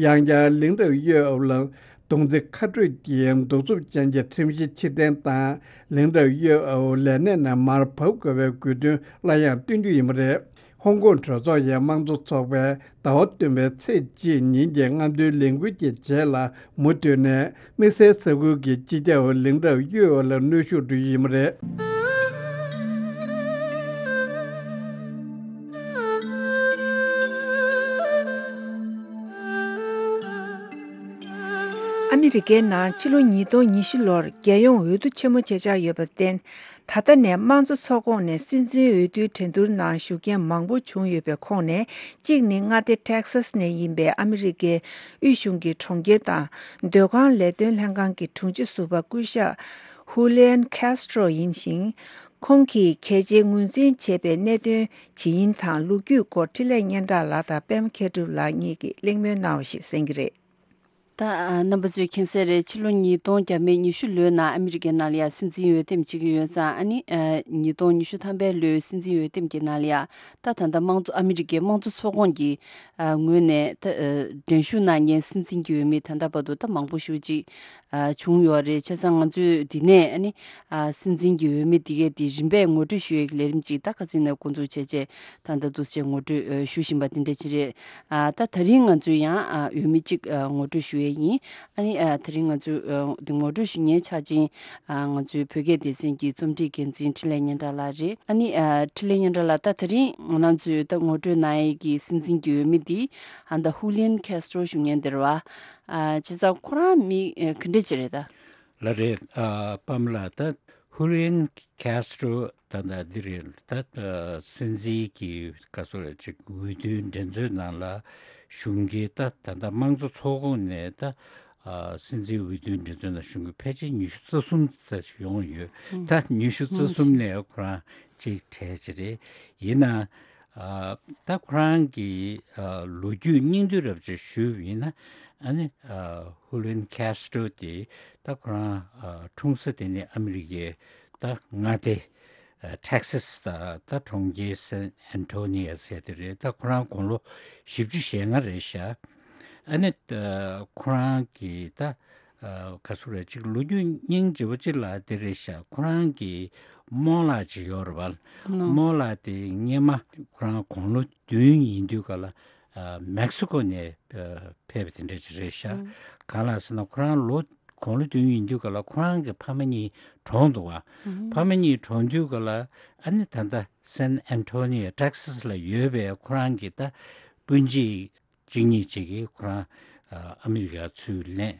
ཡང་བསྐྱར་ལིང་ཀྲང་ཡོས་ཨའོ་ལ། གདུང་འཛིན་ཁ་སྤྲོད་ཀྱིས་གདུག་རྩུབ་ཅན་གྱི་ཁྲིམས་གཞི་ཕྱིར་འཐེན་དང་། ལིང་ཀྲང་ཡོས་ཨའོ་ལས་གནས་ནས་མར་བབས་དགོས་པའི་དགོས་འདུན་སླར་ཡང་བཏོན་རྒྱུ་ཡིན་པ་རེད། ཧོང་ཀོང་གྲོས་ཚོགས་ཀྱི་དམངས་གཙོ་ཚོགས་པས་ཟླ་བ་བདུན་པའི་ཚེས་གཅིག་ཉིན་གྱི་རྔམ་སྟོན་ལས་འགུལ་གྱི་རྗེས་ལ། མུ་མཐུད་ནས་དམིགས་བསལ་ས་ཁུལ་གྱི་སྤྱི་ཁྱབ་ལིང་ཀྲང་ཡོས་ཨའོ་ལ་གནོན་ཤུགས་སྤྲོད་རྒྱུ་ཡིན་པ་རེད། ཨ་མི་རི་ཀའི་ནང་ཕྱི་ལོ་ཉིས་སྟོང་ཉི་ཤུ་ལོར་རྒྱལ་ཡོངས་འོས་བསྡུ་ཆེན་མོ་བྱེད་འཆར་ཡོད་པར་བརྟེན། ད་ལྟ་ནས་དམངས་གཙོ་ཚོགས་ཁོངས་ནས་སྲིད་འཛིན་འོས་བསྡུའི་འགྲན་བསྡུར་ནང་ཞུགས་མཁན་མང་པོ་བྱུང་ཡོད་པའི་ཁོངས་ནས་གཅིག་ནི་མངའ་སྡེ་ཊེག་སཱས་ནས་ཡིན་པའི་ཨ་མི་རི་ཀའི་དབུས་གཞུང་གི་གྲོང་ཁྱེར་དང་སྡོད་ཁང་ལས་དོན་ལྷན་ཁང་གི་དྲུང་ཆེ་ཟུར་པ་སྐུ་ཞབས་ཧུ་ལི་ཡན་ཁེ་སི་ཏྲོ་ཡིན་ཞིང་། ཁོང་གིས་གལ་ཆེའི་ངོས་འཛིན་བྱས་པའི་གནད་དོན་ཇི་ཡིན་དང་ལོ་རྒྱུས་སྐོར་འཕྲིན་ལས་སྙན་གྲགས་ལགས་དང་པད་མ་མཁས་གྲུབ་ལགས་གཉིས་ཀྱིས་གླེང་མོལ་གནང་བ་ཞིག་གསན་གྱི་རེད། ད་ཨ་རྣམ་པ་ཚོས་མཁྱེན་གསལ་རེད། ཕྱི་ལོ་ཉིས་སྟོང་བརྒྱ་མེད་ཉི་ཤུ་ལོའི་ནང་ཨ་མི་རི་ཀའི་ནང་ལ་ཡ་སྲིད་འཛིན་འོས་འདེམས་བྱེད་ཀྱི་ཡོད་ཙང་། ཨ་ནི་ཨ་ཉིས་སྟོང་ཉི་ཤུ་ཐམ་པའི་ལོའི་སྲིད་འཛིན་འོས་འདེམས་ཀྱི་ནང་ལ་ཡ་ད་ད་ལྟ་དམངས་གཙོ་ཨ་མི་རི་ཀའི་དམངས་གཙོ་ཚོགས་ཁོངས་ཀྱི་ཨ་ངོས་ནས་ད་ཨ་འགྲན་ཞུགས་གནང་མཁན་སྲིད་འཛིན་གྱི་འོས་མི་ད་ལྟ་བར་དུ་ད་མང་པོ་ཞེ་ཅིག་ཨ་བྱུང་ཡོད་རེད། བྱས་ཙང་ང་ཚོས་འདི་ནས་ཨ་ནི་ཨ་སྲིད་འཛིན་གྱི་འོས་མི་འདི་གའི་འདི་རིམ་པས་ངོ་སྤྲོད་ཞུ་ཡས་ཀྱི་ལས་རིམ་ཅིག་ད་ཁ་སང་ནས་འགོ་འཛུགས་བྱས་རྗེས་ད་ལྟ་འདུག་སེ་ངོ་སྤྲོད་ཨ་ཞུ་བཞིན་པ་འདི་འདྲ་ཅིག་རེད། ཨ་ད་ད་རིང་ང་ཚོས་ཡང་ཨ་འོས་མི་གཅིག་ཨ་ངོ་སྤྲོད་ཞུ་ཡས་ཡིན། ཨ་ནི་ཨ་ད་རིང་ང་ཚོས་ཨ་འདི་ངོ་སྤྲོད་ཞུ་མཁན་ཆ་ཅན་ཨ་ང་ཚོའི་བོད་སྐད་སྡེ་ཚན་གྱི་རྩོམ་སྒྲིག་འགན་འཛིན་འཕྲིན་ལས་སྙན་གྲགས་ལགས་རེད། ཨ་ནི་ཨ་འཕྲིན་ལས་སྙན་གྲགས་ལགས། ད་ད་རིང་ང་རང་ཚོས་ད་ངོ་སྤྲོད་གནང་ཡས་ཀྱི་སྲིད་འཛིན་གྱི་འོས་མི་འདི་ཨ་ད་ཧུ་ལི་ཡན་ཁེ་སི་ཏྲོ་ཞུ་མཁན་འདི་རེད་བ། ཨ་བྱས་ཙང་ཁོ་རང་མི་ཨ་ག་འདྲ་ཅིག་རེད་ད། ལགས་རེད། ཨ་པདྨ་ལགས། ད་ཧུ་ལི་ཡན་ཁེ་སི་ཏྲོ་ད་ལྟ་འདི་རེད། ད་ཨ་སྲིད་འཛིན་གྱི་ག་ཚོད་རེད་ཅིག་འོས་བསྡུའི་འགྲན་རྩོད་ནང་ལ་ཞུགས་མཁན། ད་ད་ལྟ་དམངས་གཙོ་ཚོགས་ཁོངས་ནས་ད་ཨ་སྲིད་འཛིན་འོས་བསྡུའི་འགྲན་རྩོད་ནང་ཞུགས་མཁན་ཕལ་ཆེར་ཉི་ཤུ་རྩ་གསུམ་ཙམ་ཡོང་ཡོད། ད་ཉི་ཤུ་རྩ་གསུམ་ནས་ཁོ་རང་གཅིག་གྲས་ཅིག་རེད། ཡིན་ན་ཨ་ད་ཁོ་རང་གི་ཨ་ལོ་རྒྱུས་སྙིང་བསྡུས་རབ་ཅིག་ཞུས་པ་ཡིན་ན། ཨ་ནི་ཨ་ཧུ་ལི་ཡན་ཁེ་སི་ཏྲོ་དེ་ད་ཁོ་རང་ཨ་འཁྲུངས་ས་དེ་ནི་ཨ་མི་རི་ཀའི་ད་མངའ་སྡེ་ཨ་ཊེག་སཱས་ད་ད་གྲོང་ཁྱེར་སན་ཨན་ཐོ་ནི་ཡ་ཟེར་དེ་རེད། ད་ཁོ་རང་དགུང་ལོ་བཞི་བཅུ་ཞེ་ལྔ་རེད་ཤག་ཨ་ནི་ཨ་ཁོ་རང་གི་ད་ཨ་ག་ཚོད་རེད་ཅིག་ལོ་རྒྱུས་སྙིང་རྗེ་པོ་ཅིག་ལ་དེ་རེད་ཤག་ཁོ་རང་གི་རྨོ་ལགས་ཅིག་ཡོད་རེད་བ། རྨོ་ལགས་དེ་སྔོན་མ་ཁོ་རང་དགུང་ལོ་བདུན་ཡིན་དུས་ག་ལ་ཨ་མེག་སི་ཀོ་ནས་ཨ་ཕེབས་པ་དེ་འདྲ་ཅིག་རེད་ཤག་གང་ལགས་ཟེར་ན་ཁོ་རང་ལོ་དགུང་ལོ་བདུན་ཡིན་དུས་ག་ལ་ཁོ་རང་གི་ཕ་མ་གཉིས་གྲོངས་འདུག་བ། ཕ་མ་གཉིས་གྲོངས་དུས་ག་ལ་ཨ་ནི་ད་ལྟ་སན་ཨན་ཐོ་ནི་ཡ་ཊེག་སཱས་ལ་ཡོད་པའི་ཁོ་རང་གི་ད་སྤུན་མཆེད་གཅིག་གཉིས་ཅིག་གིས་ཁོ་རང་ཨ་ཨ་མི་རི་ཀར་ཚུར་ལེན་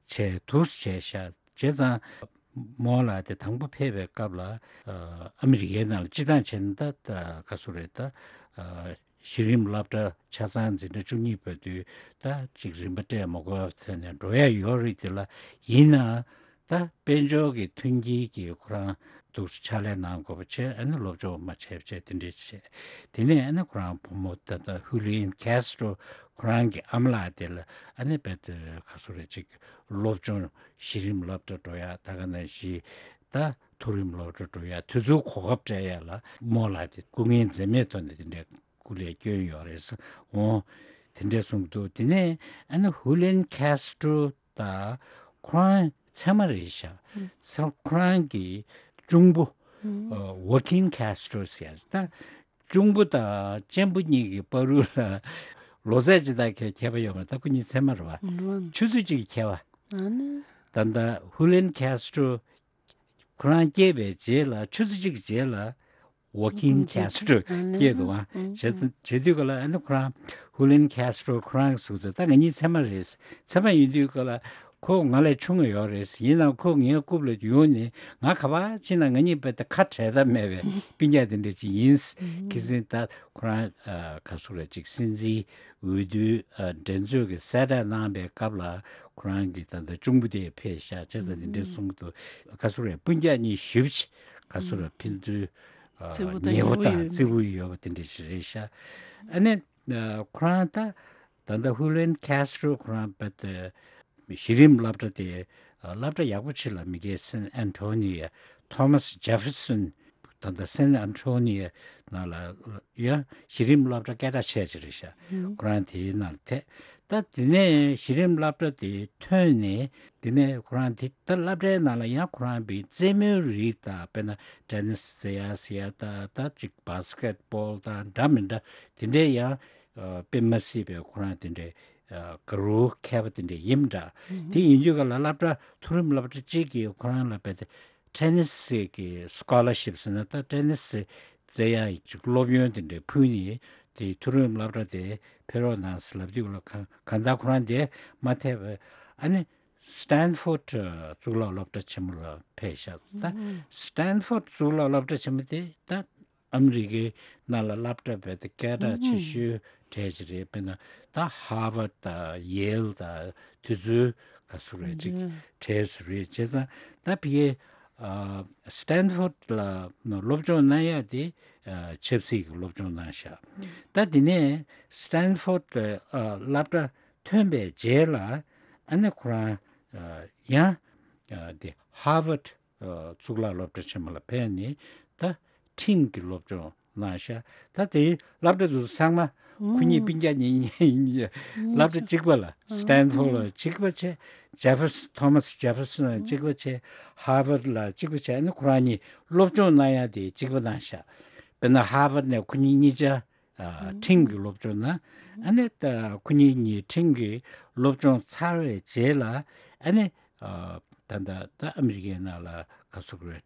བྱས་འདུག་བྱས་ཤག་བྱས་ཙང་རྨོ་ལགས་དེ་དང་པོ་ཕེབས་པའི་སྐབས་ལ་ཨ་ཨ་མི་རི་ཀའི་ནང་ལ་སྤྱིར་བཏང་བྱས་ན་ད་ད་ག་ཚོད་རེད། ད་ཨ་གཞི་རིམ་སློབ་གྲྭ་ཆ་ཚང་འཛིན་གྲྭ་བཅུ་གཉིས་བར་དུ་ད་ཅིག་རིན་པ་སྤྲད་མ་དགོས་པ་ཐོན་ནས་འགྲོ་ཡ་ཡོད་རེད། དེ་ལ་ཡིན་ནའང་ད་དཔལ་འབྱོར་གྱི་མཐུན་རྐྱེན་གྱིས་ཁོ་རང་འདུག་སེ་ཕྱག་ལས་གནང་དགོས་པ་བྱས། ཨ་ནི་སློབ་སྦྱོང་མ་བྱས་པ་བྱས་དེ་འདྲས་བྱས། དེ་ནས་ཨ་ནི་ཁོ་རང་བུ་མོ་ད་ལྟ་ཧུ་ལི་ཡན་ཁེ་སི་ཏྲོ་ཁོ་རང་གི་ཨ་མ་ལགས་དེ་ལ་ཨ་ནི་རྦད་དེ་ག་ཚོད་རེད་ཅིག་སློབ་སྦྱོང་གཞི་རིམ་སློབ་གྲྭ་འགྲོ་ཡ། ད་ག་ནང་བཞིན་ད་མཐོ་རིམ་སློབ་གྲྭ་འགྲོ་ཡ་དེ་ཚོའི་གོ་སྐབས་སྤྲད་ཡ་ལ་རྨོ་ལགས་དེ་སྐུ་ངལ་འཛེམས་མེད་ཐོག་ནས་དེ་འདྲས་སྐུ་ལས་བསྐྱོན་ཡོད་རེད་འོང་། དེ་འདྲས་གསུངས་འདུག་དེ་ནས་ཨ་ནི་ཧུ་ལི་ཡན་ཁེ་སི་ཏྲོ་ད་ཁོ་རང་ཚད་མ་རེད་ཤག་ཚ་ཁོ་རང་གི་གཅུང་པོ་ཨ་ཝོ་ཀིན་ཁེ་སི་ཏྲོ་ཟེར་ཡ་ད་གཅུང་པོ་དང་གཅེན་པོ་གཉིས་ཀྱི་བར་དུ་ལ་ལོ་ཚད་ཅི་ལྟར་ཁྱད་ཁྱད་པར་ཡོད་མ་རེད། ད་ཁོ་གཉིས་ཚད་མ་རེད་བ། ཆུ་ཚོད་གཅིག་གི་ཁྱད་པར། ད་ལྟ་ཧུ་ལི་ཡན་ཁེ་སི་ཏྲོ་ཁོ་རང་སྐྱེས་པའི་རྗེས་ལ་ཆུ་ཚོད་གཅིག་གི་རྗེས་ལ་ཝོ་ཀིན་ཁེ་སི་ཏྲོ་སྐྱེས་འདུག་བ། བྱས་ཙང་བྱེད་དུས་ག་ལ་ཨ་ནི་ཁོ་རང་ཧུ་ལི་ཡན་ཁེ་སི་ཏྲོ་ཁོ་རང་གིས་གསུངས་འདུག་ད་ང་གཉིས་ཚད་མ་རེད། ཚད་མ་ཡིན་དུས་ག་ལ་ཁོ་ང་ལས་ཆུང་ངུ་ཡོད་རེད། ཡིན་ནའང་ཁོ་ངའི་རྐུབ་ལ་ཡོང་ནས་ང་ག་པར་ཕྱིན་ན་ང་གཉིས་རྦད་དེ་ཁ་བྲལ་ཐབས་མེད་པའི་སྤུན་ཀྱག་དེ་འདྲ་ཅིག་ཡིན། ཁ་སང་ད་ཁོ་རང་ཨ་ག་ཚོད་རེད་ཅིག་སྲིད་འཛིན་འོས་བསྡུའི་ཨ་འགྲན་རྩོད་ཀྱི་གསལ་བསྒྲགས་གནང་པའི་སྐབས་ལ་ཁོ་རང་གི་ད་ལྟ་གཅུང་པོ་དེ་ཕེབས་ཤག་བྱས་ཙང་དེ་འདྲའི་གསུང་གི་འདུག་ག་ཚོད་རེད། སྤུན་ཀྱག་གཉིས་ཞེ་པོ་ཅིག་ག་ཚོད་རེད། ཕན་ཚུན་ཨ་བརྩེ་པོ་དང་ཉེ་པོ་ཉེ་པོ་དང་ཡོད་བརྩེ་པོ་ཡོད་པ་དེ་འདྲ་ཞིག་རེད་ཤག་ཨ་ནི་ཨ་ཁོ་རང་ད་ད་ལྟ་ཧུ་ལི་ཡན་ཁེ་སི་ཏྲོ་ཁོ་རང་རྦད་དེ་གཞི་རིམ་སློབ་གྲྭ་དེ་ཨ་སློབ་གྲྭ་ཡག་པོ་ཅིག་ལ་མི་སྒེར་སན་ཨན་ཐོ་ནི་ཡ་ཐོ་མཱས་ཇེ་ཕེར་སོན་ད་ལྟ་སན་ཨན་ཐོ་ནི་ཡ་ནང་ལ་ཡ་གཞི་རིམ་སློབ་གྲྭ་སྐད་གྲགས་ཆེ་ཅིག་རེད་ཤག་ཁོ་རང་དེའི་ནང་ལ་ཐད། ད་དེ་ནས་གཞི་རིམ་སློབ་གྲྭ་དེ་ཐོན་ནས་དེ་ནས་ཁོ་རང་དེ་ད་སློབ་གྲྭའི་ནང་ལ་ཡང་ཁོ་རང་པའི་རྩེད་མོའི་རིགས་དང་དཔེར་ན་ཊེ་ནིས་རྩེ་ཡ་ཟེར་ཡ་ད་ད་ཅིག་བྷ་སི་ཀེ་ཊི་བྷོལ་དང་འདྲ་མི་འདྲ་དེ་འདྲའི་ཡང་ཨ་དཔེ་མ་སྲིད་པའི་ཁོ་རང་དེ་འདྲའི་ཨ་དགའ་རབ་མཁས་པ་དེ་འདྲ་ཡིན་འདྲ། དེ་ཡིན་དུས་ག་ལ་སློབ་གྲྭ་མཐོ་རིམ་སློབ་གྲྭ་གཅིག་གིས་ཁོ་རང་ལ་རྦད་དེ་ཊེ་ནིས་ཀྱི་སི་ཀོ་ལར་ཤིབ་ཟེར་ན་ད་ཊེ་ནིས་རྩེ་ཡ་ཅིག་སློབ་ཡོན་དེ་འདྲ་ཕུལ་ནས་དེ་མཐོ་རིམ་སློབ་གྲྭ་དེ་ཕེབས་རོགས་གནང་ཟེར་ལབ་དུས་ག་ལ་གང་གང་ལྟར་ཁོ་རང་དེ་མ་ཐེབས་པ་ཨ་ནི། Stanford གཙུག་ལག་སློབ་གྲྭ་ཆེན་མོ་ལ་ཕེབས་ཤག་ད་Stanford གཙུག་ལག་སློབ་གྲྭ་ཆེན་མོ་དེ་ད་ཨ་མི་རི་ཀའི་ནང་ལ་སློབ་གྲྭ་རྦད་དེ་སྐད་གྲགས་ཆེ་ཤོས་གྲས་ཅིག་རེད། དཔེར་ན་ད་Harvard དང་Yale དང་དེ་ཚོའི་ག་ཚོད་རེད་ཅིག་གྲས་སུ་རེད། བྱས་ཙང་ད་ཕ་གིའི་Stanford ལ་སློབ་སྦྱོང་གནང་ཡག་དེ་ཆབ་སྲིད་ཀྱི་སློབ་སྦྱོང་གནང་ཤག་ད་དེ་ནས་Stanford སློབ་གྲྭ་ཐོན་པའི་རྗེས་ལ་ཨ་ནི་ཁོ་རང་ཡང་དེ་Harvard གཙུག་ལག་སློབ་གྲྭ་ཆེན་མོ་ལ་ཕེབས་ནས་ད་ཁྲིམས་ཀྱི་སློབ་སྦྱོང་གནང་ཤག་ད་དེའི་སློབ་གྲྭ་དེ་ཚོ་ཚང་མ་ཁོ་གཉིས་སྤུན་ཀྱག་གཉིས་ཡིན། སློབ་གྲྭ་གཅིག་པ་ལ་Stanford ལ་གཅིག་པ་བྱས། Jefferson Thomas Jefferson ལ་གཅིག་པ་བྱས། Harvard ལ་གཅིག་པ་བྱས། ཨ་ནི་ཁོ་རང་གཉིས་སློབ་སྦྱོང་གནང་ཡག་དེ་གཅིག་པ་གནང་ཤག་དཔེར་ན་Harvard ནས་ཁོ་གཉིས་གཉིས་ཆ་ཁྲིམས་ཀྱི་སློབ་སྦྱོང་གནང་། ཨ་ནི་ད་ཁོ་གཉིས་གཉིས་ཁྲིམས་ཀྱི་སློབ་སྦྱོང་ཚར་བའི་རྗེས་ལ་ཨ་ནི་ད་ད་ད་ཨ་མི་རི་ཀའི་ནང་ལ་ག་ཚོད་རེད།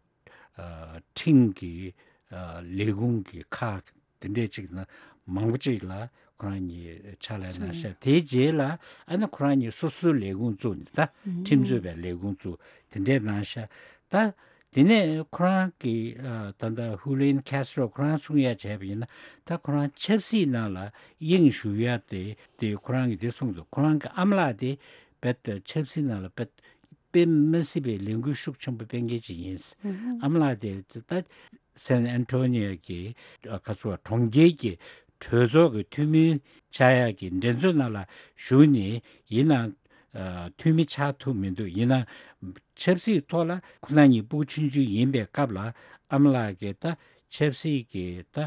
ཁྲིམས་ཀྱི་ལས་ཁུངས་ཀྱི་ཁག་དེ་འདྲས་ཅིག་ན་མང་པོ་ཅིག་ལ་ཁོ་རང་གཉིས་ཕྱག་ལས་གནང་ཤག་དེའི་རྗེས་ལ་ཨ་ནི་ཁོ་རང་གཉིས་སོ་སོའི་ལས་ཁུངས་བཙུགས་ནས་ད་ཁྲིམས་རྩོད་པའི་ལས་ཁུངས་བཙུགས་དེ་འདྲས་གནང་ཤག་ད་དེ་ནས་ཁོ་རང་གི་ད་ལྟ་Julian Castro ཁོ་རང་གསུང་ཡ་བྱས་པ་ཡིན་ན་ད་ཁོ་རང་ཆབ་སྲིད་ནང་ལ་དབྱིངས་ཞུགས་ཡ་དེ་དེ་ཁོ་རང་གིས་དེ་གསུངས་འདུག་ཁོ་རང་གི་ཨ་མ་ལགས་དེ་རྦད་དེ་ཆབ་སྲིད་ནང་ལ་རྦད་དཔེ་མི་སྲིད་པའི་ལས་འགུལ་ཤུགས་ཆེན་པོ་སྤེལ་མཁན་ཅིག་ཡིན། ཨ་མ་ལགས་དེ་ད་San Antonio གི་ཁ་སོ་གྲོང་ཁྱེར་གྱི་གྲོས་ཚོགས་ཀྱི་འཐུས་མི་ཆགས་ཡག་གི་འགྲན་རྩོད་ནང་ལ་ཞུགས་ནས་ཡིན་ནའང་འཐུས་མི་ཆགས་ཐུབ་མི་འདུག་ཡིན་ནའང་ཆབ་སྲིད་ཐོག་ལ་ཁོ་རང་གཉིས་ཕྲུ་གུ་ཆུང་ཆུང་ཡིན་པའི་སྐབས་ལ་ཨ་མ་ལགས་ཀྱིས་ད་ཆབ་སྲིད་ཀྱི་ད་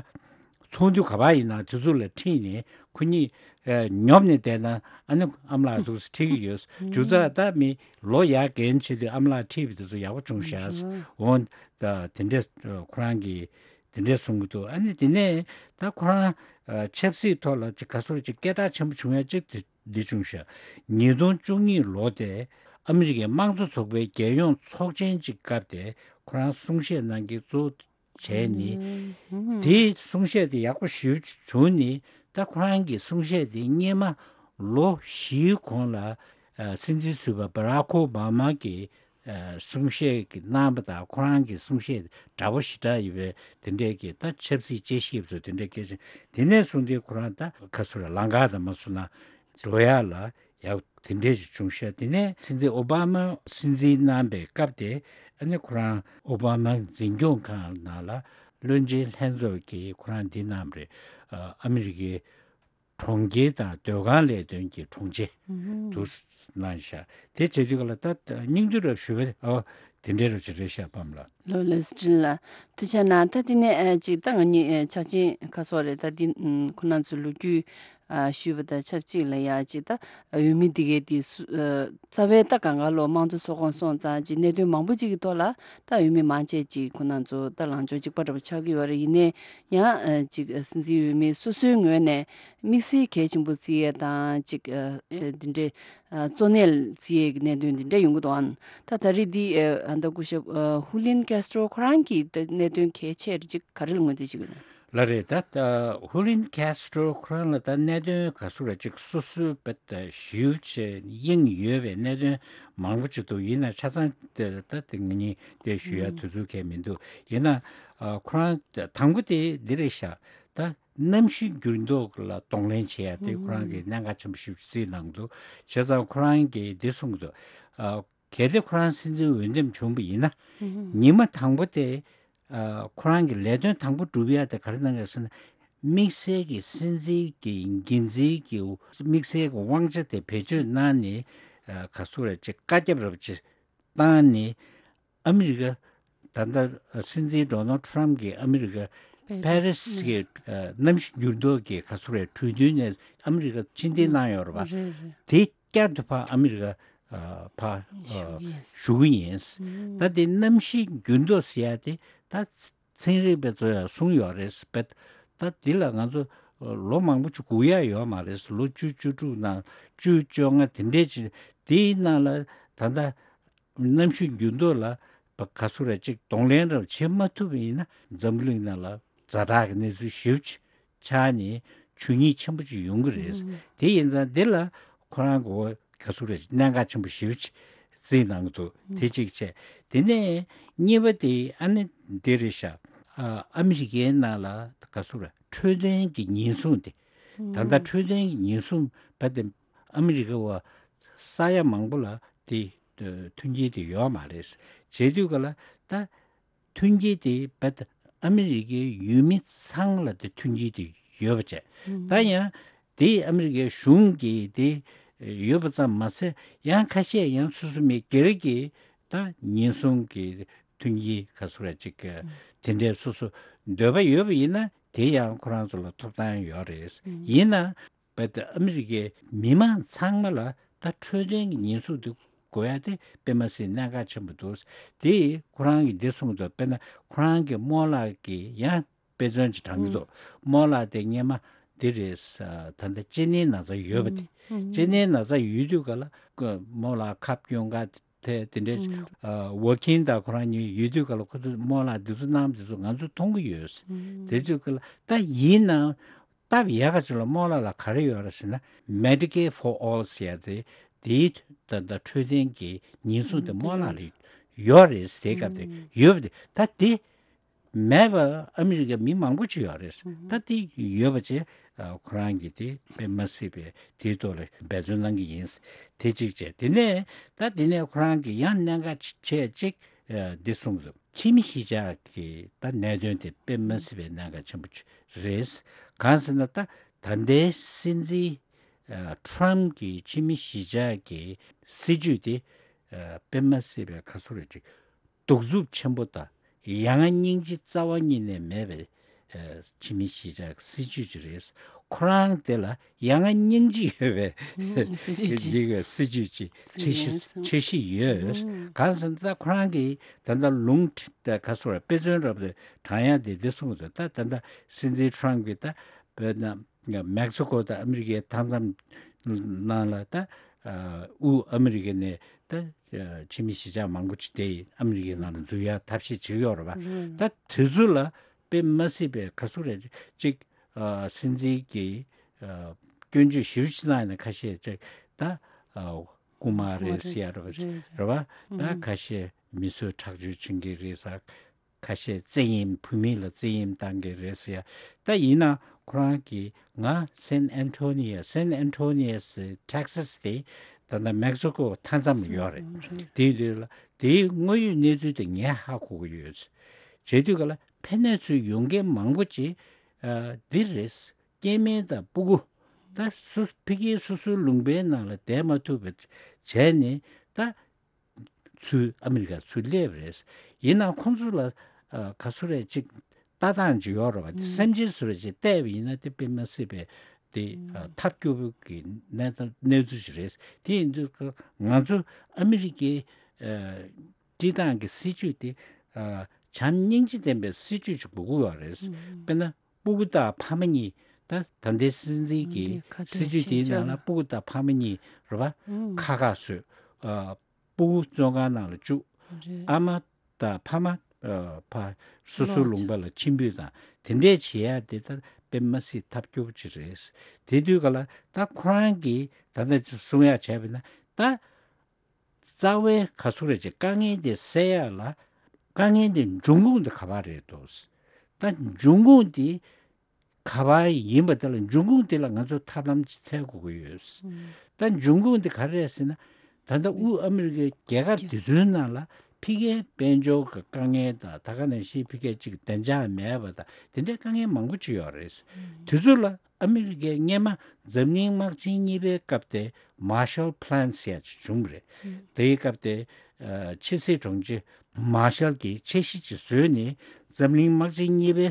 ཚོགས་འདུ་ག་པར་ཡིན་ན་དེ་ཚོ་ལ་ཁྲིད་ནས་ཁོ་གཉིས་ཨ་ཉོབ་ནས་བསྡད་ན་ཨ་ནི་ཨ་མ་ལགས་འདུག་སེ་ཁྲིད་ཀྱི་ཡོད། མཇུག་ཚག་ད་མི་ལོ་ཡར་རྒན་ཆེ་དུས་ཨ་མ་ལགས་ཁྲིད་པའི་དེ་ཚོ་ཡག་པོ་བྱུང་ཤག་འོང་ད་དེ་འདྲས་ཁོ་རང་གིས་དེ་འདྲས་གསུང་གི་འདུག་ཨ་ནི་དེ་ནས་ད་ཁོ་རང་ཨ་ཆབ་སྲིད་ཐོག་ལ་ཅིག་ག་ཚོད་ཅིག་སྐད་གྲགས་ཆེན་པོ་བྱུང་ཡ་ཅིག་དེ་འདི་བྱུང་ཤག་ཉིས་སྟོང་བཅུ་གཉིས་ལོ་དེ་ཨ་མི་རི་ཀའི་དམངས་གཙོ་ཚོགས་པའི་རྒྱལ་ཡོངས་ཚོགས་ཆེན་གྱི་སྐབས་དེ་ཁོ་རང་གསུང་བཤད་གནང་གི་གཙོ་བོ་བྱས་ནས་དེའི་གསུང་བཤད་དེ་ཡག་པོ་ཞེ་པོ་བྱུང་ནས་ད་ཁོ་རང་གི་གསུང་བཤད་དེ་སྔོན་མ་ལོ་བཞིའི་གོང་ལ་སྲིད་འཛིན་ཟུར་པ་Barack Obama གིས་གསུང་བཤད་ཀྱི་གནང་བ་དང་ཁོ་རང་གི་གསུང་བཤད་འདྲ་པོ་ཞེ་དྲག་ཡོད་པའི་དེ་འདྲས་ཀྱི་ད་ཆབ་སྲིད་དཔྱད་ཞིབ་ཚོ་དེ་འདྲས་སྐད་ཆ་དེ་ནས་བཟུང་སྟེ་ཁོ་རང་ད་ག་ཚོད་རེད་ལམ་ཁ་དང་མ་སོང་ན་འགྲོ་ཡག་ལ་ཡག་དེ་འདྲས་ཞིག་བྱུང་ཤག་དེ་ནས་སྲིད་འཛིན་ཨོ་བྷ་མ་སྲིད་འཛིན་གནང་པའི་སྐབས་དེ་ཨ་ནི་ཁོ་རང་ཨོ་བྷ་མ་འཛིན་སྐྱོང་ཁང་ནང་ལ་བློན་ཆེན་ལྷན་ཚོགས་ཀྱིས་ཁོ་རང་འདི་གནང་བ་རེད། ཨ་མི་རི་ཀའི་གྲོང་ཁྱེར་དང་སྡོད་ཁང་ལས་དོན་གྱི་དྲུང་ཆེ་དུ་གནང་ཤག་དེ་བྱེད་དུས་ག་ལ་ད་སྙིང་བསྡུས་རབ་ཞུ་བ་ཨོ་དེ་འདྲའི་རབ་ཅིག་རེད་ཤག་པམ་ལགས། ལོ་ལེ་སི་ཀྲིན་ལགས་ཐུགས་རྗེ་གནང་། ད་དེ་ནས་ཅིག་ད་ང་གཉིས་ཆ་ཆེན་ཁ་སོགས་རེད། ད་འདི་ཁོ་ན་ཚོ་ལོ་རྒྱུས་ཞུས་པ་དང་ཆབས་ཅིག་ལ་ཡ་ཅིག་ད་འོས་མི་འདི་གའི་དེ་རྩ་བའི་ད་གང་ག་ལོ་དམངས་གཙོ་ཚོགས་ཁོངས་སོང་ཙང་ཅིག་གནད་དོན་མང་པོ་ཅིག་གི་ཐོག་ལ་ད་འོས་མི་མང་ཆེ་ཅིག་ཁོ་ན་ཚོ་ད་ལངས་ཕྱོགས་གཅིག་པ་འདྲ་པོ་ཆགས་ཀྱི་ཡོད་རེད། ཡིན་ནའི་ཡང་ཅིག་སྲིད་འཛིན་འོས་མི་སོ་སོའི་ངོས་ནས་དམིགས་བསལ་གལ་ཆེན་པོ་བརྩི་ཡས་དང་ཅིག་འདི་འདྲའི་གཙོ་གནད་བརྩི་ཡས་ཀྱི་གནད་དོན་འདི་འདྲ་ཡོང་གི་འདུག་ཨང་། ད་ད་རེས་འདི་ཨ་ད་སྐུ་ཞབས་ཧུ་ལིན་ཀེ་སི་ཊོ་ཁོ་རང་གི་གནད་དོན་གལ་ཆེ་རེད་ཅིག་ག་རེ་ལ་ངོས་འཛིན་བྱེད་ཀྱི་ཡོད་ན། ལགས་རེད། ད་ཧུ་ལིན་ཀེ་སི་ཊོ་ཁོ་རང་ལ་ད་གནད་དོན་ག་ཚོད་རེད་ཅིག་སོ་སོའི་བེད་ཞུ་བྱས་དབྱིངས་ཡོད་པའི་གནད་དོན་མང་པོ་ཅིག་འདུག་ཡིན་ན་ཆ་ཚང་དེ་ད་དེ་ངེད་གཉིས་དེ་ཞུ་ཡ་དུས་ཚོད་གང་ཡང་མི་འདུག་ཡིན་ན་ཁོ་རང་དང་པོ་དེ་འདི་རེད་ཤག་ད་གནམ་གཤིས་འགྱུར་ལྡོག་ལ་གདོང་ལེན་བྱེད་ཡ་དེ་ཁོ་རང་གིས་གནད་འགག་ཆེན་པོ་ཞིག་བརྩིས་གནང་འདུག་བྱས་ཙང་ཁོ་རང་གིས་འདི་གསུངས་འདུག་གལ་ཏེ་ཁོ་རང་སྲིད་འཛིན་འོས་འདེམས་བྱུང་བ་ཡིན་ན་ཉི་མ་དང་པོ་དེ་ཁོ་རང་གི་ལས་དོན་དང་པོ་སྒྲུབ་ཡ་དེ་ག་རེ་གནང་གི་ཟེར་ན་དམིགས་བསལ་གྱི་སྲིད་འཛིན་གྱི་འགན་འཛིན་གྱི་དམིགས་བསལ་གྱི་དབང་ཆ་དེ་བེད་སྤྱོད་གནང་ནས་ག་ཚོད་རེད་ཅེས་བཀའ་ཁྱབ་རབ་ཅེས་བཏང་ནས་ཨ་མི་རི་ཀ་ད་ལྟ་སྲིད་འཛིན་ཌོ་ནལ་ཊམ་གྱིས་ཨ་མི་རི་ཀ་པེ་རི་སི་གི་གནམ་གཤིས་འགྱུར་ལྡོག་གི་ག་ཚོད་རེད་གྲོས་མཐུན་ནས་ཨ་མི་རི་ཀ་ཕྱིར་འཐེན་གནང་ཡོད་རེད་པ། དེ་བསྐྱར་དུ་ཕར་ཨ་མི་རི་ཀ་ཕར་ཞུ་གི་ཡིན། ད་དེ་གནམ་གཤིས་འགྱུར་ལྡོག་ཟེར་ཡ་དེ་ད་ཚན་རིག་པ་ཚོས་ཡང་གསུངས་ཡོད་རེད་པས། ད་འདི་ལ་ང་ཚོ་ལོ་མང་པོ་ཅིག་སྒུག་ཡ་ཡོད་མ་རེད། ལོ་བཅུ་བཅུ་དྲུག་ནང་བཅུ་བཅོ་ལྔ་དེ་འདྲས་ཅིག་དེའི་ནང་ལ་ད་ལྟ་གནམ་གཤིས་འགྱུར་ལྡོག་ལ་ག་ཚོད་རེ་ཅིག་གདོང་ལེན་རབ་བྱེད་མ་ཐུབ་པ་ཡིན་ན་འཛམ་བུ་གླིང་ནང་ལ་ཛ་དྲག་གི་གནས་ཚུལ་ཞེ་པོ་ཅིག་ཆགས་ནས་ཆོས་ཉིད་ཆེན་པོ་ཅིག་ཡོང་གི་རེད། དེ་ཡིན་ཙང་འདི་ལ་ཁོ་རང་གི་ག་ཚོད་རེ་ཅིག་གནད་འགག་ཆེན་པོ་ཞེ་པོ་ཅིག་ རྩིས་གནང་གི་འདུག་དེ་གཅིག་བྱས། དེ་ནས་གཉིས་པ་དེ་ཨ་ནི་འདི་རེད་ཤག་ཨ་ཨ་མི་རི་ཀའི་ནང་ལ་ག་ཚོད་རེད། འཕྲོད་བསྟེན་གྱི་ཉེན་སྲུང་དེ། ད་ལྟ་འཕྲོད་བསྟེན་གྱི་ཉེན་སྲུང་བ་དེ་ཨ་མི་རི་ཀ་བ་ས་ཡ་མང་པོ་ལ་དེ་མཐུན་རྐྱེན་དེ་ཡོད་མ་རེད། བྱས་དུས་ག་ལ་ད་མཐུན་རྐྱེན་དེ་བ་ད་ཨ་མི་རི་ཀའི་ཡུལ་མི་ཚང་མ་ལ་དེ་མཐུན་རྐྱེན་དེ་ཡོད་པ་བྱས། ད་ཡང་དེ་ཨ་མི་རི་ཀའི་གཞུང་གིས་དེ་ཡོད་པ་ཙམ་མ་ཟད། ཡང་ཁ་ཤས་ཡང་སོ་སོ་མི་སྒེར་གྱི་ད་ཉེན་སྲུང་གི་མཐུན་རྐྱེན་ག་ཚོད་རེ་ཅིག་དེ་འདྲའི་སོ་སོ་འདོད་པ་ཡོད་པ་ཡིན་ན་དེ་ཡང་ཁོ་རང་ཚོ་ལ་ཐོབ་ཐང་ཡོད་རེད། ཡིན་ན་བས་ད་ཨ་མི་རི་ཀའི་མི་མང་ཚང་མ་ལ་ད་འཕྲོད་བསྟེན་གྱི་ཉེན་སྲུང་དེ་དགོས་ཡ་དེ་དཔེ་མ་སྲིད་གནད་འགག་ཆེན་པོ་འདུག་དེ་ཁོ་རང་གིས་འདི་གསུངས་འདུག་དཔེར་ན་ཁོ་རང་གི་རྨོ་ལགས་ཀྱིས་ཡང་དཔེ་མཚོན་ཅིག་དྲངས་ཀྱི་འདུག་རྨོ་ལགས་དེ་སྔས་མ་འདི་རེད། ད་ལྟ་སྐྱེ་གནས་ན་ཚ་ཡོད་པ་དེ། སྐྱེ་གནས་ན་ཚ་ཡོད་དུས་ག་ལ་རྨོ་ལགས་ཁབ་སྐྱོན་ག་དེ་དེ་འདྲའི་ཝོ་ཁིན་དང་ཁོ་རང་གཉིས་ཡོད་དུས་ག་ལ་ཁོ་ཚོ་རྨོ་ལགས་འདི་ཚོ་གནང་འདི་ཚོ་ང་ཚོ་མཐོང་གི་ཡོད། དེ་ཚོ་ག་ལ་ད་ཡིན་ནའང་སྟབས་ཡག་ག་ཅིག་ལ་རྨོ་ལགས་ལ་ག་རེ་ཡོད་རེད་ཟེར་ན། Medicare for All ཟེར་ཡ་དེ་དེའི་ད་ད་འཕྲོད་བསྟེན་གྱི་ཉེན་སྲུང་དེ་རྨོ་ལགས་ལ་ཡོད་རེད། དེའི་སྐབས་དེ་ཡོད་པ་དེ་ད་དེ་མེད་པ་ཨ་མི་རི་ཀ་མི་མང་པོ་ཅིག་ཡོད་རེད། ད་དེ་ཡོད་པ་བྱས་ཁོ་རང་གིས་དེ་དཔེ་མ་སྲིད་པའི་དེའི་ཐོག་ལ་འབད་བརྩོན་གནང་གི་ཡིན། དེ་གཅིག་བྱས། དེ་ནས་ད་དེ་ནས་ཁོ་རང་གིས་ཡང་གནད་འགག་ཆེ་གཅིག་འདི་གསུངས་འདུག་ཕྱི་མི་གཞིས་ཆགས་ཀྱི་ད་གནད་དོན་དེ་དཔེ་མ་སྲིད་པའི་གནད་འགག་ཆེན་པོ་ཅིག་རེད། གང་ཟེར་ན་ད་ད་ལྟའི་སྲིད་འཛིན་ཊམ་གྱི་ཕྱི་མི་གཞིས་ཆགས་ཀྱི་སྲིད་ཇུས་དེ་དཔེ་མ་སྲིད་པའི་ག་ཚོད་རེད་ཅིག་གདུག་རྩུབ་ཆེན་པོ་དང་ཡ་ང་སྙིང་རྗེ་རྩ་བ་ཉིད་ནས་མེད་པའི་ཕྱི་མི་གཞིས་ཆགས་སྲིད་ཇུས་ཅིག་རེད། ཁོ་རང་དེ་ལ་ཡ་ང་སྙིང་རྗེ་ཡོད་པའི་སྲིད་ཇུས་ཅིག་འདི་ག་སྲིད་ཇུས་ཅིག་འཆར་གཞི་འཆར་གཞི་ཡོད། གང་ཟེར་ན་ད་ཁོ་རང་གིས་ད་ལྟ་ལུང་ད་ག་ཚོད་དཔེ་མཚོན་རབ་ཏུ་དྲངས་ཡ་དེ་འདི་གསུངས་འདུག་ད་ད་ལྟ་སྲིད་འཛིན་ཊམ་གྱིས་ད་བོད་ན་མེག་སི་ཀོ་དང་ཨ་མི་རི་ཀའི་མཐའ་མཚམས་ནང་ལ་ད་དབུས་ཨ་མི་རི་ཀ་ནས་ད་ཕྱི་མི་གཞིས་ཆགས་མང་པོ་ཅིག་དེ་ཨ་མི་རི་ཀའི་ནང་ལ་འཛུལ་ཡ་ཐབས་ཤེས་བྱེད་ཀྱི་ཡོད་རེད་པ། ད་དེ་ཚོ་ལ་དཔེ་མ་སྲིད་པའི་ག་ཚོད་རེད་ཅིག་སྲིད་འཛིན་གྱིས་སྐྱོན་བརྗོད་ཞེ་པོ་ཅིག་གནང་ཡ་ནས་ཁ་ཤས་ཅིག་ད་རྐུན་མ་རེད་ཟེར་ཡ་རེད་པ་རེད་པ། ད་ཁ་ཤས་མི་གསོད་ཁྲག་སྦྱོར་བྱེད་མཁན་རེད་ཟེར། ཁ་ཤས་བཙན་གཡེམ་བུད་མེད་ལ་བཙན་གཡེམ་བཏང་གི་རེད་ཟེར་ཡ། ད་ཡིན་ན་ཁོ་རང་གིས་ང་སན་ཨན་ཐོ་ནི་ཡ་སན་ཨན་ཐོ་ནི་ཡ་སི་ཊེག་སཱ་དེ་ད་ལྟ་མེག་སི་ཀོ་མཐའ་མཚམས་ཡོད་རེད། དེའི་དུས་ལ་དེའི་དངོས་ཡོད་གནས་ཚུལ་དེ་ངས་ཧ་གོ་གི་ཡོད། བྱས་དུས་ག་ལ་ཕན་གནས་ཚུལ་ཡོང་མཁན་མང་པོ་ཅིག་འདི་རེད། སྐྱེ་དམན་དང་སྤུ་གུ་ད་སུ་ཕ་གིའི་སོ་སོའི་ལུང་པའི་ནང་ལ་བསྡད་མ་ཐུབ་པ་བྱས་ནས་ད། ཚུར་ཨ་མི་རི་ཀ་ཚུར་སླེབས་རེད། ཡིན་ནའང་ཁོང་ཚོ་ལ་ཨ་ག་ཚོད་རེད་ཅིག་ལྟ་སྟངས་ཅིག་ཡོད་རེད་བ། དེ་སེམས་ཅན་སུ་རེད་ཅིག་བལྟས་པ་ཡིན་ན་དེ་དཔེ་མ་སྲིད་པའི་དེ་ཨ་ཐབས་སྐྱོ་པོ་གི་གནས་སྟངས་གནས་ཚུལ་ཞིག་རེད། དེ་ཡིན་དུས་ང་ཚོ་ཨ་མི་རི་ཀའི་ཨ་སྤྱི་བཏང་གི་སྲིད་ཇུས་དེ་ཨ་བྱམས་སྙིང་རྗེ་ལྡན་པའི་སྲིད་ཇུས་ཅིག་དགོས་ཀྱི་ཡོད་རེད། དཔེར་ན། སྤུ་གུ་དང་ཕ་མ་གཉིས། ད་ད་ལྟའི་སྲིད་འཛིན་གྱི་འདི་ཁ་གཏད་སྲིད་ཇུས་དེའི་བྱེད་ནང་ལ་ཕྲལ་སྤུ་གུ་དང་ཕ་མ་གཉིས་རེད་པ། ཨང་། ཁ་ཁ་བཟོས། ཨ་སྤུ་གུ་བཙོན་ཁང་ནང་ལ་བཅུག་རེད། ཨ་མ་དང་ཕ་མ་ཨ་ཕ་སོ་སོའི་ལོག་ལུང་པ་ལ་ཕྱིར་འབུད་དང་དེ་འདྲས་བྱེད་ཡ་དེ་ད་དཔེ་མ་སྲིད་ཐབས་སྐྱོ་པོ་ཅིག་རེད། དེ་དུས་ག་ལ་ད་ཁོ་རང་གིས་ད་ལྟ་གསུང་ཡ་བྱས་པ་ན་ད། རྩ་བའི་ག་ཚོད་རེད་ཅེས་དཀའ་ངལ་དེ་སེལ་ཡག་ལ་དཀའ་ངལ་དེ་འབྱུང་ཁུངས་དེ་ག་པར་རེད་འདུག་ད་འབྱུང་ཁུངས་དེ་ག་པར་ཡིན་པ་དེ་ལ་འབྱུང་ཁུངས་དེ་ལ་ང་ཚོ་ཐབས་ལམ་ཅིག་འཚོལ་དགོས་ཀྱི་ཡོད། ད་འབྱུང་ཁུངས་དེ་ག་རེ་རེད་ཟེར་ན། ད་ལྟ་དབུས་ཨ་མི་རི་ཀའི་རྒྱལ་ཁབ་དེ་ཚོའི་ནང་ལ་ཕ་གིའི་དཔལ་འབྱོར་གྱི་དཀའ་ངལ་དང་ད་ག་ནང་བཞིན་ཕ་གིའི་ཅིག་བདེ་འཇགས་མེད་པ་དང་དེ་འདྲའི་དཀའ་ངལ་མང་པོ་ཅིག་ཡོད་རེད། དེ་ཚོ་ལ། ཨ་མི་རི་ཀས་སྔས་མ་འཛམ་གླིང་དམག་ཆེན་གཉིས་པའི་སྐབས་དེ་Marshall Plan ཟེར་ཡ་ཅིག་བྱུང་བ་རེད། དེའི་སྐབས་དེ་ཨ་ཕྱི་སྲིད་དྲུང་ཆེ་མར་ཤལ་གྱིས་འཆར་གཞི་ཅིག་བཟོས་ནས་འཛམ་གླིང་དམག་ཆེན་གཉིས་པའི་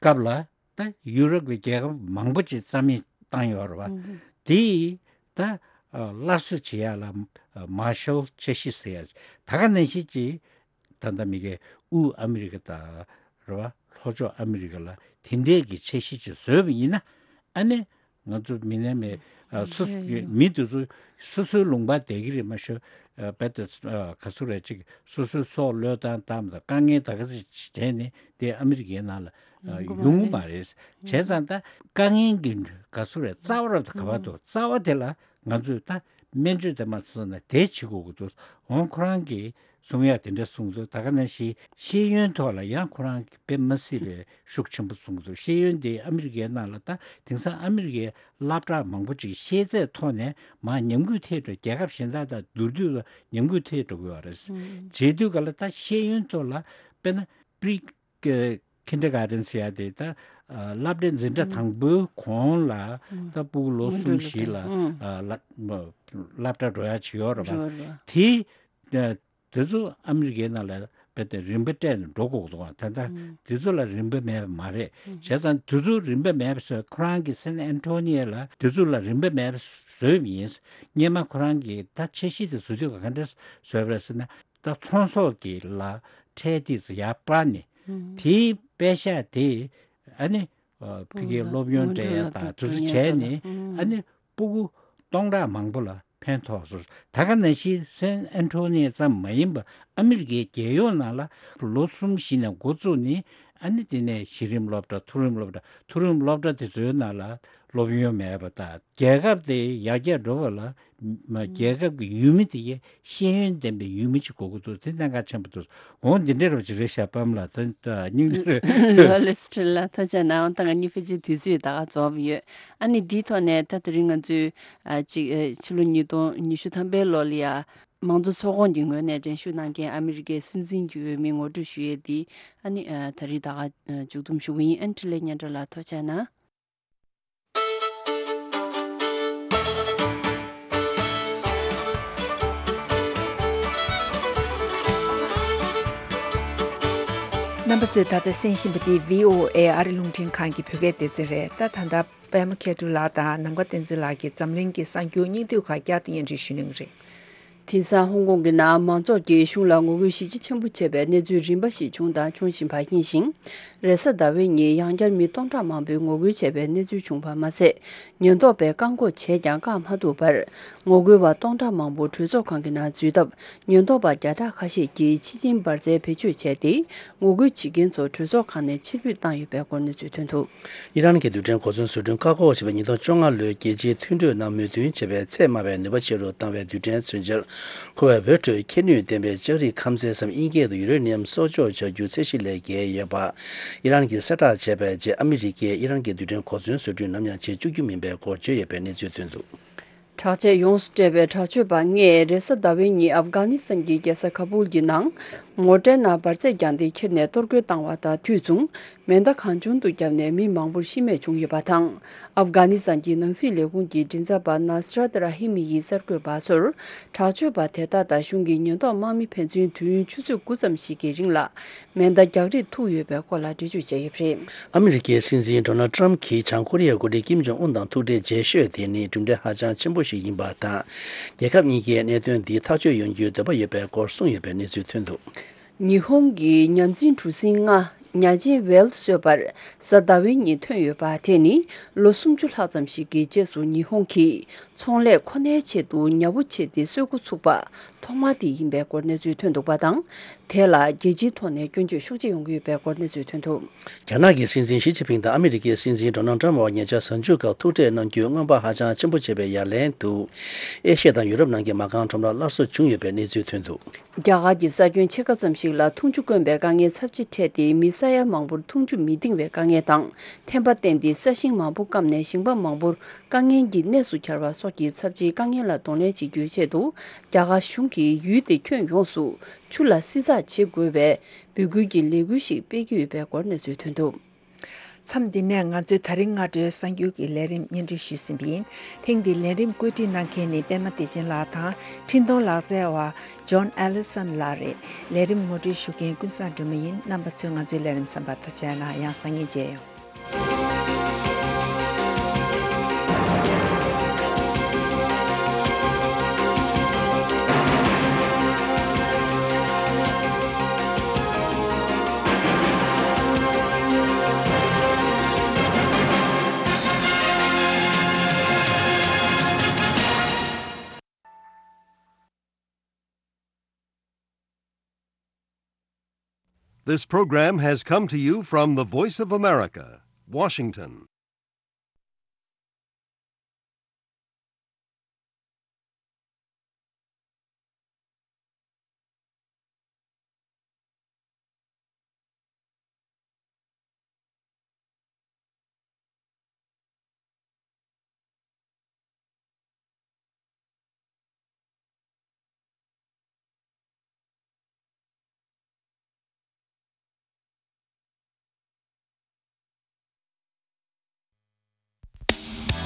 སྐབས་ལ་ད་ཡུ་རོབ་ཀྱི་རྒྱལ་ཁབ་མང་པོ་ཅིག་རྩ་མེད་བཏང་ཡོད་རེད་བ། དེ་ད་ཨ་སླར་གསོ་བྱེད་ཡ་ལ་ཨ་Marshall འཆར་གཞི་ཟེར་ཡ་ད་ག་ནང་བཞིན་ཅིག་ད་ལྟ་མི་གའི་དབུས་ཨ་མི་རི་ཀ་དང་རེད་བ། ལྷོ་ཕྱོགས་ཨ་མི་རི་ཀ་ལ་དེ་འདྲས་ཀྱི་འཆར་གཞི་ཅིག་བཟོས་པ་ཡིན་ན་ཨ་ནི་ང་ཚོ་མི་ནས་མེད་ཨ་སོ་རེད་ཡོད། མི་དེ་ཚོ་སོ་སོའི་ལུང་པ་བསྡད་ཀྱི་རེད་མ་ཤོད། ཨ་རྦད་དེ་ཨ་ག་ཚོད་རེད་ཅིག་སོ་སོའི་སྲོག་བློས་བཏང་བཏང་དང་དཀའ་ངལ་ད་ག་ཚོད་ཅིག་བྱས་ནས་དེ་ཨ་མི་རི་ཀའི་ནང་ལ་ཨ་ཡོང་གི་ཡོང་གི་མ་མ་རེད། རེད། བྱས་ཙང་ད་དཀའ་ངལ་གྱི་ག་ཚོད་རེད་རྩ་བ་རབ་ཏུ་ག་པར་འདུག་རྩ་བ་དེ་ལ་ང་ཚོས་ད་ སྨན་བཅོས་དེ་མ་སོང་ན་དེ་བྱེད་དགོས་ཀྱི་འདུག་འོང་ཁོ་རང་གིས་གསུང་ཡ་དེ་འདྲ་གསུངས་འདུག་ད་ག་ནང་བཞིན་ཤེས་ཡོན་ཐོག་ལ་ཡང་ཁོ་རང་གིས་དཔེ་མི་སྲིད་པའི་ཤུགས་ཆེན་པོ་གསུངས་འདུག་ཤེས་ཡོན་དེ་ཨ་མི་རི་ཀའི་ནང་ལ་ད་དེང་སང་ཨ་མི་རི་ཀའི་སློབ་གྲྭ་མང་པོ་ཅིག་ཤེས་ཚད་མཐོ་ནས་མར་ཉམས་རྒུད་ཐེབས་འགྲོ། རྒྱལ་ཁབ་གཞན་དག་དང་བསྡུར་དུས་ལ་ཉམས་རྒུད་ཐེབས་འགྲོ་གི་ཡོད་རེད། བྱེད་དུས་ག་ལ་ད་ཤེས་ཡོན་ཐོག་ལ་དཔེར་ན་པི་རི་ཀི་ཁིན་ཌར་གྷར་ཌེན་ཟེར་ཡ་དེ་ད་ཨ་སློབ་གྲྭའི་འཛིན་གྲྭ་དང་པོའི་གོང་ལ་ད་ཕྲུ་གུ་ལོ་གསུམ་བཞི་ལ་ཨ་སློབ་སློབ་གྲྭ་འགྲོ་ཡ་ཅིག་ཡོད་རེད་པ། རེད་པ། དེ་དེ་ཚོ་ཨ་མི་རི་ཀའི་ནང་ལ་རྦད་དེ་རིམ་པ་སྤྲད་ནས་འགྲོ་དགོས་འདུག་ད་ལྟ་དེ་ཚོ་ལ་རིམ་པ་མེད་པ་མ་རེད། བྱས་ཙང་དེ་ཚོ་རིམ་པ་མེད་པ་བཟོས། ཁོ་རང་གི་སན་ཨན་ཊོ་ནི་ཡ་ལ་དེ་ཚོ་ལ་རིམ་པ་མེད་པ་བཟོས་པ་ཡིན། སྔོན་མ་ཁོ་རང་གིས་ད་འཆར་གཞི་དེ་བཟོ་དུས་ག་འདྲ་བཟོས་པ་རེད་ཟེར་ན། ད་ཚོང་ཟོག་གི་ལ་ཁྲལ་དེ་ཚོ་ཡར་སྤར་ནས་དེའི་པེ་ས་དེ་ཨ་ནི་ཕ་གིའི་སློབ་ཡོན་སྤྲད་ཡ་དང་དེ་ཚོ་བྱས་ནས་ཨ་ནི་ཕྲུ་གུ་སྟོང་ཕྲག་མང་པོ་ལ་ཕན་ཐོགས་སོང་། ད་ག་ནང་བཞིན་སན་ཨན་ཊོ་ནི་ཙམ་མ་ཡིན་པར་ཨ་མི་རི་ཀའི་རྒྱལ་ཡོངས་ནང་ལ་ལོ་གསུམ་བཞི་ནས་འགོ་བཙུགས་ནས་ཨ་ནི་དེ་ནས་གཞི་རིམ་སློབ་གྲྭ་མཐོ་རིམ་སློབ་གྲྭ་མཐོ་རིམ་སློབ་གྲྭ་དེ་ཚོའི་ནང་ལ་སློབ་ཡོན་མེད་པ་དང་རྒྱལ་ཁབ་དེ་ཡར་རྒྱས་འགྲོ་བ་ལ་མ་རྒྱལ་ཁབ་ཀྱི་ཡུལ་མི་དེ་གའི་ཤེས་ཡོན་ལྡན་པའི་ཡུལ་མི་ཅིག་དགོས་ཀྱི་འདུག་དེ་གནད་འགག་ཆེན་པོ་འདུག་འོང་འདི་འདྲའི་རོ་ཅིག་རེད་ཤག་པམ་ལ་ད་ད་སྙིང་རེ། ལོ་ལེ་སི་ཁྲིན་ལ་ཐུགས་རྗེ་གནང་། ད་ང་གཉིས་ཕལ་ཆེར་དུས་ཚོད་ད་ག་རྫོགས་ཡོད། ཨ་ནི་འདིའི་ཐོག་ནས་ད་དེ་རིང་ང་ཚོས་ཨ་ཅིག་ཨ་ཕྱི་ལོ་ཉིས་སྟོང་ཉི་ཤུ་ཐམ་པའི་ལོ་ལ་ཡ་མང་གཙོ་ཚོགས་ཁོངས་ཀྱི་ངོས་ནས་འགྲན་ཞུགས་གནང་མཁན་ཨ་མི་རི་ཀའི་སྲིད་འཛིན་གྱི་འོས་མི་ངོ་སྤྲོད་ཞུ་ཡས་འདི་ཨ་ནི་ཨ་ད་རེས་ད་ག་ཨ་མཇུག་བསྡོམས་ཞུ་གི་ཡིན། ཨ་ནི་འཕྲིན་ལས་སྙན་གྲགས་ལགས་ཐུགས་རྗེ་གནང་། རྣམ་པ་ཚོས་ད་ལྟ་གསན་བཞིན་པ་འདི་བྷི་ཨོ་ཨེ་ཨ་རི་རླུང་འཕྲིན་ཁང་གི་བོད་སྐད་སྡེ་ཚན་རེད། ད་ད་ལྟ་པད་མ་མཁས་གྲུབ་ལགས་དང་ནམ་མཁའ་བསྟན་འཛིན་ལགས་ཀྱིས་འཛམ་གླིང་གི་གསར་འགྱུར་སྙིང་བསྡུས་ཁག་བསྐྱར་དུ་སྙན་སྒྲོན་ཞུ་གནང་གི་རེད། དེང་སང་ཧོང་ཀོང་གི་ནང་མང་ཚོགས་ཀྱིས་གཞུང་ལ་ངོ་རྒོལ་ཞེ་གྱས་ཆེན་པོ་བྱས་པའི་གནས་ཚུལ་རིམ་པ་ཞིག་བྱུང་དང་འབྱུང་བཞིན་པ་ཡིན་ཞིང་། རེས་གཟའ་ཟླ་བའི་ཉིན་ཡང་བསྐྱར་མི་སྟོང་ཕྲག་མང་པོས་ངོ་རྒོལ་བྱས་པའི་གནས་ཚུལ་བྱུང་བ་མ་ཟད། ཉེན་རྟོག་པས་བཀག་འགོག་བྱས་ཀྱང་བཀག་མ་ཐུབ་པར། ངོ་རྒོལ་བ་སྟོང་ཕྲག་མང་པོ་གྲོས་ཚོགས་ཁང་གི་ནང་འཛུལ་སྟབས། ཉེན་རྟོག་པ་བརྒྱ་ཕྲག་ཁ་ཤས་ཀྱིས་ཕྱི་ཆིངས་འབར་རྫས་བེད་སྤྱོད་བྱས་ཏེ། ངོ་རྒོལ་བྱེད་མཁན་ཚོ་གྲོས་ཚོགས་ཁང་ནས་ཕྱིར་འབུད་བཏང་ཡོད་པའི་སྐོར་གནས་ཚུལ་ཐོན་འདུག་ཨི་རན་གྱི་རྡུལ་ཕྲན་གོ་མཚོན་བཟོ་སྐྲུན་བཀག་འགོག་བྱས་པའི་ཉིས་སྟོང་བཅོ་ལྔ་ལོའི་རྒྱལ་སྤྱིའི་མཐུན་གྲོས་ནང་མོས་མཐུན་བྱས་པའི་ཚད་དམའ་བའི་ནུས་པ་ཆེ་རུ་བཏང་བའི་རྡུལ་ཕྲན་མཚོན་ཆར་མཁོ་བའི་འོད་འཕྲོའི་ཁྱད་ནུས་ལྡན་པའི་ལྕགས་རིགས་ཁམས་གསེབ་སམ་དབྱིན་སྐད་དུ་ཡུ་རེ་ནི་ཡམ་གསོག་འཇོག་བྱ་རྒྱུའི་ཚད་གཞི་ལས་བརྒལ་ཡོད་པ། ཨི་རན་གྱིས་གསལ་བསྒྲགས་བྱས་པའི་རྗེས་ཨ་མི་རི་ཀས་ཨི་རན་གྱི་རྡུལ་ཕྲན་གོ་མཚོན་བཟོ་སྐྲུན་ནམ་ཡང་བྱེད་བཅུག་རྒྱུ་མིན་པའི་སྐོར་བརྗོད་ཡོད་པའི་གནས་ཚུལ་ཐོན་འདུག་དྲག་ཆས་ཡོངས་སུ་སྤྲས་པའི་དྲག་སྤྱོད་པ་ལྔས་རེས་གཟའ་ཟླ་བའི་ཉིན་ཨབ་གྷ་ནི་སི་ཐན་གྱི་རྒྱལ་ས་ཁ་པུལ་གྱི་ནང་མོ་ཊའི་ནང་འབར་རྫས་བརྒྱངས་ཏེ་ཁྱེར་ནས་གཏོར་རྒོལ་བཏང་བ་དང་དུས་མཚུངས་མེ་མདའ་གང་བྱུང་དུ་བརྒྱབ་ནས་མི་མང་པོར་ཤི་རྨས་བྱུང་ཡོད་པ་དང་། ཨབ་གྷ་ནི་སི་ཐན་གྱི་ནང་སྲིད་ལས་ཁུངས་ཀྱི་མགྲིན་ཚབ་པ་ནཱ་སི་རཱཏ་ར་ཧི་མི་ཡིས་གསར་འགོད་པ་ཚོར། དྲག་སྤྱོད་པ་དེ་དག་དང་གཞུང་གི་ཉེན་རྟོག་དམག་མི་ཕན་ཚུན་དུས་ཡུན་ཆུ་ཚོད་དགུ་ཙམ་ཞིག་གི་རིང་ལ། མེ་མདའ་རྒྱག་རེས་ཐུག་ཡོད་པའི་སྐོར་ལ་འགྲེལ་བརྗོད་བྱས་ཡོད་པ་རེད། ཨ་མི་རི་ཀའི་སྲིད་འཛིན་ཌོ་ནལ་ཏྲམ་གྱིས་བྱང་ཀོ་རི་ཡའི་འགོ་ཁྲིད་ཀིམ་ཇོང་ཨུན་དང་ཐུག་འཕྲད་རྗེས་ཤོས་དེ་ནི་གྲུབ་འབྲས་ཧ་ཅང་ཆེན་པོ་ཞིག་ཡིན་པ་དང་། རྒྱལ་ཁབ་གཉིས་ཀས་གནད་དོན་འདི་ཐག་གཅོད་ཡོང་རྒྱུའི་འདོད་པ་ཡོད་པའི་སྐོར་གསུངས་ཡོད་པའི་གནས་ཚུལ་ཐོན་འདུག་ཉི་ཧོང་གི་ཉ་འཛིན་གྲུ་གཟིངས་ལྔ་ཉ་ཆེན་ཝེལ་གསོད་པར་གཟའ་ཟླ་བའི་ཉིན་ཐོན་ཡོད་པ་དེ་ནི་ལོ་སུམ་ཅུ་ལྷག་ཙམ་ཞིག་གི་རྗེས་སུ་ཉི་ཧོང་གིས་ཚོང་ལས་ཁོ་ནའི་ཆེད་དུ་ཉ་བུ་ཕྱེ་སྟེ་གསོད་འགོ་ཚུགས་པ། ཐོག་མ་དེ་ཡིན་པའི་སྐོར་གནས་ཚུལ་ཐོན་འདུག་པ་དང་། དེ་ལ་རྒྱལ་སྤྱིའི་ཐོག་ནས་སྐྱོན་བརྗོད་ཤུགས་ཆེ་ཡོང་གི་ཡོད་པའི་སྐོར་གནས་ཚུལ་ཐོན་འདུག་རྒྱ་ནག་གི་སྲིད་འཛིན་ཞི་ཅིན་ཕིང་དང་ཨ་མི་རི་ཀའི་སྲིད་འཛིན་ཌོ་ནལ་ཏྲམ་བར་ཉེ་ཆར་གཟའ་མཇུག་སྐབས་ཐུག་འཕྲད་གནང་རྒྱུའི་རྔམ་པ་ཧ་ཅང་ཆེན་པོ་བྱས་པའི་ཡ་ལན་དུ། ཨེ་ཤི་ཡ་དང་ཡུ་རོབ་ནང་གི་མ་རྐང་ཁྲོམ་ར་སླར་གསོ་བྱུང་ཡོད་པའི་གནས་ཚུལ་ཐོན་འདུག་རྒྱ་གར་གྱི་ས་ཁྱོན་ཕྱེད་ཀ་ཙམ་ཞིག་ལ་འཐུང་ཆུ་དཀོན་པའི་དཀའ་ངལ་ཚབས་ཆེ་འཕྲད་དེ། མི་ས་ཡ་མང་པོར་འཐུང་ཆུ་མི་འདིང་བའི་དཀའ་ངལ་དང་། ཐན་པ་བསྟེན་ཏེ་ས་ཞིང་མང་པོ་སྐམ་ནས་ཞིང་པ་མང་པོར་དཀའ་ངལ་གྱི་གནས་སུ་གྱར་བ་སོགས་ཀྱི་ཚབས་ཆེའི་དཀའ་ངལ་ལ་གདོང་ལེན་བྱེད་རྒྱུའི་ཆེད་དུ། རྒྱ་གར་གཞུང་གིས་ཡུལ་དེ་ཁྱོན་ཡོངས་སུ་ཆུ་ལ་བསྲི་ཚགས་བྱེད་དགོས་པའི་འབོད་སྐུལ་གྱི་ལས་འགུལ་ཞིག་སྤེལ་གྱི་ཡོད་པའི་སྐོར་གནས་ཚུལ་ཐོན་འདུག་མཚམས་འདི་ནས་ང་ཚོའི་ད་རིང་སྔ་དྲོའི་གསར་འགྱུར་གྱི་ལས་རིམ་སྙན་སྒྲོན་ཞུས་ཟིན་པ་ཡིན། ཐེངས་འདིའི་ལས་རིམ་བཀོད་སྒྲིག་གནང་མཁན་ནི་པད་མ་བདེ་ཆེན་ལགས་དང་། འཕྲིན་གཏོང་ལག་རྩལ་བ་ཇོན་ཨེ་ལི་སན་ལགས་རེད། ལས་རིམ་ངོ་སྤྲོད་ཞུ་མཁན་ཀུན་བཟང་སྒྲོལ་མ་ཡིན། རྣམ་པ་ཚོས་ང་ཚོའི་ལས་རིམ་གསན་པར་ཐུགས་རྗེ་གནང་། ཡང་སང་ཉིན་མཇལ་ཡོང་། This program has come to you from the Voice of America, Washington.